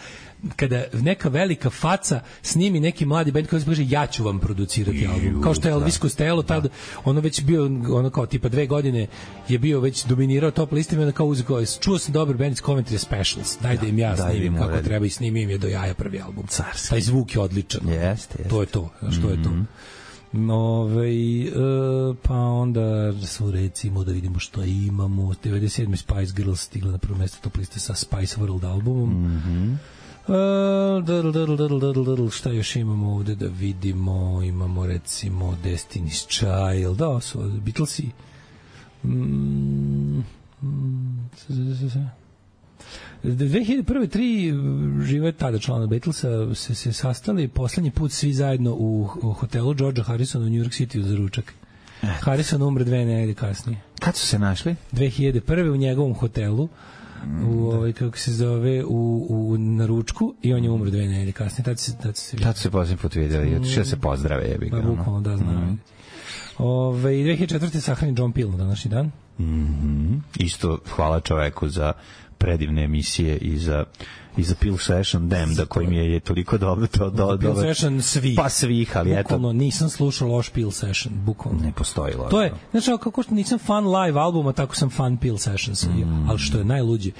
kada neka velika faca snimi neki mladi bend koji kaže ja ću vam producirati album. Kao što je Elvis Costello tad ono već bio ono kao tipa dve godine je bio već dominirao top listima, onda kao uzeo čuo sam dobar bend iz Coventry Specials. Daj da im ja snimim kako radi. Treba i snimim je do jaja prvi album. Carski. Taj zvuk je odličan. Jeste, jeste. To je to, što je to. Ove, e, pa onda su recimo da vidimo što imamo. devedeset sedme Spice Girls stigla na prvo mesto top liste sa Spice World albumom. Mhm. Uh, dl, dl, dl, dl, dl, šta još imamo ovde da vidimo? Imamo recimo Destiny's Child, da, su Beatlesi. Mm, mm, dve hiljade prve tri žive tada člana Beatlesa se, se sastali poslednji put svi zajedno u, u hotelu Georgea Harrisona u New York City za ručak. Harrison umre dve nedelje kasnije. Kad su se našli? dve hiljade prve u njegovom hotelu u ovaj kako se zove u u na ručku i on je umro dve nedelje kasnije. Tad se tad se tad se posljednji put videli i otišao se pozdrave, jebi ga. Pa bukvalno da znam. Mm. Ove dve hiljade četvrte sahranjen John Peel na današnji dan. Mhm. Isto hvala čoveku za predivne emisije i za i za Peel Session Damn da koji mi je, je toliko dobro to do Peel Session svi pa svih, ali eto bukvalno nisam slušao loš Peel Session, bukvalno ne postoji loš. To je znači kako što nisam fan live albuma, tako sam fan Peel Sessions, mm. ali što je najluđe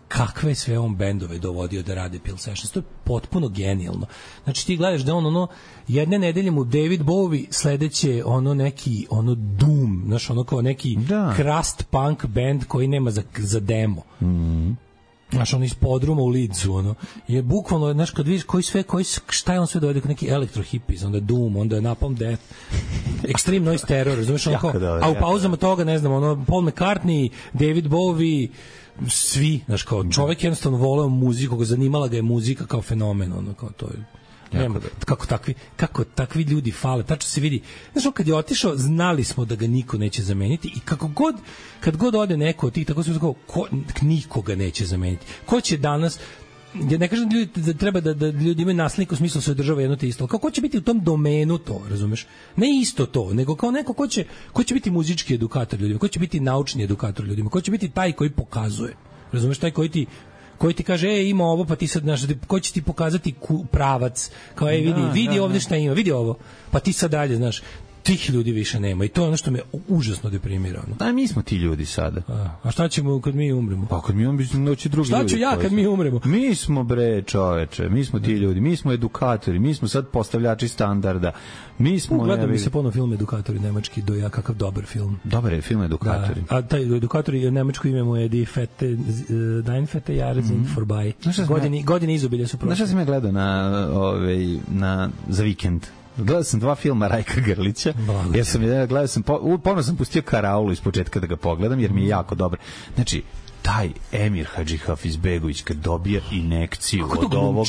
kakve sve on bendove dovodio da rade Peel Sessions, to je potpuno genijalno. Znači ti gledaš da on ono jedne nedelje mu David Bowie, sledeće ono neki ono doom, znaš ono kao neki da. crust punk band koji nema za, za demo. Mhm. Znaš, on iz podruma u Leedsu, ono, je bukvalno, znaš, kad vidiš koji sve, koji, šta je on sve dovede, neki elektro hippies, onda Doom, onda Napalm Death, Extreme Noise Terror, razumiješ, ono, kao, a u pauzama toga, ne znam, ono, Paul McCartney, David Bowie, svi, znaš, kao, čovek jednostavno voleo muziku, zanimala ga je muzika kao fenomen, ono, kao, to je, nema, kako takvi, kako takvi ljudi fale, tačno se vidi. Znaš, kad je otišao, znali smo da ga niko neće zameniti i kako god, kad god ode neko od tih, tako se tako, ko, nikoga neće zameniti. Ko će danas, ja ne kažem da, ljudi, da treba da, da ljudi imaju naslednika u smislu da se održava jedno te isto, kako će biti u tom domenu to, razumeš? Ne isto to, nego kao neko ko će, ko će biti muzički edukator ljudima, ko će biti naučni edukator ljudima, ko će biti taj koji pokazuje, razumeš, taj koji ti koji ti kaže, e, ima ovo, pa ti sad, znaš, ko će ti pokazati pravac, kao, e, vidi, vidi ovde šta ima, vidi ovo, pa ti sad dalje, znaš, tih ljudi više nema i to je ono što me užasno deprimira. Da, mi smo ti ljudi sada. A, a šta ćemo kad mi umremo? Pa kad mi umremo, doći drugi šta ljudi. Šta ću ja kad mi umremo? Mi smo, bre, čoveče, mi smo ti ljudi, mi smo edukatori, mi smo sad postavljači standarda. Mi smo... Gledam mi se ponovno film Edukatori nemački, do ja kakav dobar film. Dobar je film Edukatori. Da, a taj Edukatori nemačko ime mu je Die Fette, uh, Dein Fette Jahre sind mm. vorbei. Godine, godine izobilja su prošle. Znaš šta sam ja gledao na, ovaj, na, za vikend? Gledao sam dva filma Rajka Grlića. Blago ja sam, ja gledao sam, ponovno sam pustio Karaulu iz početka da ga pogledam, jer mi je jako dobro. Znači, taj Emir Hadžihafizbegović kad dobija injekciju kako od ovog...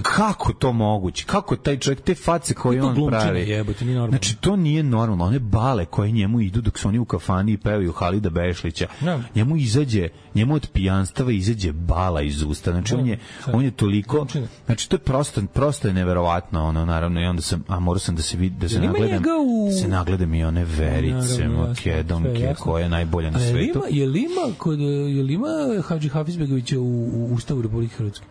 Kako to moguće? Kako taj čovjek, te face koje on pravi? Jebote, nije normalno. Znači, to nije normalno. One bale koje njemu idu dok su oni u kafani i pevaju Halida Bešlića. No. Njemu izađe, njemu od pijanstava izađe bala iz usta. Znači, no, on je, on je toliko... Znači, to je prosto, prosto je neverovatno, ono, naravno, i onda sam, a morao sam da se vidi, da se nagledam, u... se nagledam i one Verice, Makedonke, koja je najbolja na svetu. Je li ima kod... Jel ima Hadžihafizbegovića u, u Ustavu Republike Hrvatske?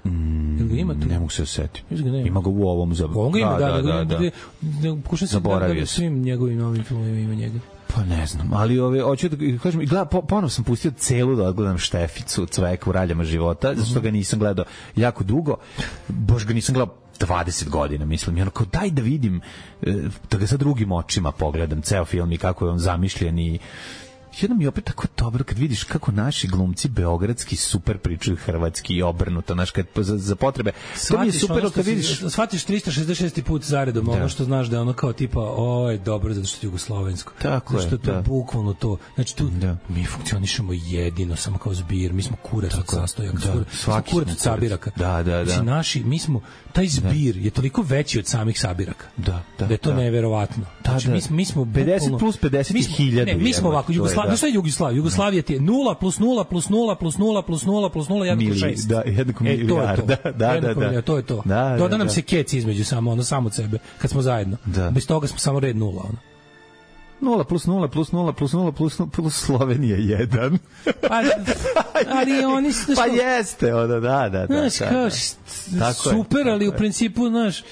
Mm, Jel ga ima tu? Ne mogu se osetiti. Ima. ima ga u ovom za... Ovo ga ima, da, da, da. da, da. Pokušam se da da svim njegovim novim filmovima ima njega. Pa ne znam, ali ove, hoću da kažem, gleda, po, ponovno sam pustio celu da odgledam Šteficu, Cveka u raljama života, zato što ga nisam gledao jako dugo, bož ga nisam gledao dvadeset godina, mislim, i ono kao daj da vidim, da ga sa drugim očima pogledam, ceo film i kako je on zamišljen i jedno mi je opet tako dobro kad vidiš kako naši glumci beogradski super pričaju hrvatski i obrnuto, znaš, kad za, za potrebe. To mi je super kad vidiš... Shvatiš trista šezdeset šesti put zaredom, da. Ono što znaš da je ono kao tipa, o, je dobro zato što je jugoslovensko. Tako zato što je, to da. je bukvalno to. Znači tu da. Mi funkcionišemo jedino, samo kao zbir, mi smo kurac od sastojaka, da. Svaki kurac od sabiraka. Da, da, da. Znači naši, mi smo, taj zbir da. Je toliko veći od samih sabiraka. Da, da. Da je to da. Neverovatno. Znači da, da. mi, mi smo bukvalno... pedeset plus pedeset hiljada. Ne, mi smo ovako, Jugoslavija, šta je Jugoslavija? Jugoslavija ti je nula plus nula plus nula plus nula plus nula plus nula jednako šest. Da, jednako milijarda. Da, da, da, da. To je to. Da, Doda da, nam da. se kec između samo, ono samo od sebe, kad smo zajedno. Da. Bez toga smo samo red nula, ono. Nula plus nula plus nula plus nula plus nula plus Slovenija jedan. Pa, ali oni... Pa jeste, ono, da, da, da. Znaš, kao, super, ali u principu, znaš,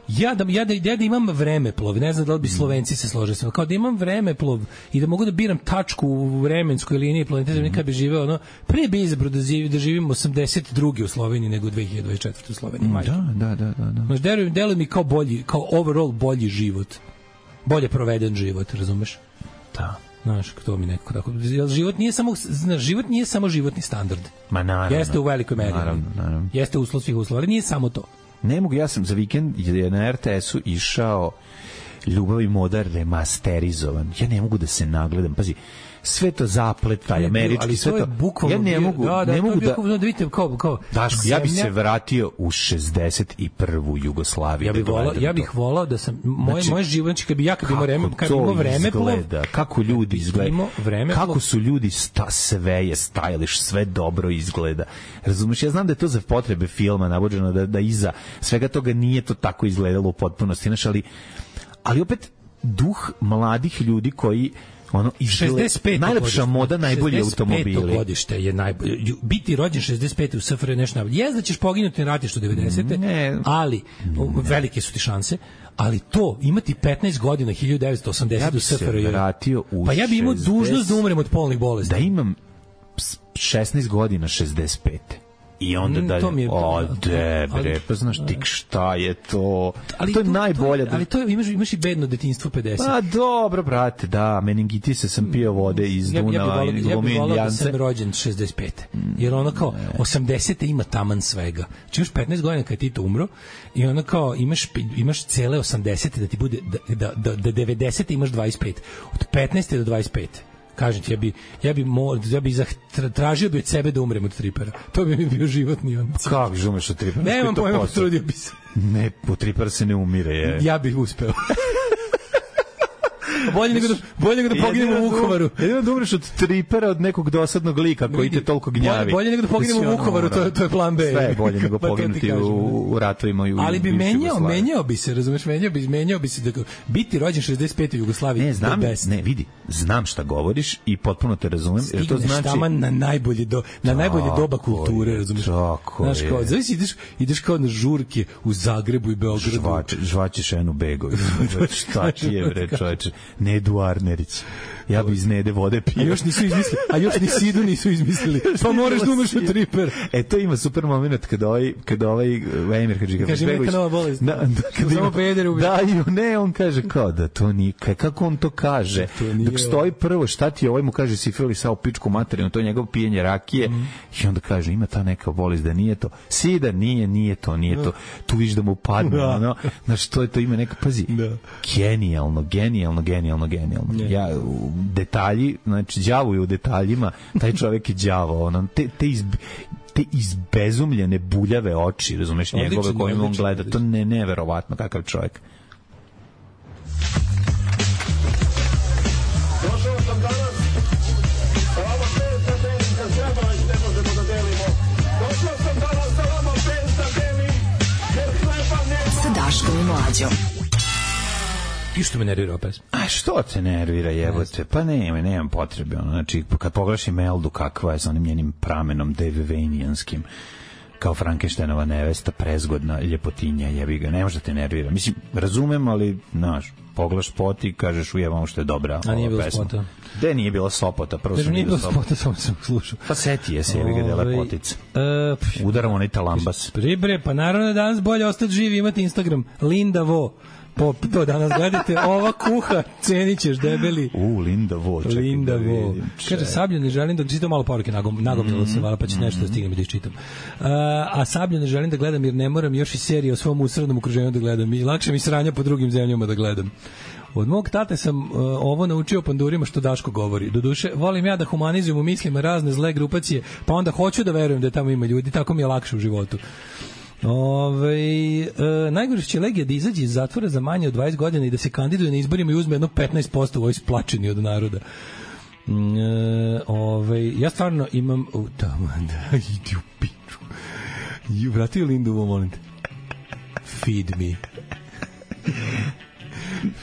Ja da, ja, da, ja da imam vremeplov, ne znam da li bi Slovenci se složili sa, kao da imam vremeplov i da mogu da biram tačku u vremenskoj liniji planete Zemlje kad bi živeo, ono, pre bi izabrao da, živ, da živim osamdeset druge u Sloveniji nego dve hiljade dvadeset četvrte u Sloveniji. Mm, da, da, da, da. Znaš, deluje, deluje mi kao bolji, kao overall bolji život. Bolje proveden život, razumeš? Da. Znaš, to mi nekako tako. Život nije samo, znaš, život nije samo životni standard. Ma naravno. Jeste u velikoj meri. Naravno, naravno. Jeste uslov svih uslova, ali nije samo to. Ne mogu, ja sam za vikend je na er te esu išao Ljubav i moda remasterizovan. Ja ne mogu da se nagledam. Pazi, sve to zaplet, taj američki, sve to. Ja ne mogu, da, da, ne mogu da... da vidite, kao, kao, Daško, ja bih se vratio u šezdeset i prvu Jugoslaviju. Ja bih volao, ja bih volao da sam, moje, znači, moje život, kad bi ja kad imao vreme, kad imao vreme, izgleda, kako ljudi izgledaju, kako su ljudi sta, sve je stylish, sve dobro izgleda. Razumeš, ja znam da je to za potrebe filma navođeno, da, da iza svega toga nije to tako izgledalo u potpunosti, znaš, ali, ali opet duh mladih ljudi koji ono šezdeset pet najlepša moda, najbolji automobili. šezdeset peto godište je najbolje. Biti rođen šezdeset pete u S F R J je nešto najbolje. Jeste da ćeš poginuti na ratištu devedesete. Ne, ali ne. Velike su ti šanse. Ali to, imati petnaest godina hiljadu devetsto osamdesete ja u S F R J. Pa ja bih imao dužnost da umrem od polnih bolesti. Da imam šesnaest godina šezdeset pete. I onda mm, dalje, je, o, debre, pa znaš ti šta je to, ali to je to, najbolja. To je, ali to je, imaš, imaš i bedno detinjstvo pedeset. Pa dobro, brate, da, meningitise sam pio vode iz ja, Dunava ja i glumio Indijance. Ja bih volao da sam rođen šezdeset pete. Jer ono kao, osamdesete ima taman svega. Či imaš petnaest godina kad ti to umro i ono kao, imaš, imaš cele osamdesete da ti bude, da, da, da, da devedesete imaš dvadeset pet. Od petnaeste do dvadeset pete. Kažem ti, ja bi, ja bi, mo, ja bi zahtra, tražio bi od sebe da umrem od tripera. To bi mi bio životni on. Kako bi umreš od tripera? Nemam pojma, potrudio bi se. Ne, po tripera se ne umire. Je. Ja bih uspeo. bolje nego da, bolje nego da poginemo u Vukovaru. Jedino da umreš od tripera, od nekog dosadnog lika koji te toliko gnjavi. Bolje nego da poginemo u Vukovaru, to, to je plan B. Sve je bolje nego poginuti u, u ratovima i u ali bi menjao, menjao bi se, razumeš, menjao bi, menjao bi se da biti rođen šezdeset pete u Jugoslaviji. Ne, znam, ne, vidi, znam šta govoriš i potpuno te razumem. Stigneš to znači taman na najbolje do na tako najbolje doba kulture, je, razumeš? Znaš, kao, zavisi, ideš, ideš kao na žurke u Zagrebu i Beogradu. Žvač, žvaćeš Enu Begović. Šta ti je, bre, čoveče? Nedu Arnerić. Ja bi iz Nede vode pio. A još nisu izmislili, a još ni Sidu nisu izmislili. Pa moraš da umreš od triper. E, to ima super moment kada ovaj, kada ovaj Emir Hadžiga kaže neka nova bolest. Da, da, kada samo pedere ubije. Da, ne, on kaže kao da to nije, kako on to kaže? Dok stoji prvo, šta ti ovaj mu kaže sifili sa u pičku materinu, to je njegov pijenje rakije mm. i onda kaže ima ta neka bolest da nije to. Sida nije, nije to, nije to. Tu viš da mu padne, da. Ono, znaš, to je to ima neka, pazi, da. Genijalno, genijalno, genijalno, genijalno. Ne. Ja, detalji, znači, đavo je u detaljima, taj čovjek je đavo, ono, te, te iz te izbezumljene buljave oči, razumeš, njegove kojim on gleda, to ne, neverovatno kakav čovjek. Došao sam danas, sa vama pet da delim, kad treba već ne možemo da delimo. Došao sam danas sa vama pet da delim, jer hleba nema. Sa Daškom i Mlađom. I što me nervira opet? A što te nervira, jebote? Pa nema, nemam potrebe. Ono. Znači, kad pogledaš Imeldu kakva je sa onim njenim pramenom devevenijanskim, kao Frankensteinova nevesta, prezgodna, ljepotinja, jebi ga, ne može da te nervira. Mislim, razumem, ali, znaš, pogledaš spot i kažeš ujebamo što je dobra a nije bilo pesma. Spota? Gde nije bilo Sopota? Prvo Kažem, nije bilo Spota, samo sam slušao. Pa seti je se, jebi ga, da lepotica. Uh, Udaram onaj talambas. Pribre, pa naravno da danas bolje ostati živi, imati Instagram. Linda Vo. Po, to danas gledate, ova kuha, cenit ćeš, debeli. U, Linda Vo, čekaj Linda da Vo. vidim. Kaže, Sablja ne želim da, čitam malo poruke, nagom, nagomljalo mm -hmm. se, vala, pa će nešto da stignem i da iščitam. Uh, a Sablja ne želim da gledam, jer ne moram još i serije o svom usrednom okruženju da gledam. I lakše mi sranja po drugim zemljama da gledam. Od mog tate sam uh, ovo naučio pandurima što Daško govori. Doduše, volim ja da humanizujem u mislima razne zle grupacije, pa onda hoću da verujem da tamo ima ljudi, tako mi je lakše u životu. Ove, e, najgore će Legija da izađe iz zatvora za manje od dvadeset godina i da se kandiduje na izborima i uzme jedno petnaest posto u ovoj splačeni od naroda. E, ove, ja stvarno imam... U, tamo, da, idi u piču. I vratio Lindu, molim te. Feed me.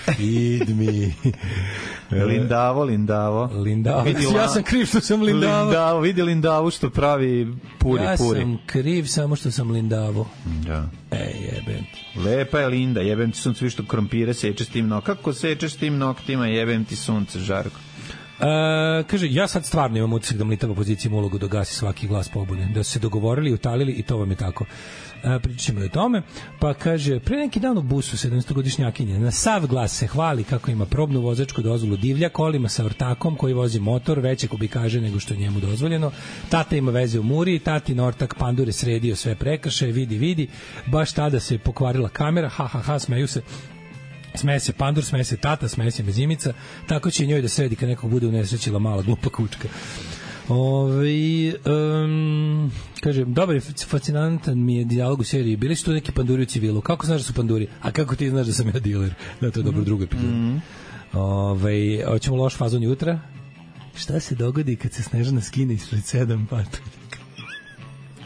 Feed me. Lindavo, Lindavo. Lindavo. Ja sam kriv što sam Lindavo. Lindavo, vidi Lindavu što pravi puri, ja puri. Ja sam kriv samo što sam Lindavo. Da. Ej, jebem ti. Lepa je Linda, jebem ti sunce, viš što krompire seče s tim noktima. Kako sečeš s tim noktima, jebem ti sunce, Žarko. Uh, kaže, ja sad stvarno imam utisak da mlitava opozicija ulogu da gasi svaki glas pobune. Da su se dogovorili, utalili i to vam je tako. Uh, pričat ćemo o tome. Pa kaže, pre neki dan u busu sedamstogodišnjakinje na sav glas se hvali kako ima probnu vozačku dozvolu divlja kolima sa ortakom koji vozi motor veće kubikaže nego što je njemu dozvoljeno. Tata ima veze u Muri, tatin ortak pandure sredio sve prekršaje, vidi, vidi. Baš tada se pokvarila kamera, ha, ha, ha, smeju se. Smeje se pandur, smeje se tata, smeje se mezimica, tako će njoj da sredi kad nekog bude unesrećila mala glupa kučka. Ove, um, kaže, dobar je, fascinantan mi je dijalog u seriji. Bili su tu neki panduri u civilu. Kako znaš da su panduri? A kako ti znaš da sam ja diler? Da, to je dobro drugo epizod. Mm. Ove, hoćemo loš fazon jutra. Šta se dogodi kad se Snežana skine ispred sedam patuljaka?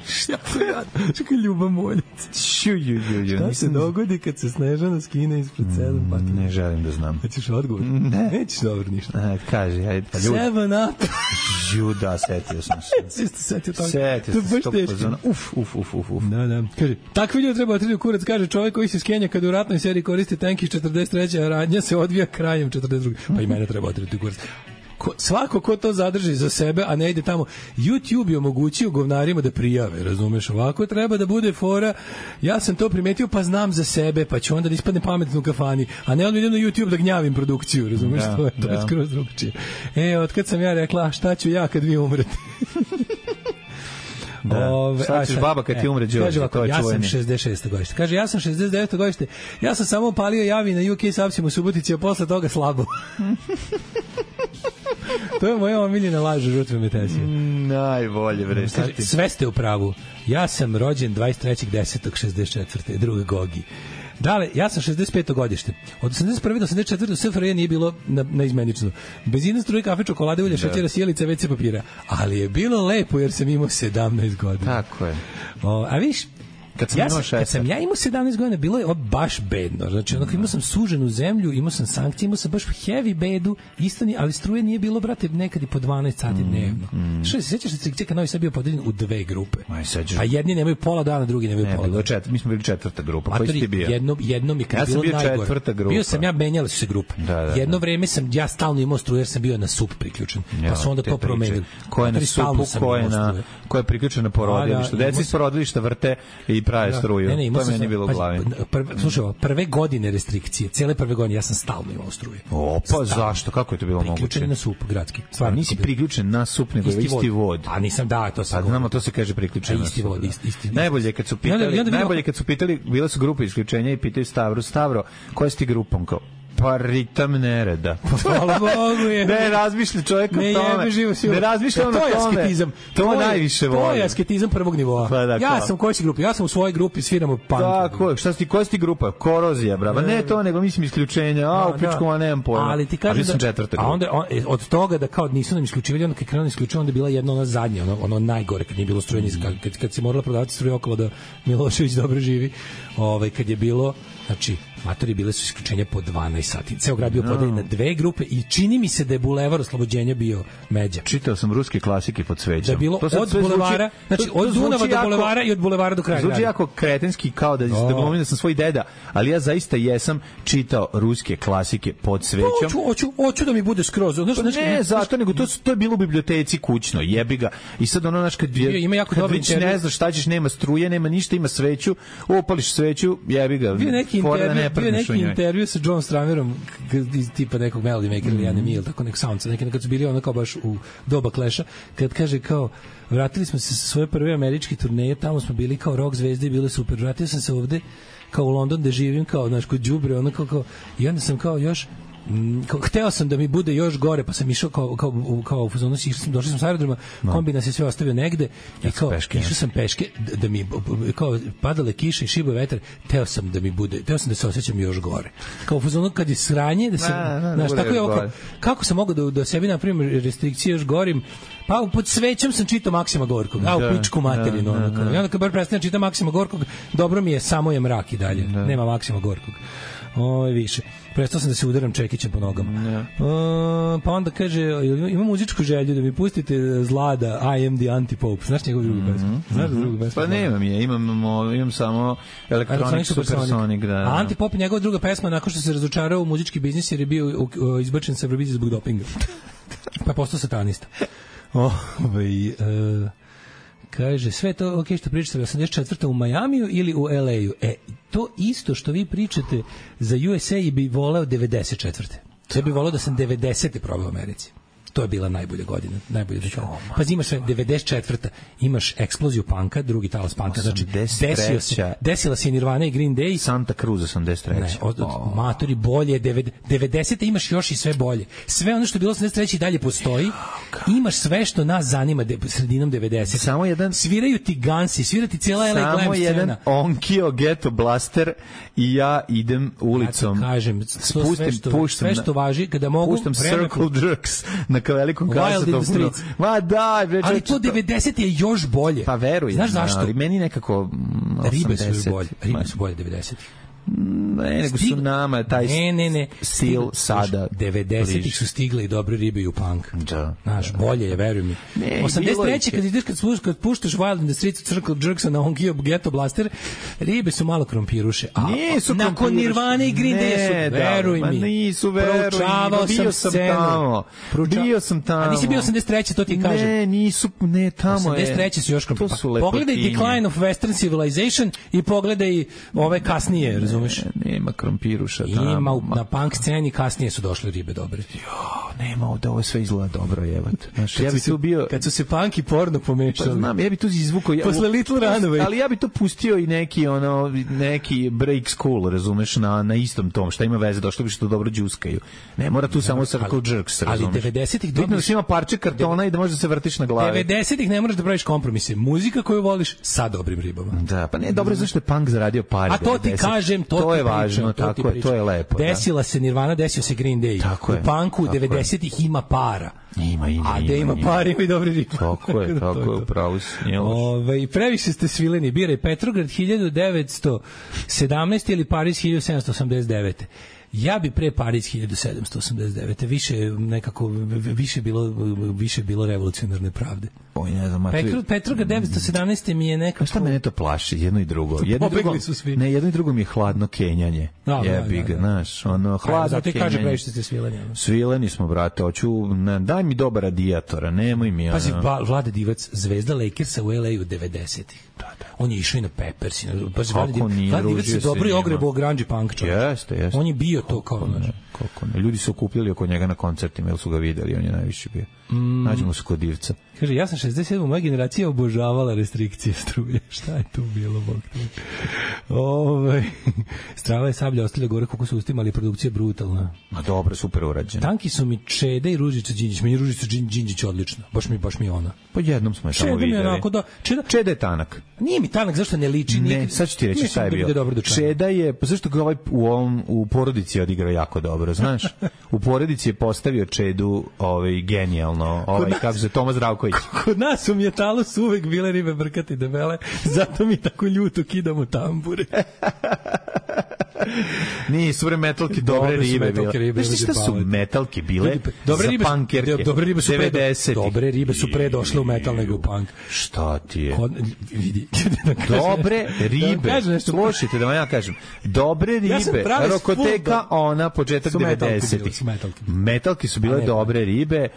Šta to jadno? Čekaj, Ljuba Moljac. Šta se dogodi kad se Snežana skine ispred sedam patuljaka? Ne želim da znam. Hoćeš odgovor? Ne. Nećeš dobro ništa. Ne, kaži, ajde. Seven up. Ju, da, setio sam se. Siste setio toga. Setio sam se. Uf, uf, uf, uf, uf. Da, da. Kaže, takvi ljudi treba otriti u kurac, kaže čovjek koji se skenja kad u ratnoj seriji koristi tank iz četrdeset treće, a radnja se odvija krajem četrdeset druge. Pa i mene treba otriti u kurac. Ko, svako ko to zadrži za sebe, a ne ide tamo. YouTube je omogućio govnarima da prijave, razumeš? Ovako treba da bude fora. Ja sam to primetio, pa znam za sebe, pa ću onda da ispadne pametno u kafani, a ne onda idem na YouTube da gnjavim produkciju, razumeš? Da, to je, to je skroz drugačije. E, otkad sam ja rekla, šta ću ja kad vi umrete? Da. Ove, šta ćeš baba kad ti umre, Đorđe? Ja sam šezdeset šeste godište. Kaže, ja sam šezdeset deveto godište. Ja sam samo palio javi na U K Sapsim u Subotici, a posle toga slabo. To je moja omiljena laž žrtve Metesije. Mm, najbolje, bre. Sve ste u pravu. Ja sam rođen dvadeset trećeg desetog šezdeset četvrte druga Gogi. Dale, ja sam šezdeset peto godište. Od osamdeset prve do osamdeset četvrte S F R J nije bilo na, na izmenično. Benzina, struje, kafe, čokolade, ulje, šećera, sjelica, ve ce papira. Ali je bilo lepo jer sam imao sedamnaest godina. Tako je. O, a viš, Kad sam, ja imao sam, kad sam ja imao sedamnaest godina, bilo je baš bedno. Znači, onako imao sam suženu zemlju, imao sam sankcije, imao sam baš heavy bedu, istani, ali struje nije bilo, brate, nekad i po dvanaest sati dnevno. Mm, mm. Što se sećaš da se Novi Sad bio podeljen u dve grupe? Aj, a jedni nemaju pola dana, drugi nemaju ne, pola dana. Čet, mi smo bili četvrta grupa. Koji si ti bio? Jedno, jedno mi kad ja bilo bio najgore. Četvrta grupa. Bio sam ja, menjale su se grupe. Da, da, da. Jedno vreme sam ja stalno imao struju jer sam bio na sup priključen. Ja, pa su onda to promenili. Ko je na supu, ko je na ko je priključen na porodilište. Deca iz porodilišta vrte i prave struju. To je meni bilo u glavi. Slušaj, prve godine restrikcije, cele prve godine ja sam stalno imao struje. O, pa zašto? Kako je to bilo moguće? Priključen na sup gradski. Stvarno nisi priključen na sup, nego isti, isti vod. A nisam, da, to se. A znamo, to se kaže priključen na isti vod, isti, isti. Najbolje kad su pitali, najbolje kad su pitali, bile su grupe isključenja i pitaju Stavro, Stavro, koja si ti grupom? Kao, pa ritam nereda. Hvala Bogu je. Ne razmišlja čovjek o tome. Ne razmišlja on o tome. To je asketizam. To je najviše voli. To je asketizam prvog nivoa. Pa da, ja sam u kojoj si grupi? Ja sam u svojoj grupi, sviramo punk. Tako, šta si, koja si ti grupa? Korozija, brava. Ne to, nego mislim isključenja. A, u pičku, a nemam pojma. Ali ti kažem da... A onda, od toga da kao nisu nam isključivali, onda kad krenuli isključivali, onda je bila jedna ona zadnja, ono, ono najgore, kad nije bilo struje, kad, kad si morala prodavati struje okolo da Milošević dobro živi, ovaj, kad je bilo, znači, matori bile su isključenja po dvanaest sati. Ceo grad bio no. podeljen na dve grupe i čini mi se da je Bulevar Oslobođenja bio međa. Čitao sam ruske klasike pod svećom. Da je bilo od Bulevara, zvuči, znači od Dunava do Bulevara i od Bulevara do kraja. Zvuči jako kretenski kao da, da glumim da sam svoj deda, ali ja zaista jesam čitao ruske klasike pod svećom. Hoću, hoću, hoću da mi bude skroz. Znaš, ne, ne, zato, nego to, to je bilo u biblioteci kućno, jebi ga. I sad ono, znaš, kad, je, ima jako kad već ne znaš šta ćeš, nema struje, nema ništa, ima sveću, opališ sveću, jebi ga. Bio neki intervju, bio neki intervju sa John Stramerom iz tipa nekog Melody Maker ili Anime ili tako nek soundsa, neki kad su bili ono kao baš u doba Clash-a, kad kaže kao vratili smo se sa svoje prve američke turneje, tamo smo bili kao rock zvezde i bile super, vratio sam se ovde kao u London da živim kao, znaš, kod đubre, ono kao, kao, i onda sam kao još kao, hteo sam da mi bude još gore, pa sam išao kao, kao, kao u fazonu, došli sam s aerodroma, no. kombi nas je sve ostavio negde i kao, peške, išao sam peške da, da mi, kao, padale kiše i šibo vetar, hteo sam da mi bude, hteo sam da se osjećam još gore. Kao u fazonu kad je sranje, da se, znaš, tako je oko, kako sam mogao da, da sebi napravim restrikcije još gorim, pa pod svećom sam čitao Maksima Gorkog, a u pičku materinu, da, da, da. I onda kad bar prestanem čitati Maksima Gorkog, dobro mi je, samo je mrak i dalje, da. Nema Maksima Gorkog. Oj, više. Prestao sam da se udaram čekićem po nogama. Yeah. Uh, pa onda kaže, ima muzičku želju da mi pustite Zlada, I am the Antipope. Znaš njegov drugi pesmu? Mm-hmm. Znaš drugu pesmu? Pa nemam je, imam, imam samo Electronic Supersonic. Da, da. A Antipope je njegova druga pesma nakon što se razočarao u muzički biznis jer je bio izbačen sa Eurovizije zbog dopinga. Pa je postao satanista. Ovaj... Uh, kaže, sve to, ok, što pričate osamdeset četvrte u Majamiju ili u L A-u? E, to isto što vi pričate za U S A bi voleo devedeset četvrte. Ja bih voleo da sam devedesete probao u Americi. To je bila najbolja godina, najbolja dekada. Pa imaš devedeset četvrta imaš eksploziju panka, drugi talas panka, znači desio se, desila se Nirvana i Green Day. Santa Cruz osamdeset treće. Ne, od, od oh. matori bolje, devedesete imaš još i sve bolje. Sve ono što je bilo osamdeset treće i dalje postoji. Imaš sve što nas zanima de, sredinom devedesetih. Samo jedan sviraju ti Gansi, svira ti cijela L A glam scena. Samo jedan Onkyo Ghetto Blaster i ja idem ulicom. Ja kažem, spustim, sve što, puštam, sve što važi kada mogu puštam Circle Jerks na velikom kasetom. Ma daj, bre, ali to devedeset je još bolje. Pa veruj. Znaš zašto? Ali meni nekako ribe su bolje. Ribe su bolje devedeset. Ne, nego su nama taj ne, ne, ne. stil sada. devedesetih su stigle i dobre ribe i u punk. Da. Znaš, bolje je, veruj mi. Ne, osamdeset treće kad ideš, kad, sluš, kad puštaš Wild in the Streets of Circle Jerksa na Onkyo Ghetto Blaster, ribe su malo krompiruše. A nisu nakon Nirvane i Green Day su, veruj da, mi. Nisu, veruj mi. Bio sam tamo. Prouča... Bio sam tamo. A nisi bio osamdeset treće, to ti kažem. Ne, nisu, ne, tamo je. osamdeset treće su još krompiruše. Pogledaj Decline of Western Civilization i pogledaj ove kasnije, razumeš? Nema krompiruša tamo. Ima, na punk sceni kasnije su došle ribe dobre. Jo, nema ovde, ovo sve izgleda dobro, jebote. Znaš, ja bi tu bio... Kad su se punk i porno pomešali. Pa znam, ja bi tu izvukao... Ja, posle Little Runaway. Ali ja bi tu pustio i neki, ono, neki break school, razumeš, na, na istom tom, šta ima veze, došlo bi što dobro džuskaju. Ne, mora tu da, samo circle jerks, razumeš. Ali devedesetih bitno da ima parče kartona i da možeš da se vrtiš na glavi. devedesetih ne moraš da praviš kompromise. Muzika koju voliš sa dobrim ribama. Da, pa ne, dobro je zašto je punk zaradio pare. A to ti kažem, to, to ti je važno, pričam, tako je, to je lepo. Desila da. se Nirvana, desio se Green Day. Tako u je, punku devedesetih ima para. Ima, ima, a gde ima, ima para ima i dobri riba. Tako je, tako je, upravo si. Ove, previše ste svileni. Biraj Petrograd hiljadu devetsto sedamnaeste ili Pariz hiljadu sedamsto osamdeset devete. Ja bi pre Pariz hiljadu sedamsto osamdeset devete. Više nekako više bilo više bilo revolucionarne pravde. Oj, ne znam, Petro, Petrograd devetsto sedamnaeste mi je nekako... Šta mene to plaši, jedno i drugo? Jedno i drugo, ne, jedno i drugo mi je hladno kenjanje. No, jebi ga, znaš, ono, hladno zato kenjanje. Zato i kaže previše ste svileni. Svileni smo, brate, hoću, ne, daj mi dobar radijatora, nemoj mi, ono... Pazi, Vlade Divac, zvezda Lakersa u L A u devedesetih. Da, da. On je išao i na Peppers. Pazi, Vlade Divac je dobro i ogrebo grunge punk čovjek. Jeste, jeste. On je bio to kao, ne, kako ne. Ljudi su okupljali oko njega na koncertima, jer su ga videli, on je najviše bio. Mm. Nađemo se kod Divca. Kaže, ja sam šezdeset sedam moja generacija obožavala restrikcije struje. Šta je tu bilo, bog tu? Ove, Strava je Sablja ostavlja gore koliko su ustima, ali produkcija brutalna. Ma dobro, super urađena. Tanki su mi Čeda i Ružica Đinđić. Meni Ružica Đinđić odlična. Baš mi, baš mi ona. Pa jednom smo je tamo videli. Čeda mi onako da... Čeda, Čeda je tanak. Nije mi tanak, zašto ne liči? Ne, nije, sad ću ti reći šta je bio. Čeda je, pa zašto ga ovaj u, ovom, u porodici odigrao jako dobro, znaš? U porodici je postavio Čedu ovaj, genijalno, ovaj, kako se Toma Zdravković. Kod nas u Mjetalu su uvek bile ribe brkati debele, zato mi tako ljuto kidamo tambure. Nisu bre metalke dobre ribe bile. Znaš šta su metalke bile? Dobre ribe, dobre ribe su pre devedesetih. Dobre ribe su pre došle u metal nego u punk. Šta ti je? Kod, vidi. Dobre ribe. Slušajte da vam ja kažem. Dobre ribe. Rokoteka ona početak devedesetih. Metalke su bile dobre ribe,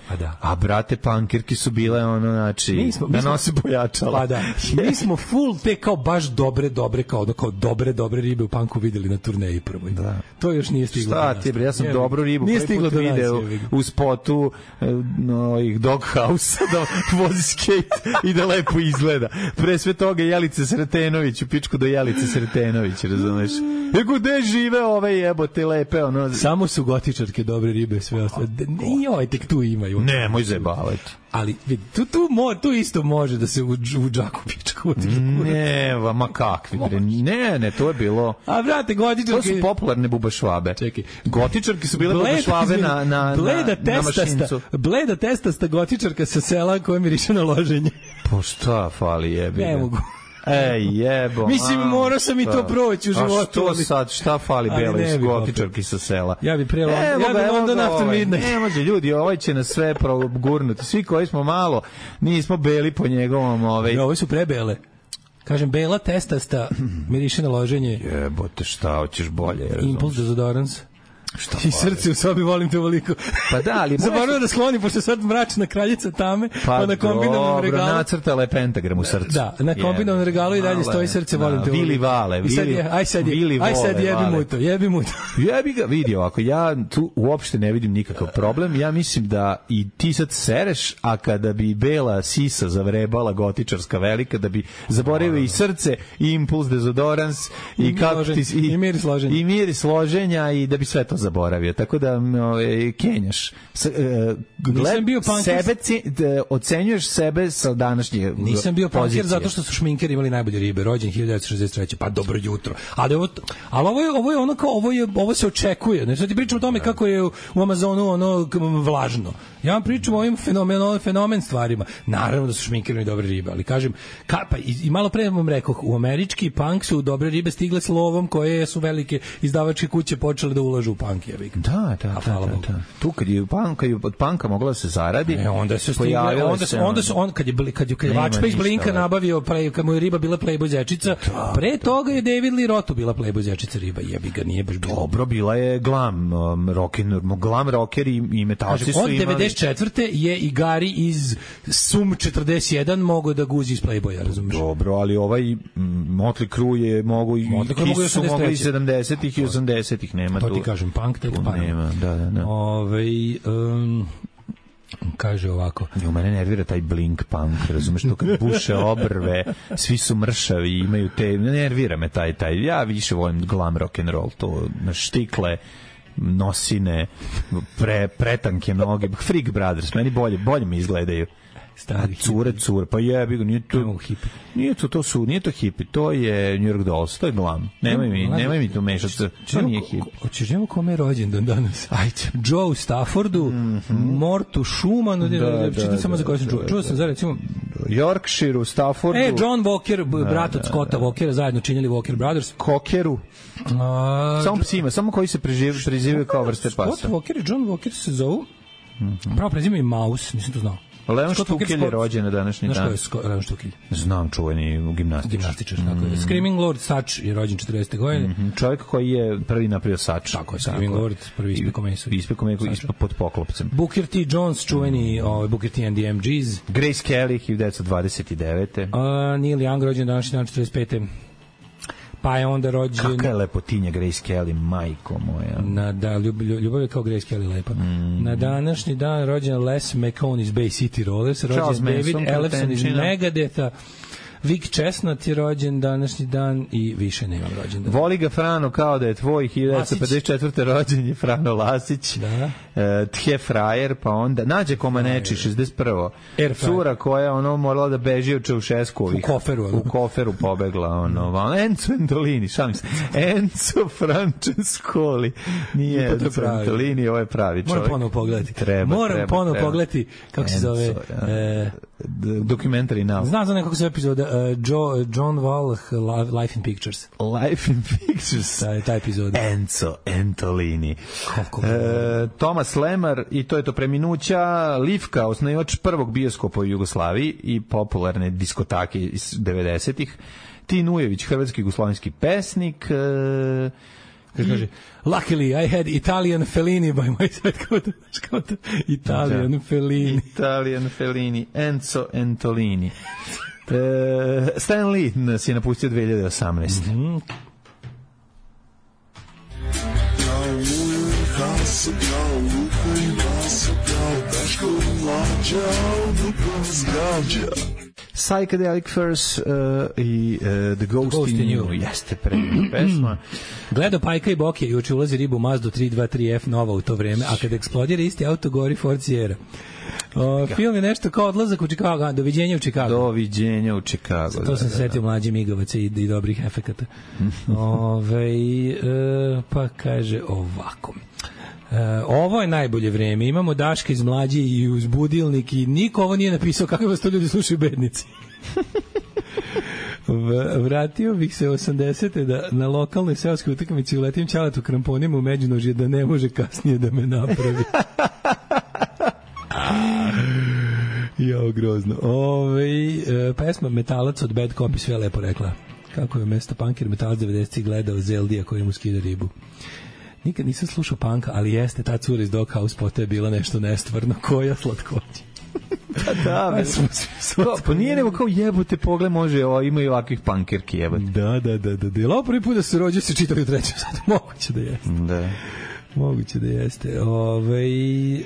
a brate punkirki su bile ono znači da nose pojačala. Pa da. Mi smo full te kao baš dobre dobre kao kao dobre dobre ribe u punku videli na turneji prvoj. Da. To još nije stiglo. Šta ti bre, ja sam dobru ribu nije stiglo do video u spotu no ih Doghouse da vozi skate i da lepo izgleda. Pre sve toga Jelice Sretenović u pičku do Jelice Sretenović, razumeš? Ego gde žive ove jebote lepe ono. Samo su gotičarke dobre ribe, sve ostalo. I oj tek tu imaju. Nemoj zajebavati. Ali vidi, tu, tu, mo, tu isto može da se u, u džaku pičku. Ne, ma kakvi bre. Ne, ne, to je bilo... A vrate, gotičarke... To su popularne bubašvabe. Čekaj. Gotičarke su bile bubašvabe na, na, bleda na, na mašincu. Bleda testasta gotičarka sa sela koja miriše na loženje. Po šta fali jebi? Ne mogu. Ej, jebo. Mislim, morao sam i to proći u životu. A što sad, šta fali belo iz gotičarki sa sela? Ja bi pre London, ja bi London after midnight. Ne može, ljudi, ovaj će nas sve progurnuti. Svi koji smo malo, nismo beli po njegovom... Ovaj... Ja, ovi su prebele. Kažem, bela testasta, miriše na loženje. Jebote, šta, hoćeš bolje? Impuls dezodorans. Šta i srce u sobi volim te ovoliko. Pa da, ali zaboravio da skloni pošto sad mračna kraljica tame, pa, pa na kombinovanom regalu. Pa nacrtala je pentagram u srcu. Da, na kombinovanom regalu i dalje stoji srce volim te. Vili Vale, Vili. Aj sad, je, aj sad jebi mu to, jebi mu to. Jebi ga, vidi ovako, ja tu uopšte ne vidim nikakav problem. Ja mislim da i ti sad sereš, a kada bi bela sisa zavrebala gotičarska velika, da bi zaboravio i srce, i impuls dezodorans, i kako ti i miris loženja. I miris loženja i da bi sve to zaboravio. Tako da ove, kenjaš. S, e, gled, bio sebe ci, de, ocenjuješ sebe sa današnje Nisam bio punker zato što su šminkeri imali najbolje ribe. Rođen hiljadu devetsto šezdeset treće Pa dobro jutro. Ali ovo, ali ovo je, ovo je ono kao, ovo, je, ovo se očekuje. Ne, sad ti pričam o tome kako je u Amazonu ono vlažno. Ja vam pričam o ovim fenomen, fenomen stvarima. Naravno da su šminkeri dobre ribe, ali kažem, ka, pa, i, i malo pre vam rekao, u američki punk su dobre ribe stigle s lovom koje su velike izdavačke kuće počele da ulažu u punk. Da, da, da, da, da. Tu kad je punk, kad je od punka mogla da se zaradi, e, onda se stigle, onda se onda se on kad je kad je kad je Vačpa iz Blinka nabavio pre kad mu je riba bila Playboy zečica, da, pre toga je David Lee Roth bila Playboy zečica riba, jebi ga, nije baš bilo. Dobro, bila je glam um, rock and glam rocker i, i metalci su imali. Od četrdeset četvrte je i Gari iz Sum četrdeset jedan mogao da guzi iz Playboya, razumiješ? Dobro, ali ovaj Motley Crue je mogu i Kiss su mogli i sedamdesetih i osamdesetih, nema to tu. To ti kažem, punk tek pa. Nema, da, da, da. Ove, um, kaže ovako. I u mene nervira taj blink punk, razumeš, to kad buše obrve, svi su mršavi, imaju te, nervira me taj, taj, ja više volim glam rock and roll, to na štikle, nosine, pre, pretanke noge, Freak Brothers, meni bolje, bolje mi izgledaju. Stari cure, cure, pa jebi ga, nije to hipi. Nije to, to su, nije to hipi, to je New York Dolls, to je glam. Nemoj mi, nemoj mi tu mešati, to nije hipi. Hoćeš njemu kome je rođendan danas? Ajde. Joe Staffordu, mm -hmm. Mortu Schumanu, da, da, čitam samo za koje sam čuo. Čuo sam za recimo Yorkshireu, Staffordu. E, John Walker, brat od Scotta Walkera, zajedno činili Walker Brothers. Cokeru. A, samo psima, samo koji se prezivaju kao vrste pasa. Scott Walker i John Walker se zovu. Mm -hmm. Pravo prezivaju i Mouse, nisam to znao. Leon Štukelj je rođen na današnji dan. Znaš ko je Leon Štukelj? Znam, čuveni gimnastičar. Gimnastičar, tako je. Screaming Lord Sutch je rođen četrdesete godine. Mm -hmm. Čovjek koji je prvi napravio Sutch. Tako je, Screaming Lord, prvi ispeko meso. Ispeko meso pod poklopcem. Booker T. Jones, čuveni, mm. ovaj, Booker T and the M Gs. Grace Kelly, hiljadu devetsto dvadeset devete. Uh, Neil Young, rođen današnji dan, četrdeset pete. Pa je onda rođen... Kakva je lepotinja Grace Kelly, majko moja. Na, da, ljub, ljubav je kao Grace Kelly lepa. Mm. Na današnji dan rođen Les McCone iz Bay City Rollers, rođen David Ellefson iz Megadetha, Vic Chestnut je rođen današnji dan i više nemam rođendan. Voli ga Frano kao da je tvoj, hiljadu devetsto pedeset četvrte rođen je Frano Lasić, da. e, Tje Frajer, pa onda Nađe Komaneči, šezdeset prvo Cura koja ono morala da beži od Čaušeskovih. U koferu. U koferu pobegla. Ono, Enzo Antolini, šalim se. Enzo Francescoli. Nije Enzo Antolini, ovo je pravi čovjek. Moram ponovo pogledati. Treba, Moram treba, ponovo treba. pogledati, kako Enzo, se zove... Ja. E, Documentary now. Znam za nekako se epizoda uh, Joe, John Wall, Life in Pictures. Life in Pictures. Ta, ta epizoda. Enzo Antolini. Kako e, Thomas Lemar, i to je to preminuća, Livka, osnivač prvog bioskopa u Jugoslaviji i popularne diskotake iz devedesetih. Tin Ujević, hrvatski jugoslovenski pesnik. E, kaže, luckily I had Italian Fellini by my side, kao to, kao to, Italian da. Fellini. Italian Fellini, Enzo Antolini. e, Stan Lee nas je napustio dve hiljade osamnaeste. Mm-hmm. Psychedelic Furs uh, i uh, The Ghost, Ghost in You. You. Jeste predivna pesma. Gledao Pajka i Bokje, juče ulazi ribu u Mazdu tri dva tri F nova u to vreme, a kad eksplodira isti auto gori Ford Sierra. O, film je nešto kao Odlazak u Chicago, Doviđenja u Chicago. Doviđenja u Chicago. To sam se setio mlađih migavaca i, i dobrih efekata. Ove, e, pa kaže ovako. E, ovo je najbolje vreme. Imamo Daška iz Mlađe i uz budilnik i niko ovo nije napisao kako vas to ljudi slušaju bednici. Vratio bih se osamdesete da na lokalnoj seoskoj utakmici uletim ćaletu kramponima u međunožje da ne može kasnije da me napravi. Jo, grozno. Ove, e, pesma Metalac od Bad Copy sve lepo rekla. Kako je mesto punkir Metalac devedesetih gledao Zeldija koji mu skida ribu. Nikad nisam slušao punka, ali jeste ta cura iz Doghouse Pota je bila nešto nestvarno. Koja slatkoća. Pa da, be, to, pa nije nego kao jebote pogled može, o, imaju ovakvih punkirki jebote. Da, da, da, da. Jel ovo prvi put da se rođe se čitali u trećem satu? Moguće da jeste. Da. Moguće da jeste. Ove, e,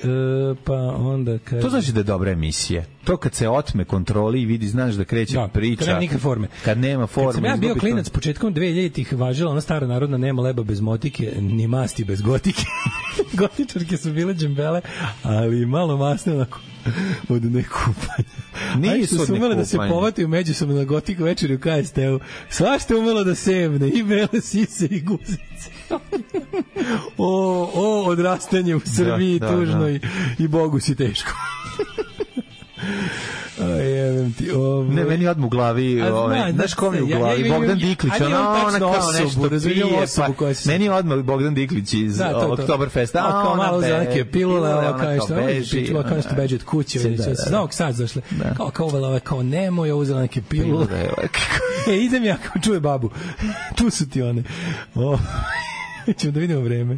pa onda kaže... To znači da je dobra emisija. To kad se otme kontroli i vidi, znaš da kreće da, priča. Kad nema nikakve forme. Kad nema forme. Kad sam ja bio klinac, to... početkom dve hiljaditih važila ona stara narodna nema leba bez motike, ni masti bez gotike. Gotičarke su bile džembele, ali malo masne onako od nekupanja. Nije su umele da se povataju međusobno na gotik večeri u K S T-u. Svašta umelo da sevne, i bele sise i guzice. o, o, odrastanje u Srbiji da, da, tužno da. I, i Bogu si teško. Jebem ti, ovo... Ne, meni odmah u glavi, ove, znaš kom je u glavi, ja, ja, Bogdan Diklić, ona, ona kao osobu, nešto pije, pa, se... meni je odmah Bogdan Diklić iz da, Oktoberfesta, a, a kao ona malo be, za neke pilule, ona kao što beži, ona kao što beđe od kuće, znao sad zašle, kao kao uvela, kao nemoj, ja uzela neke pilule, e, idem ja, kao čuje babu, tu su ti one, o... Ćemo da vidimo vreme.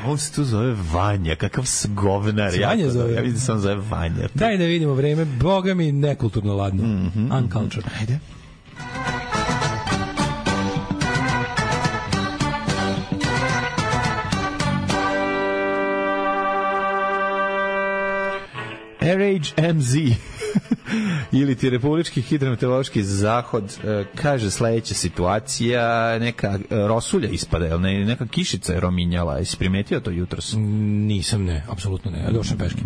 On se tu zove Vanja, kakav govnar. Vanja zove. Ja vidim da se on zove Vanja. Daj da vidimo vreme. Boga mi nekulturno ladno. Mm-hmm. Uncultured. Ajde. R H M Z ili ti Republički hidrometeorološki zahod kaže sledeća situacija, neka rosulja ispada, jel ne, neka kišica je rominjala. Jesi primetio to jutros? Nisam, ne, apsolutno ne. Ja došao peške.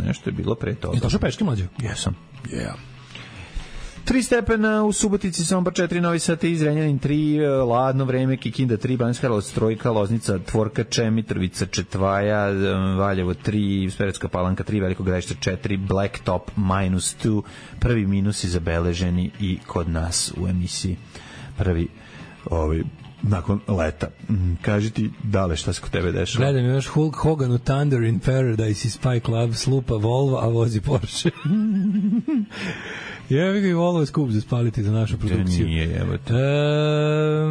Nešto je bilo pre toga. Je došao peške, mlađo? Jesam. Yeah. tri stepena u Subotici, Sombor četiri, Novi Sad tri, Zrenjanin tri, ladno vreme, Kikinda tri, Banjska Karlovac trojka, Loznica, Tvorkače, Mitrovica četvaja, Valjevo tri, Smederevska Palanka tri, Veliko Gradište četiri, Blacktop minus dva, prvi minusi zabeleženi i kod nas u emisiji. Prvi ovaj nakon leta. Kaži ti, Dale, šta se kod tebe dešava? Gledam još Hulk Hogan u Thunder in Paradise i Spy Club, slupa Volvo, a vozi Porsche. Jevi ga i Volvo je skup za spaliti za našu produkciju. Nije, evo te. E,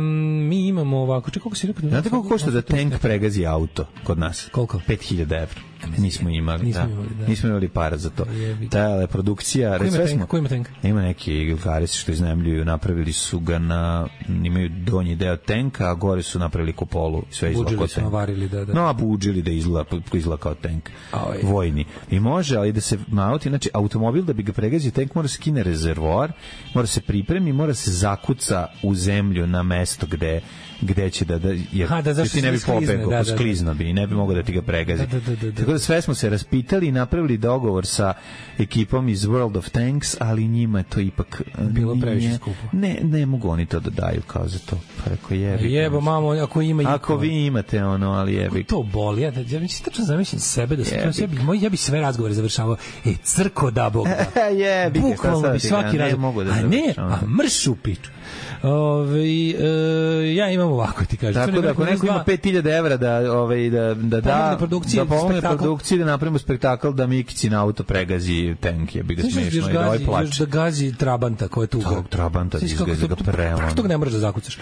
mi imamo ovako, čekaj, koliko si rekao? Znate koliko košta da tank pregazi auto kod nas? Koliko? pet hiljada evra. Nismo imali, nismo da. imali, da. Nismo imali para za to. Ta je produkcija... Ko ima tank? Ko ima tank? Ima neki Gilgaris što iznajmljuju, napravili su ga na... Imaju donji deo tanka, a gore su napravili kupolu. Sve izgleda kao tank. Buđili su navarili, da, da. No, a buđili da izgleda, izgleda kao tank. Oj. Vojni. I može, ali da se mauti, znači automobil da bi ga pregazio tank mora se skine rezervoar, mora se pripremi, mora se zakuca u zemlju na mesto gde gde će da, da jer ha, da ti ne bi pobegao, da, da, sklizno bi i ne bi mogao da ti ga pregazi. Da, da, da, da. Tako da sve smo se raspitali i napravili dogovor sa ekipom iz World of Tanks, ali njima je to ipak bilo previše skupo. Ne, ne mogu oni to da daju kao za to. Pa rekao jebi. Jebo, mamo, ako ima i ako vi imate ono, ali jebi. To boli, ja da ja mi se tačno zamislim sebe da se ja bi moj ja bi sve razgovore završavao. E, crko da bog da. Jebi. Bukvalno bi svaki razgovor. A ne, a mršu piču. Ove, e, ja imam ovako ti kažem. Tako da ako neko ima pet hiljada evra da, ovaj, da, da da da pomogne produkciji da napravimo spektakl da Mikici na auto pregazi tank, je bi ga smešno i da ovaj plače. Da gazi Trabanta koja je tu. Tog Trabanta izgazi ga prema. Kako tog ne možeš da zakucaš?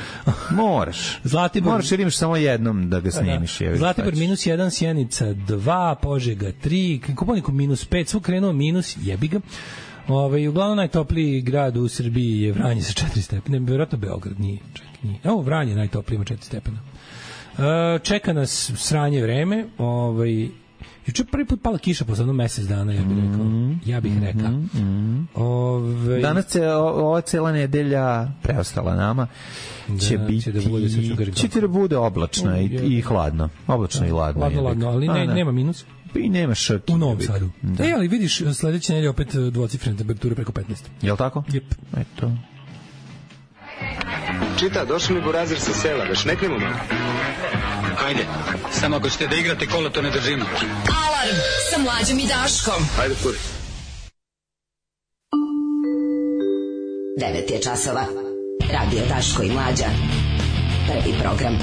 Moraš. Zlatibor, moraš jer imaš samo jednom da ga snimiš. Da, da. Zlatibor minus jedan, Sjenica dva, Požega tri, Kopaoniku minus pet, svo krenuo minus, jebi ga. Ove, uglavnom najtopliji grad u Srbiji je Vranje sa četiri stepena, vjerojatno Beograd nije, čak nije. Evo Vranje najtopliji ima četiri stepena. E, čeka nas sranje vreme, ovaj juče prvi put pala kiša posle jedno mesec dana, ja bih rekao. Ja bih rekao. Mm -hmm. Ove, danas će ova cela nedelja preostala nama će da, biti će da bude, će da bude oblačna i, i hladno. Oblačno da, i hladno. Hladno, hladno, ali ne, A, nema minus. I nema šrki. U Novom Sadu. Da. E, ali vidiš, sledeće nedelje opet dvocifrene temperature preko petnaest. Jel' tako? Jep. Eto. Čita, došli mi burazir sa sela, da šneknemo malo. Ajde, samo ako ćete da igrate kola, to ne držimo. Alarm sa Mlađom i Daškom. Ajde, kuri. devet je časova. Radio Daško i Mlađa. Prvi program.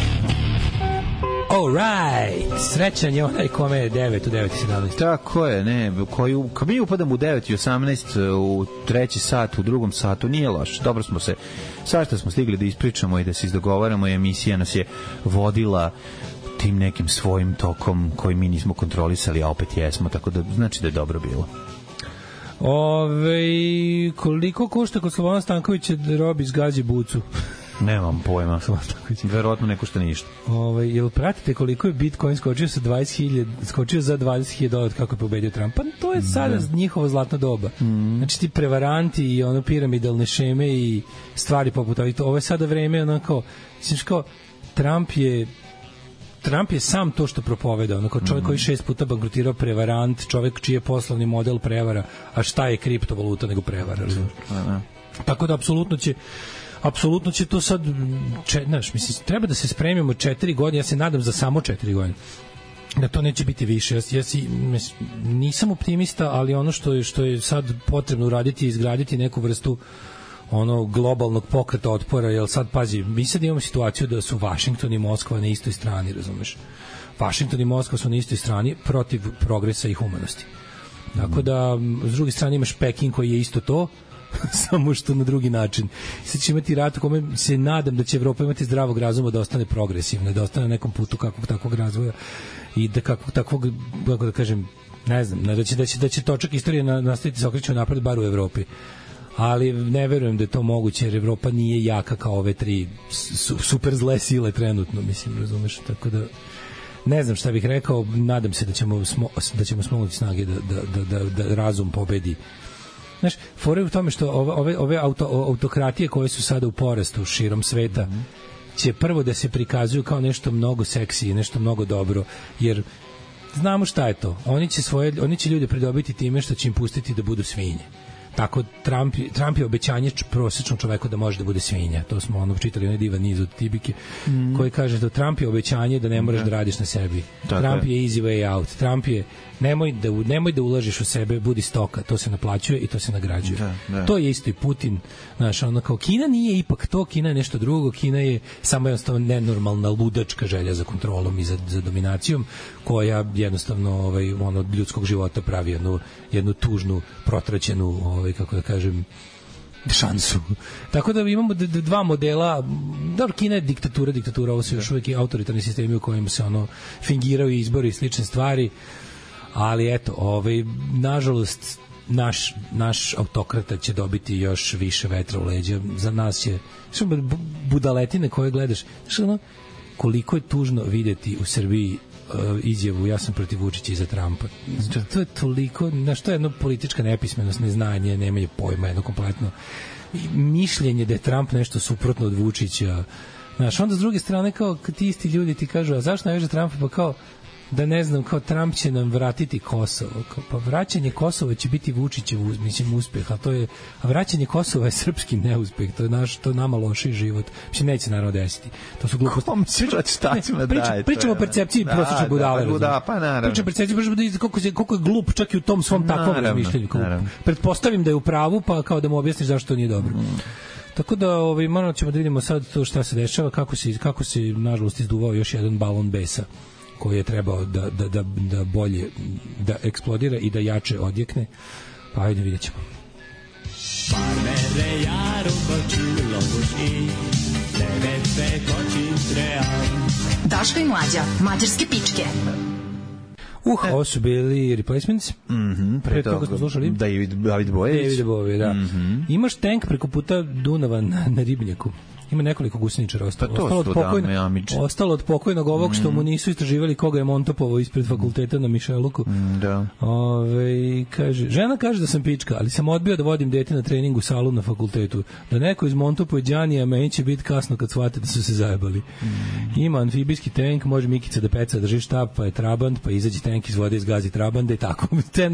All right. Srećan je onaj kome je devet u devet i sedamnaest. Tako je, ne. Koji, kad mi upadamo u devet i osamnaest, u treći sat, u drugom satu, nije loš. Dobro smo se, svašta smo stigli da ispričamo i da se izdogovaramo i emisija nas je vodila tim nekim svojim tokom koji mi nismo kontrolisali, a opet jesmo, tako da znači da je dobro bilo. Ove, koliko košta kod Slovana Stankovića da robi zgađi bucu? Nemam pojma. Verovatno ne košta ništa. Ovaj, jel pratite koliko je Bitcoin skočio sa dvadeset hiljada, skočio za dvadeset hiljada dolara kako je pobedio Trump? Pa to je sada da. njihovo zlatno doba. Mm. Znači ti prevaranti i ono piramidalne šeme i stvari poput ovih. Ovo je sada vreme onako, znači kao Trump je Trump je sam to što propoveda, onako čovjek mm. koji šest puta bankrotirao, prevarant, čovjek čiji je poslovni model prevara, a šta je kriptovaluta nego prevara, razumiješ? Mm. Tako da apsolutno će apsolutno će to sad, če, znaš, mislim, treba da se spremimo četiri godine, ja se nadam za samo četiri godine, da to neće biti više. Ja, ja si, nisam optimista, ali ono što je, što je sad potrebno uraditi je izgraditi neku vrstu ono globalnog pokreta otpora, jer sad, pazi, mi sad imamo situaciju da su Vašington i Moskva na istoj strani, razumeš? Vašington i Moskva su na istoj strani protiv progresa i humanosti. Tako da, s druge strane imaš Peking koji je isto to, samo što na drugi način. Sad će imati rat u kome se nadam da će Evropa imati zdravog razuma da ostane progresivna, da ostane na nekom putu kakvog takvog razvoja i da kakvog takvog, kako da kažem, ne znam, da će, da će, da će točak istorije nastaviti se okreću napred bar u Evropi. Ali ne verujem da je to moguće, jer Evropa nije jaka kao ove tri su, super zle sile trenutno, mislim, razumeš, tako da ne znam šta bih rekao, nadam se da ćemo smo, da ćemo smognuti snage da, da, da, da, da razum pobedi. Znaš, fore u tome što ove, ove, ove auto, autokratije koje su sada u porastu širom sveta mm -hmm. će prvo da se prikazuju kao nešto mnogo seksi, nešto mnogo dobro, jer znamo šta je to. Oni će, svoje, oni će ljude pridobiti time što će im pustiti da budu svinje. Tako Trump, Trump je obećanje prosječnom čoveku da može da bude svinja. To smo ono čitali onaj divan niz od Tibike mm. koji kaže da Trump je obećanje da ne moraš da, da radiš na sebi. Tako Trump je. je easy way out. Trump je nemoj da nemoj da ulažeš u sebe, budi stoka. To se naplaćuje i to se nagrađuje. Da, da. To je isto i Putin. Znaš, ono kao Kina nije ipak to, Kina je nešto drugo. Kina je samo jednostavno nenormalna ludačka želja za kontrolom i za, za dominacijom koja jednostavno ovaj, ono, od ljudskog života pravi jednu, jednu tužnu, protraćenu ovaj, kako da kažem, šansu. Tako da imamo d- d- dva modela. Dobro, Kina je diktatura, diktatura, ovo su još uvijek i autoritarni sistemi u kojima se ono fingiraju izbori i slične stvari, ali eto, ovaj, nažalost, naš, naš autokrata će dobiti još više vetra u leđa. Za nas će, što budaletine koje gledaš, znaš ono, koliko je tužno videti u Srbiji izjavu ja sam protiv Vučića i za Trumpa. To je toliko, znaš, to je jedna politička nepismenost, neznanje, nemanje pojma, jedno kompletno mišljenje da je Trump nešto suprotno od Vučića. Znaš, onda s druge strane kao ti isti ljudi ti kažu, a zašto najveže Trumpa? Pa kao, da ne znam, kao Trump će nam vratiti Kosovo. Kao, pa vraćanje Kosova će biti Vučićev mislim uspeh, a to je a vraćanje Kosova je srpski neuspeh. To je naš, to je nama loši život. Mislim neće naravno desiti. To su gluposti. Kom pričamo daje. Pričamo o percepciji da, prosječne budale. Da, da, pa naravno. Pričamo o percepciji koliko je koliko je glup čak i u tom svom takvom razmišljanju. Pretpostavim da je u pravu, pa kao da mu objasniš zašto to nije dobro. Mm. Tako da ovaj moramo ćemo da vidimo sad to šta se dešava, kako se kako se nažalost izduvao još jedan balon besa koji je trebao da, da, da, da bolje da eksplodira i da jače odjekne. Pa ajde, vidjet ćemo. Daško i Mlađa, mađarske pičke. Uh, ovo su bili Replacements. Mhm. Pre toga smo slušali David David Bojević. David Bojević, da. Mm-hmm. Imaš tank preko puta Dunava na, na Ribnjaku. Ima nekoliko guseničara ostalo. Pa ostalo, od pokojno, ostalo od pokojnog ovog što mu nisu istraživali koga je montopovao ispred fakulteta na Mišeluku. Mm, da. Ove, kaže, žena kaže da sam pička, ali sam odbio da vodim dete na trening u salu na fakultetu. Da neko iz montopuje Đanija, meni će biti kasno kad shvate da su se zajebali. Mm. Ima amfibijski tank, može Mikica da peca, drži štab, pa je trabant, pa izađe tank iz vode, izgazi trabanda i tako.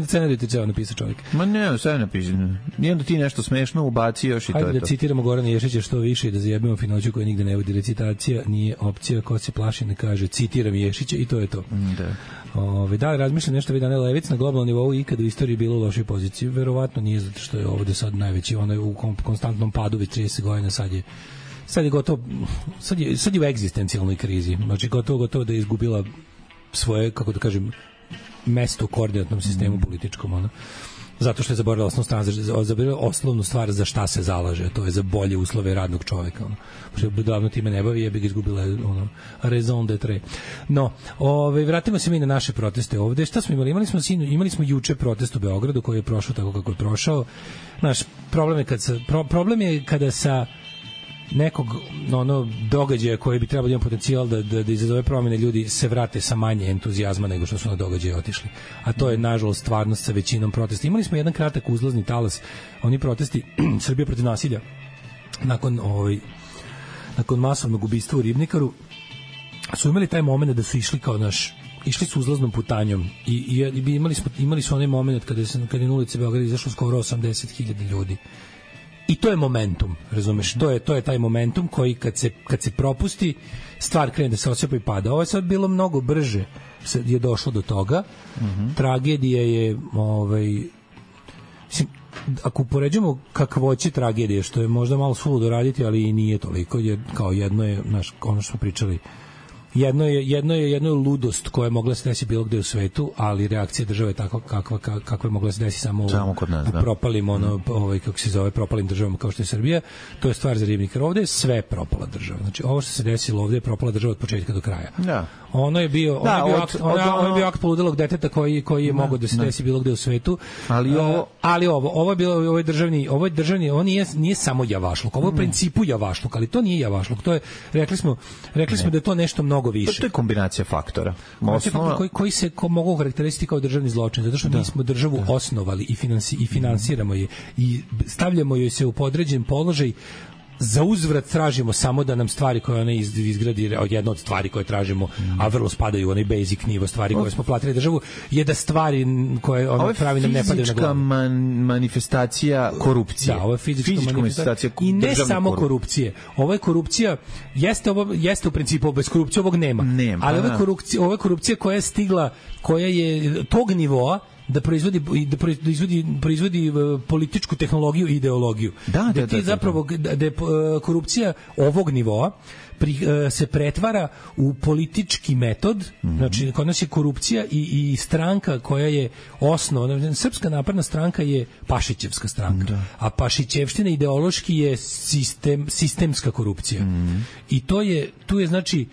Scenariju ti ceo napisao čovjek. Ma ne, sve napisano. Nijedno ti nešto smešno ubaci još i Hajde to je da to. Citiramo Gorana Ješića što više i da zajebimo finoću koja nigde ne vodi. Recitacija nije opcija, ko se plaši ne kaže, citiram Ješića i to je to. Da. Ove, da li razmišljam nešto vi Dane Levic na globalnom nivou ikada u istoriji bilo u lošoj poziciji? Verovatno nije, zato što je ovde sad najveći, ono je u konstantnom padu već trideset godina, sad je sad je gotovo, sad je, sad je u egzistencijalnoj krizi, znači gotovo, gotovo da je izgubila svoje, kako da kažem, mesto u koordinatnom sistemu političkom, ono. Zato što je zaboravila osnovnu stvar, zaboravila osnovnu stvar za šta se zalaže, to je za bolje uslove radnog čoveka, ono. Što je davno time ne bavi, je bi ga izgubila ono raison d'être. No, ovaj vratimo se mi na naše proteste ovde. Šta smo imali? Imali smo sinu, imali smo juče protest u Beogradu koji je prošao tako kako je prošao. Naš problem je kad sa, pro, problem je kada sa nekog ono događaja koji bi trebalo da ima potencijal da da da izazove promene, ljudi se vrate sa manje entuzijazma nego što su na događaje otišli. A to je nažalost stvarnost sa većinom protesta. Imali smo jedan kratak uzlazni talas, oni protesti Srbija protiv nasilja nakon ovaj nakon masovnog ubistva u Ribnikaru su imali taj momenat da su išli kao naš išli su uzlaznom putanjom i, i, i imali smo imali su onaj momenat kada se kada je na ulici Beograda izašlo skoro osamdeset hiljada ljudi. I to je momentum, razumeš? To je to je taj momentum koji kad se kad se propusti, stvar krene da se osipa i pada. Ovo je sad bilo mnogo brže, je došlo do toga. Mm-hmm. Tragedija je ovaj mislim, ako upoređujemo kakvoće tragedije, što je možda malo suludo raditi, ali i nije toliko, jer kao jedno je, znaš, ono što smo pričali, jedno je jedno je jedno je ludost koja je mogla se desiti bilo gde u svetu, ali reakcija države je takva kakva kakva je mogla se desiti samo, samo kod nas, u da. propalim ono ovaj kako se zove propalim državama kao što je Srbija. To je stvar za ribnikar. Ovde je sve propala država. Znači ovo što se desilo ovde je propala država od početka do kraja. Da. Ono je bio, da, ono je bio od, akt, od, ono, od, ono je bio akt poludelog deteta koji koji je da, mogao da se desi bilo gde u svetu. Ali ovo, uh, ali ovo, ovo je bilo ovo je državni, ovo je državni, on nije nije samo javašluk. Ovo je u principu javašluk, ali to nije javašluk. To je rekli smo, rekli smo ne. da je to nešto mnogo više. To je kombinacija faktora. Osnova... Koji, koji se ko mogu karakterisati kao državni zločin, zato što da. mi smo državu da. osnovali i, finansi, i finansiramo je i stavljamo joj se u podređen položaj. Za uzvrat tražimo samo da nam stvari koje ona izgradi, od jedna od stvari koje tražimo, a vrlo spadaju u onaj basic nivo stvari koje smo platili državu, je da stvari koje ona pravi nam ne padaju na glavu. Man, manifestacija korupcije. Da, ovo je fizička, fizička manifestacija i ne samo korupcije. Ovo je korupcija, jeste ovo jeste u principu bez korupcije ovog nema. nema ali ovo je korupcija, ovo je korupcija koja je stigla, koja je tog nivoa da proizvodi da proizvodi proizvodi političku tehnologiju i ideologiju. Da, da, da ti da, zapravo da, da je korupcija ovog nivoa pri, se pretvara u politički metod. Mm-hmm. Znači kod nas je korupcija i, i stranka koja je osnovna. Srpska napredna stranka je Pašićevska stranka, da. A Pašićevština ideološki je sistem sistemska korupcija. Mm-hmm. I to je tu je znači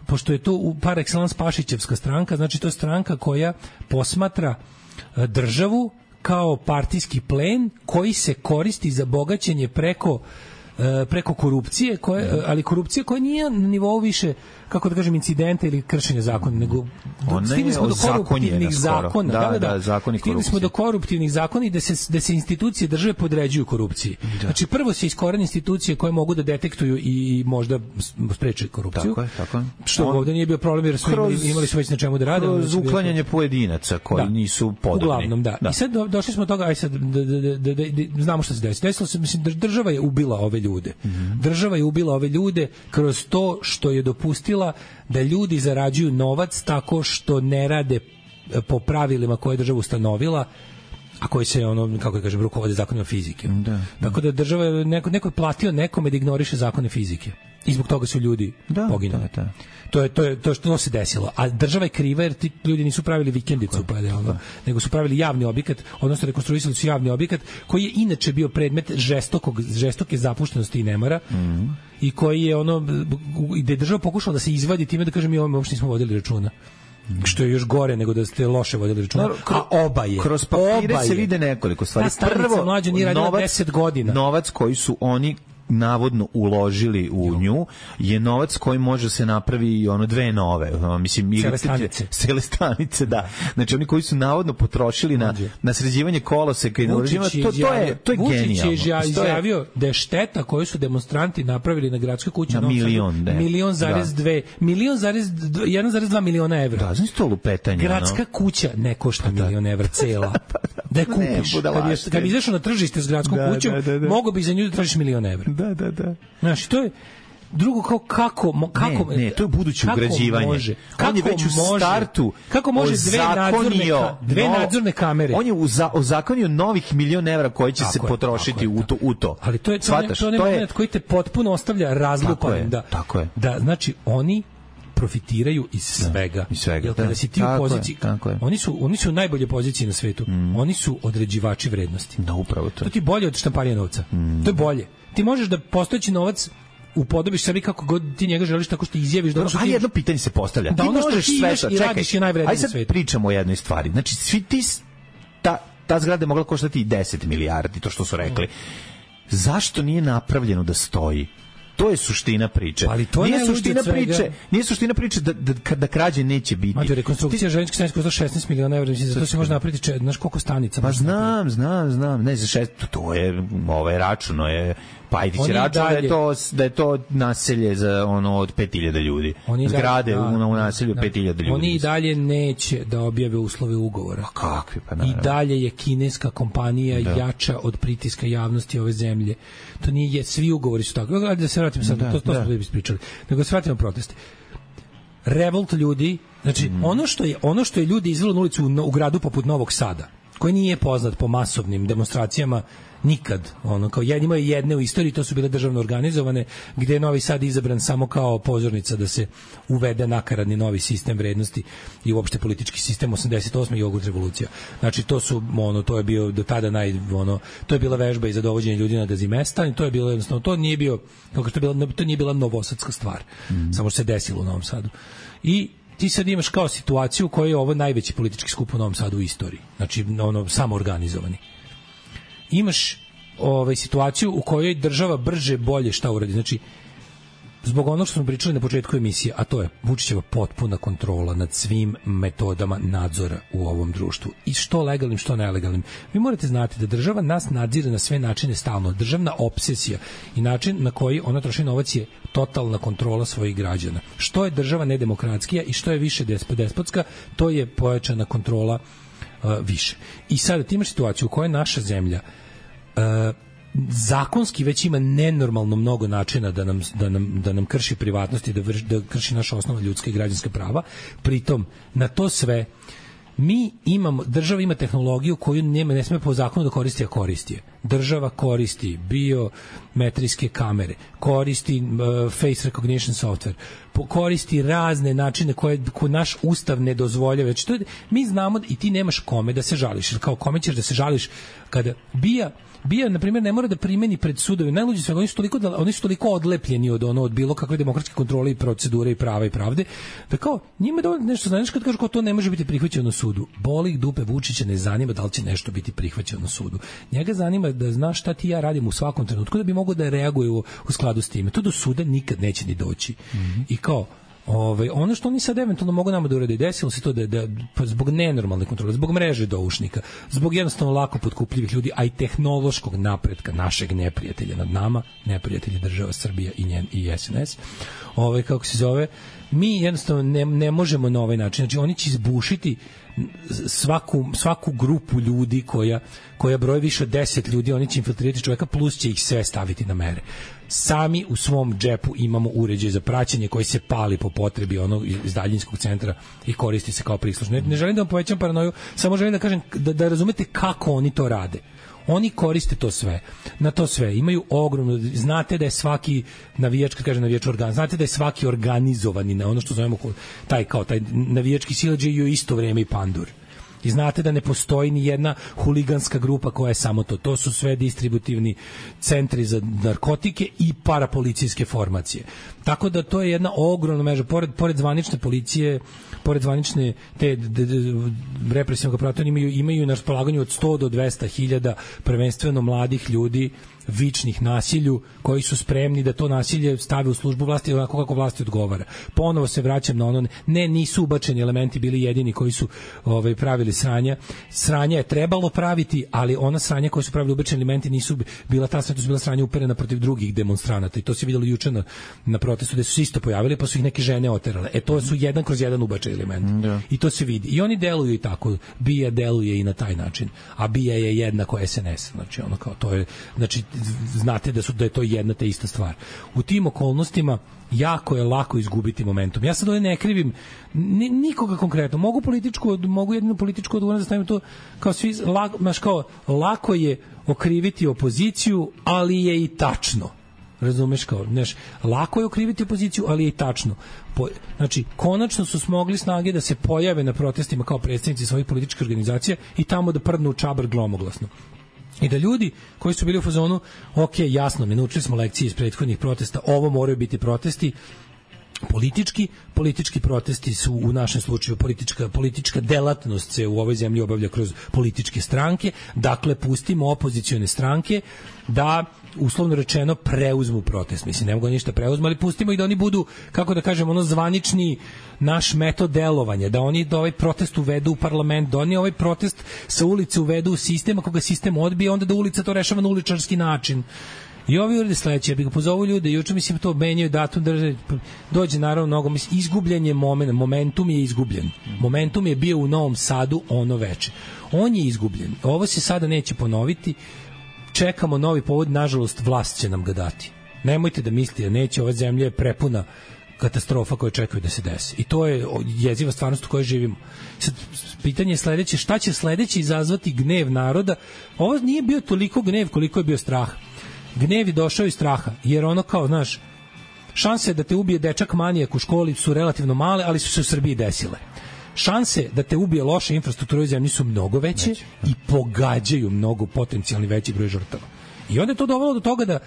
pošto je to par excellence Pašićevska stranka, znači to je stranka koja posmatra državu kao partijski plen koji se koristi za bogaćenje preko preko korupcije, koje, ali korupcija koja nije na nivou više, kako da kažem, incidenta ili kršenja zakona, nego stigli smo do koruptivnih zakona. Da, da, da, da zakoni stigli smo do koruptivnih zakona i da se, da se institucije države podređuju korupciji. Da. Znači, prvo se iskorene institucije koje mogu da detektuju i možda spreče korupciju. Tako je, tako je. Što On, ovde nije bio problem, jer su kroz, imali, imali su već na čemu da rade. Kroz uklanjanje pojedinaca koji da. nisu podobni. Uglavnom, da. da. I sad do, došli smo do toga, aj sad, da, da, da, da, da, znamo šta se desilo. Desilo se, mislim, država je ubila ove ljude. Mm-hmm. Država je ubila ove ljude kroz to što je dopustila da ljudi zarađuju novac tako što ne rade po pravilima koje je država ustanovila, a koji se ono, kako da kažem, rukovode zakonima fizike. Da, tako da država je neko, neko je platio nekome da ignoriše zakone fizike. I zbog toga su ljudi da, poginuli. Da, da. To je to je to što se desilo. A država je kriva jer ti ljudi nisu pravili vikendicu, pa da, ono, nego su pravili javni objekat, odnosno rekonstruisali su javni objekat koji je inače bio predmet žestokog žestoke zapuštenosti i nemara. Mm-hmm. I koji je ono gde je država pokušala da se izvadi time da kaže mi ovome uopšte nismo vodili računa. Što je još gore nego da ste loše vodili računa. A oba je. Kroz papire se vide nekoliko stvari. Prvo, mlađa nije radila deset godina. Novac koji su oni navodno uložili u jo. nju je novac koji može se napravi i ono dve nove, mislim Celestanice. Celestanice, da. Znači oni koji su navodno potrošili na na sređivanje koloseka i na uređivanje, to to je to je genijalno. Vučić je izjavio da je šteta koju su demonstranti napravili na gradskoj kući na milion, ne. milion zarez dve, milion zarez jedan zarez dva miliona evra. Da, znači to lupetanje. Gradska no? kuća ne košta milion evra cela. Da je kupiš. Ne, kad je kad izašao na tržište s gradskom da, kućom, da, da, da. mogao bi za nju da tražiš milion evra. Da, da, da. Znači, to je drugo kao kako kako ne, ne, to je buduće ugrađivanje. Može, on je već u startu kako može dve nadzorne dve no, nadzorne kamere. On je ozakonio novih milion evra koji će tako se je, potrošiti u to u to. Ali to je to, ne, to, ne, to je koji te potpuno ostavlja razlupanim da. Tako je. Da, znači oni profitiraju iz svega. Da, iz svega. Jer kada si ti u poziciji, je, oni su oni su u najbolje poziciji na svetu. Mm. Oni su određivači vrednosti. Da, upravo to. To ti bolje od štamparanja novca. Mm. To je bolje. Ti možeš da postojeći novac upodobiš sebi kako god ti njega želiš, tako što izjaviš da ono što ti... A jedno pitanje se postavlja. Da ti ono možeš sve što i radiš je najvrednije na svetu. Ajde sad pričamo o jednoj stvari. Znači, svi ti... Ta, ta zgrada je mogla koštati deset milijardi, to što su rekli. Zašto nije napravljeno da stoji? To je suština priče. Ali to nije suština priče, nije suština priče da da da krađe neće biti. Mađo, rekonstrukcija železničke stanice košta šesnaest miliona evra, za to se može napraviti, znaš koliko stanica. Pa znam, znam, znam, ne za šest, to je ovaj računo je Pajtić račun da je to da je to naselje za ono od pet hiljada ljudi. Zgrade da, u, u naselju da, pet hiljada ljudi. Oni i dalje neće da objave uslove ugovora. A kakvi pa naravno. I dalje je kineska kompanija da. jača od pritiska javnosti ove zemlje. To nije, svi ugovori su tako. Ajde da se vratimo sad, da, to, to da. smo da ispričali. Nego se vratimo proteste. Revolt ljudi, znači mm. ono što je ono što je ljudi izvelo na ulicu u, u gradu poput Novog Sada, koji nije poznat po masovnim demonstracijama nikad, ono, kao jednima je jedne u istoriji, to su bile državno organizovane, gde je Novi Sad izabran samo kao pozornica da se uvede nakaradni novi sistem vrednosti i uopšte politički sistem osamdeset osme i jogurt revolucija. Znači, to su, ono, to je bio do tada naj, ono, to je bila vežba i za dovođenje ljudi na Gazimestan, to je bilo jednostavno, to nije bio, kako to, je bila, to nije bila novosadska stvar, mm. samo što se desilo u Novom Sadu. I ti sad imaš kao situaciju u kojoj je ovo najveći politički skup u Novom Sadu u istoriji. Znači, ono, samo organizovani. Imaš ovaj, situaciju u kojoj država brže, bolje šta uradi. Znači, zbog onog što smo pričali na početku emisije, a to je Vučićeva potpuna kontrola nad svim metodama nadzora u ovom društvu. I što legalnim, što nelegalnim. Vi morate znati da država nas nadzire na sve načine stalno. Državna obsesija i način na koji ona troši novac je totalna kontrola svojih građana. Što je država nedemokratskija i što je više despotska, to je pojačana kontrola uh, više. I sada ti imaš situaciju u kojoj naša zemlja uh, zakonski već ima nenormalno mnogo načina da nam, da nam, da nam krši privatnost i da, vrš, da krši naša osnovna ljudska i građanska prava. Pritom, na to sve mi imamo, država ima tehnologiju koju nema, ne sme po zakonu da koristi, a koristi je. Država koristi biometrijske kamere, koristi uh, face recognition software, koristi razne načine koje, koje naš ustav ne dozvoljava. Znači, to je, mi znamo i ti nemaš kome da se žališ. Kao kome ćeš da se žališ kada bija Bija, na primjer, ne mora da primeni pred sudovima. Najluđi su, oni su toliko, oni su toliko odlepljeni od ono, od bilo kakve demokratske kontrole i procedure i prava i pravde, da kao, njima da nešto znaš kad kažu kao to ne može biti prihvaćeno na sudu. Boli ih dupe, Vučića ne zanima da li će nešto biti prihvaćeno na sudu. Njega zanima da zna šta ti ja radim u svakom trenutku da bi mogao da reaguje u, u skladu s time. To do suda nikad neće ni doći. Mm-hmm. I kao, Ove, ono što oni sad eventualno mogu nama da urade, desilo se to da, da pa zbog nenormalne kontrole, zbog mreže doušnika, zbog jednostavno lako potkupljivih ljudi, a i tehnološkog napretka našeg neprijatelja nad nama, neprijatelji država Srbija i njen i S N S. Ove, kako se zove, mi jednostavno ne, ne možemo na ovaj način. Znači, oni će izbušiti svaku, svaku grupu ljudi koja, koja broje više od deset ljudi, oni će infiltrirati čoveka, plus će ih sve staviti na mere. Sami u svom džepu imamo uređaj za praćenje koji se pali po potrebi onog iz daljinskog centra i koristi se kao prislušno. Ne, ne želim da vam povećam paranoju, samo želim da kažem da, da razumete kako oni to rade. Oni koriste to sve. Na to sve imaju ogromno, znate da je svaki navijač, kad kaže navijač organ, znate da je svaki organizovani na ono što zovemo taj kao taj navijački siledžij i u isto vrijeme i pandur. I znate da ne postoji ni jedna huliganska grupa koja je samo to. To su sve distributivni centri za narkotike i parapolicijske formacije. Tako da to je jedna ogromna mreža. Pored, pored zvanične policije, pored zvanične te represivnog aparata, imaju, imaju na raspolaganju od sto do dvesta hiljada prvenstveno mladih ljudi vičnih nasilju, koji su spremni da to nasilje stave u službu vlasti onako kako vlasti odgovara. Ponovo se vraćam na ono, ne, nisu ubačeni elementi bili jedini koji su ovaj, pravili sranja. Sranja je trebalo praviti, ali ona sranja koja su pravili ubačeni elementi nisu bila ta sranja, to su bila sranja uperena protiv drugih demonstranata i to se vidjelo juče na, na protestu gde su se isto pojavili pa su ih neke žene oterale. E to su jedan kroz jedan ubačeni element. Da. I to se vidi. I oni deluju i tako. Bija deluje i na taj način. A Bija je jednako S N S. Znači, ono kao, to je, znači, znate da su da je to jedna te ista stvar. U tim okolnostima jako je lako izgubiti momentum. Ja sad ovdje ne krivim nikoga konkretno. Mogu političku, mogu jednu političku odgovornost da stavim to kao svi, lako, maš kao, lako je okriviti opoziciju, ali je i tačno. Razumeš kao, znaš, lako je okriviti opoziciju, ali je i tačno. Po, znači, konačno su smogli snage da se pojave na protestima kao predstavnici svojih političkih organizacija i tamo da prdnu u čabar glomoglasno. I da ljudi koji su bili u fazonu, ok, jasno, mi naučili smo lekcije iz prethodnih protesta, ovo moraju biti protesti politički, politički protesti su u našem slučaju politička, politička delatnost se u ovoj zemlji obavlja kroz političke stranke, dakle pustimo opozicione stranke da uslovno rečeno preuzmu protest. Mislim, ne mogu ništa preuzmu, ali pustimo ih da oni budu, kako da kažem, ono zvanični naš metod delovanja, da oni da ovaj protest uvedu u parlament, da oni ovaj protest sa ulice uvedu u sistem, ako ga sistem odbije, onda da ulica to rešava na uličarski način. I ovi urede sledeće, ja bih ga pozovu ljude, juče mislim to menjaju datum, drže, dođe naravno mnogo, mislim, izgubljen je moment, momentum je izgubljen. Momentum je bio u Novom Sadu ono veče. On je izgubljen. Ovo se sada neće ponoviti. Čekamo novi povod, nažalost vlast će nam ga dati. Nemojte da mislite, neće, ova zemlja je prepuna katastrofa koje čekaju da se desi. I to je jeziva stvarnost u kojoj živimo. Sad, pitanje je sledeće, šta će sledeće izazvati gnev naroda? Ovo nije bio toliko gnev koliko je bio strah. Gnev je došao iz straha, jer ono kao, znaš, šanse da te ubije dečak manijak u školi su relativno male, ali su se u Srbiji desile. Šanse da te ubije loša infrastruktura u zemlji su mnogo veće Neće. i pogađaju mnogo potencijalni veći broj žrtava. I onda je to dovelo do toga da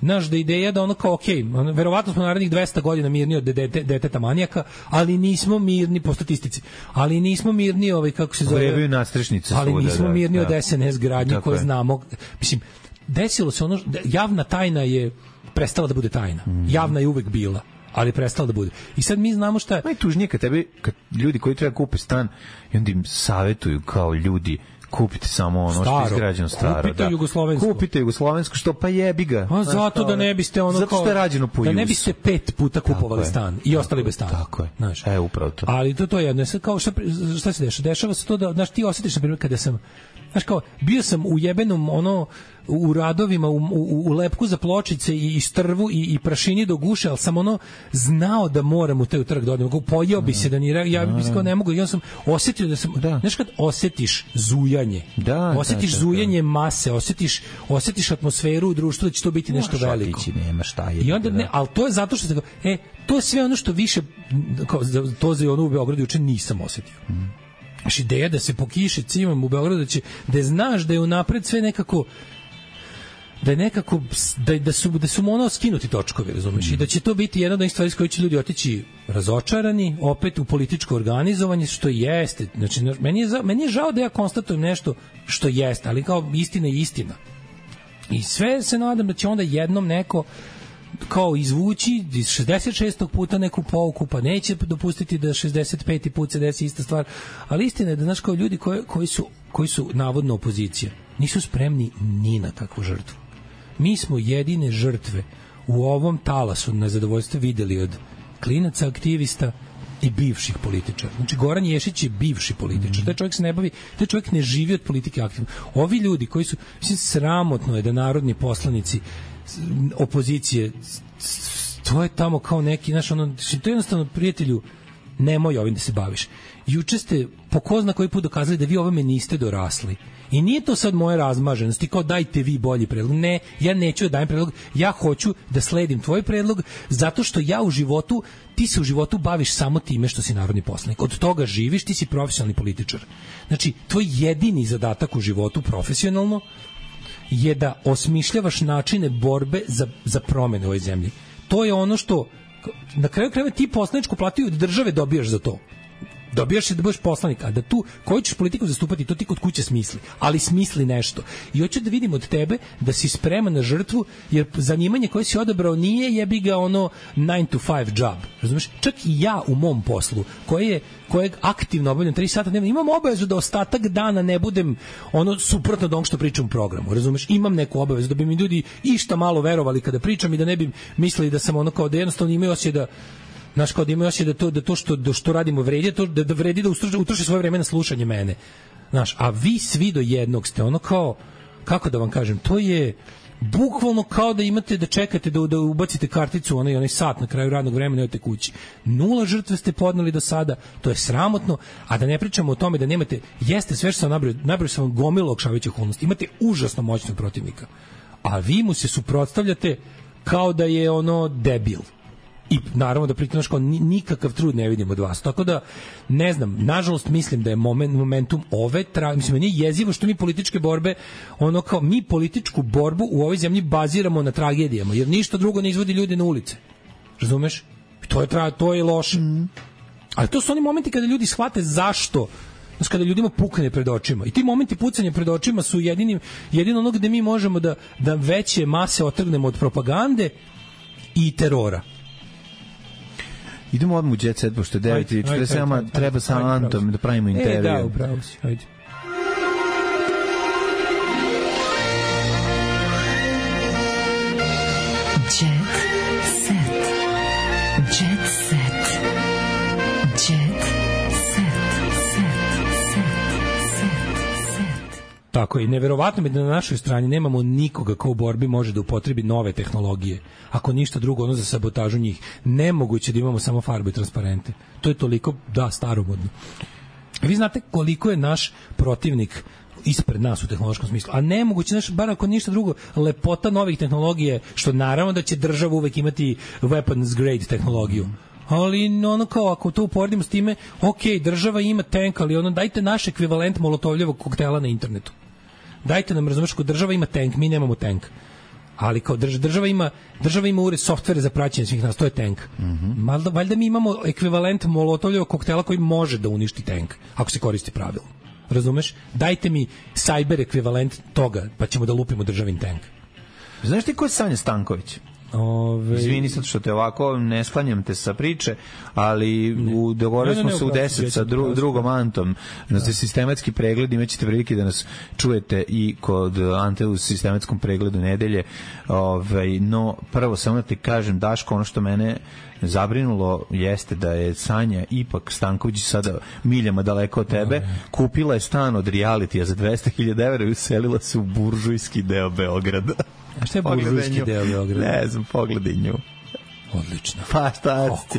naš da ideja da ono kao ok, ono, verovatno smo narednih dvesta godina mirni od dete, deteta manijaka, ali nismo mirni po statistici. Ali nismo mirni ovaj kako se zove. Vrevaju nastrešnice. Ali svuda, nismo da, mirni da. od es en es gradnje koje je. znamo. Mislim, desilo se ono, javna tajna je prestala da bude tajna. Mm. Javna je uvek bila, ali prestala da bude. I sad mi znamo šta je. Najtužnije kad tebi, kad ljudi koji treba kupe stan i onda im savetuju kao ljudi kupite samo ono staro, što je izgrađeno staro. Kupite da. jugoslovensko. Kupite jugoslovensko, što pa jebi ga. A zato da ne biste ono zato kao... što je rađeno po Da jusu. ne biste pet puta kupovali stan i ostali bez stana. Tako je. Znaš. E, upravo to. Ali to, to je jedno. Sad kao šta, šta se dešava? Dešava se to da, znaš, ti osjetiš, na primjer, kada sam, znaš kao, bio sam u jebenom, ono, u radovima, u, u, u lepku za pločice i, i strvu i, i prašini do guše, ali sam ono znao da moram u taj trg da odem. Pojeo bi se da ni ja bi kao ne mogu. Ja sam osetio da sam, da. Znaš kad osetiš zujanje, da, osetiš da, da, zujanje mase, osetiš, osetiš atmosferu u društvu da će to biti nešto Možda veliko. Nema šta je. I onda ne, ali to je zato što se, e, to je sve ono što više, kao, to za ono u Beogradu juče nisam osetio. Mm. Znaš, ideja da se po kiši cimam u Beogradu, da će, da znaš da je unapred sve nekako, da je nekako da, da su da su ono skinuti točkovi, razumeš, mm. i da će to biti jedna od onih stvari s kojoj će ljudi otići razočarani opet u političko organizovanje, što jeste, znači meni je meni je žao da ja konstatujem nešto što jeste, ali kao istina je istina. I sve se nadam da će onda jednom neko kao izvući iz šezdeset šestog puta neku pouku, pa neće dopustiti da šezdeset peti put se desi ista stvar, ali istina je da, znaš, kao ljudi koji, koji, su, koji su navodno opozicija nisu spremni ni na kakvu žrtvu. Mi smo jedine žrtve u ovom talasu na zadovoljstvo videli od klinaca aktivista i bivših političara. Znači, Goran Ješić je bivši političar. Taj čovjek se ne bavi, taj čovjek ne živi od politike aktivno. Ovi ljudi koji su, mislim, sramotno je da narodni poslanici opozicije, to je tamo kao neki, znaš, ono, to je jednostavno, prijatelju, nemoj ovim da se baviš. Juče ste po ko zna koji put dokazali da vi ovome niste dorasli. I nije to sad moja razmaženost, kao dajte vi bolji predlog. Ne, ja neću da dajem predlog, ja hoću da sledim tvoj predlog, zato što ja u životu, ti se u životu baviš samo time što si narodni poslanik. Od toga živiš, ti si profesionalni političar. Znači, tvoj jedini zadatak u životu profesionalno je da osmišljavaš načine borbe za, za promene u ovoj zemlji. To je ono što, na kraju krajeva, ti poslaničku platu od države dobijaš za to. Dobijaš se da budeš poslanik, a da tu koju ćeš politiku zastupati, to ti kod kuće smisli, ali smisli nešto. I hoću da vidim od tebe da si spreman na žrtvu, jer zanimanje koje si odabrao nije jebi ga ono nine to five job. Razumeš? Čak i ja u mom poslu, koje je kojeg aktivno obavljam tri sata dnevno, imam obavezu da ostatak dana ne budem ono suprotno od onog što pričam u programu. Razumeš? Imam neku obavezu da bi mi ljudi išta malo verovali kada pričam i da ne bi mislili da sam ono kao da jednostavno imaju osjećaj da Znaš, kao da imaju osjećaj da to, da to što, da što radimo vredi, to, da, da vredi da utroši svoje vreme na slušanje mene. Znaš, a vi svi do jednog ste ono kao, kako da vam kažem, to je bukvalno kao da imate da čekate da, da ubacite karticu, onaj, onaj sat na kraju radnog vremena i odete kući. Nula žrtve ste podneli do sada, to je sramotno, a da ne pričamo o tome da nemate, jeste sve što sam nabrao, nabrao sam vam gomilu olakšavajućih okolnosti, imate užasno moćnog protivnika, a vi mu se suprotstavljate kao da je ono debil. I naravno da pritom kao nikakav trud ne vidim od vas. Tako da, ne znam, nažalost mislim da je moment, momentum ove, tra, mislim, meni je jezivo što mi političke borbe, ono kao, mi političku borbu u ovoj zemlji baziramo na tragedijama, jer ništa drugo ne izvodi ljude na ulice. Razumeš? To je, tra, to je loše. Mm. Ali to su oni momenti kada ljudi shvate zašto, znači kada ljudima pukne pred očima. I ti momenti pucanja pred očima su jedini, jedino ono gde mi možemo da, da veće mase otrgnemo od propagande i terora. Idemo odmah u Jet Set, pošto je devet i četrdeset sedam, treba sa Antom da pravimo intervju. E, da, upravo si, ajde. Jet Set. Jet Set. Jet Set. Set. Set. Set. Tako je, neverovatno mi da na našoj strani nemamo nikoga ko u borbi može da upotrebi nove tehnologije. Ako ništa drugo, ono za sabotažu njih. Nemoguće da imamo samo farbe i transparente. To je toliko, da, staromodno. Vi znate koliko je naš protivnik ispred nas u tehnološkom smislu. A nemoguće, znaš, bar ako ništa drugo, lepota novih tehnologije, što naravno da će država uvek imati weapons grade tehnologiju. Ali ono kao, ako to uporedimo s time, ok, država ima tank, ali ono, dajte naš ekvivalent molotovljevog koktela na internetu. Dajte nam, razumeš, ko država ima tank, mi nemamo tank. Ali kao država ima, država ima ured softvere za praćenje svih nas, to je tank. Mm-hmm. Valjda, valjda mi imamo ekvivalent molotovljevog koktela koji može da uništi tank, ako se koristi pravilno. Razumeš? Dajte mi cyber ekvivalent toga, pa ćemo da lupimo državin tank. Znaš ti ko je Sanja Stanković? Ove... Izvini sad što te ovako ne sklanjam te sa priče, ali u, dogovorili smo se u deset sa dru, drugom Antom na da. sistematski pregled, imaćete prilike da nas čujete i kod Ante u sistematskom pregledu nedelje. Ove, no, prvo samo da ti kažem, Daško, ono što mene zabrinulo jeste da je Sanja ipak Stanković sada miljama daleko od tebe, kupila je stan od realitija za dvesta hiljada evra i uselila se u buržujski deo Beograda. A šta je buržujski deo Beograda? Ne znam, pogledaj nju. Odlično. Pa šta ti?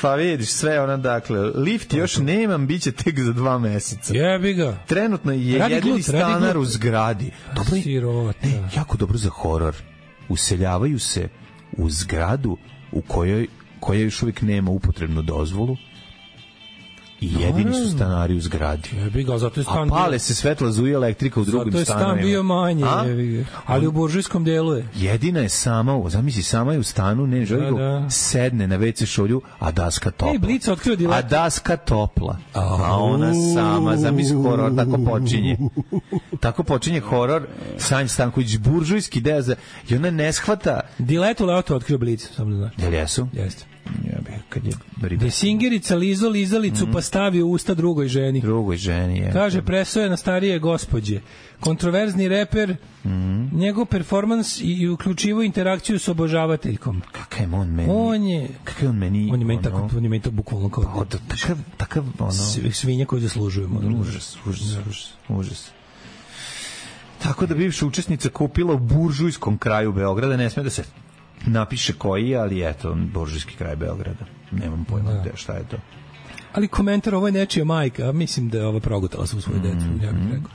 Pa vidiš sve ona, dakle, lift još nemam, bit će tek za dva meseca. Jebi ga. Trenutno je radi jedini glut, stanar u zgradi. Dobro, ne, jako dobro za horor. Useljavaju se u zgradu u kojoj koja još uvijek nema upotrebnu dozvolu i jedini su stanari u zgradi. Jebi ga, zato je stan a pale bio... se svetla zuji elektrika u drugim stanovima. Zato je stan bio manje, jebi ga. Ali u buržujskom delu je. Jedina je sama, zamisli, sama je u stanu, ne, želi da, da. sedne na ve ce šolju, a daska topla. Ej, Blica otkrio diletu. A daska topla. A ona sama, zamisli, horor, tako počinje. Tako počinje horor, Sanja Stanković, buržujski deo za... I ona ne shvata... Diletu leoto otkrio Blica, samo da znaš. Jel jesu? Jeste. Ja bih, kad je Desingerica lizo lizalicu mm. pa stavi u usta drugoj ženi. Drugoj ženi, je. Kaže, presoje na starije gospođe. Kontroverzni reper, mm. njegov performans i uključivo interakciju s obožavateljkom. Kakav je on meni? On je... Kakav je on meni? On je meni tako, on je meni tako bukvalno kao... Pa, da, takav, takav, ono... Svinja koju zaslužujemo. Užas, užas, užas, užas. Tako da bivša učesnica kupila u buržujskom kraju Beograda, ne sme da se napiše koji, ali eto, buržujski kraj Beograda. Nemam pojma da. šta je to. Ali komentar, ovo je nečija majka, a mislim da je ova progutala svu svoju decu, mm, ja bih rekao.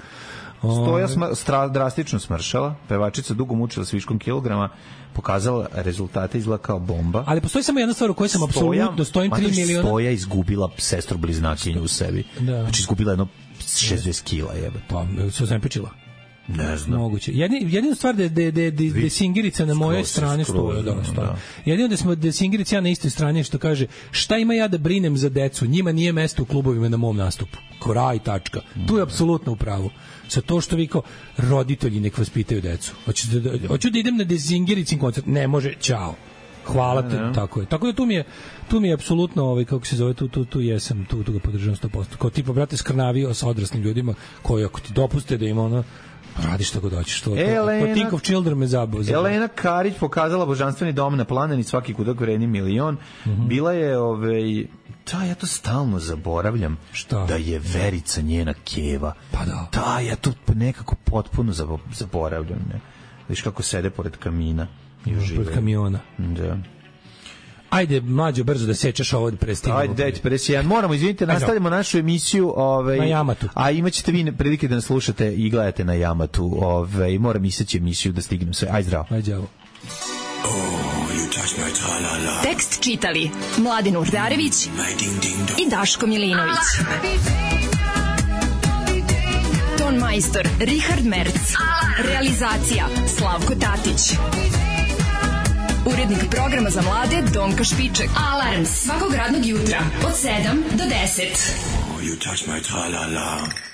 Stoja sma, stra, drastično smršala, pevačica dugo mučila s viškom kilograma, pokazala rezultate, izgleda kao bomba. Ali postoji samo jedna stvar u kojoj sam apsolutno stojim tri miliona. Stoja izgubila sestru bliznakinju u sebi. Da. Znači izgubila jedno šezdeset kila, jebe. Pa, se zempečila. Ne znam. Moguće. Jedina jedina stvar da da da da, da Singirica na mojoj strani stoji, da, stoji. Jedino da smo da Singirica na istoj strani što kaže šta ima ja da brinem za decu, njima nije mesto u klubovima na mom nastupu. Kraj tačka. Tu je apsolutno u pravu. Sa to što vi kao roditelji nek vaspitaju decu. Hoću da, da hoću da idem na Singiricin koncert, ne može, ćao. Hvala ti, ne, ne. tako je. Tako da tu mi je tu mi je apsolutno ovaj kako se zove tu tu tu jesam, tu tu ga podržavam sto posto. Kao tipa brate skrnavio sa odraslim ljudima koji ako ti dopuste da ima ona radi šta god hoćeš, to. Elena, to Think of Children me zabao. Elena Karić pokazala božanstveni dom na Planini, svaki kudak vredi milion. Mm -hmm. Bila je, ovaj, ta, ja to stalno zaboravljam, šta? Da je Verica njena keva. Pa da. Da, ja to nekako potpuno zaboravljam. Ne? Viš kako sede pored kamina i užive. Pored kamiona. Da. Ajde, mlađo, brzo da sečeš ovo da prestignemo. Ajde, dajte pedeset jedan. Moramo, izvinite, nastavljamo našu emisiju ovaj, na Jamatu. A imaćete vi prilike da nas slušate i gledate na Jamatu. Ovaj, moram iseći emisiju da stignem sve. Ajde, zdravo. Ajde, zdravo. Oh, tekst čitali Mladin Urdarević i Daško Milinović. Ton majstor Richard Merc. Realizacija Slavko Tatić. Urednik programa za mlade Donka Špiček. Alarms svakog radnog jutra od sedam do deset. Oh, you touch my tra-la-la.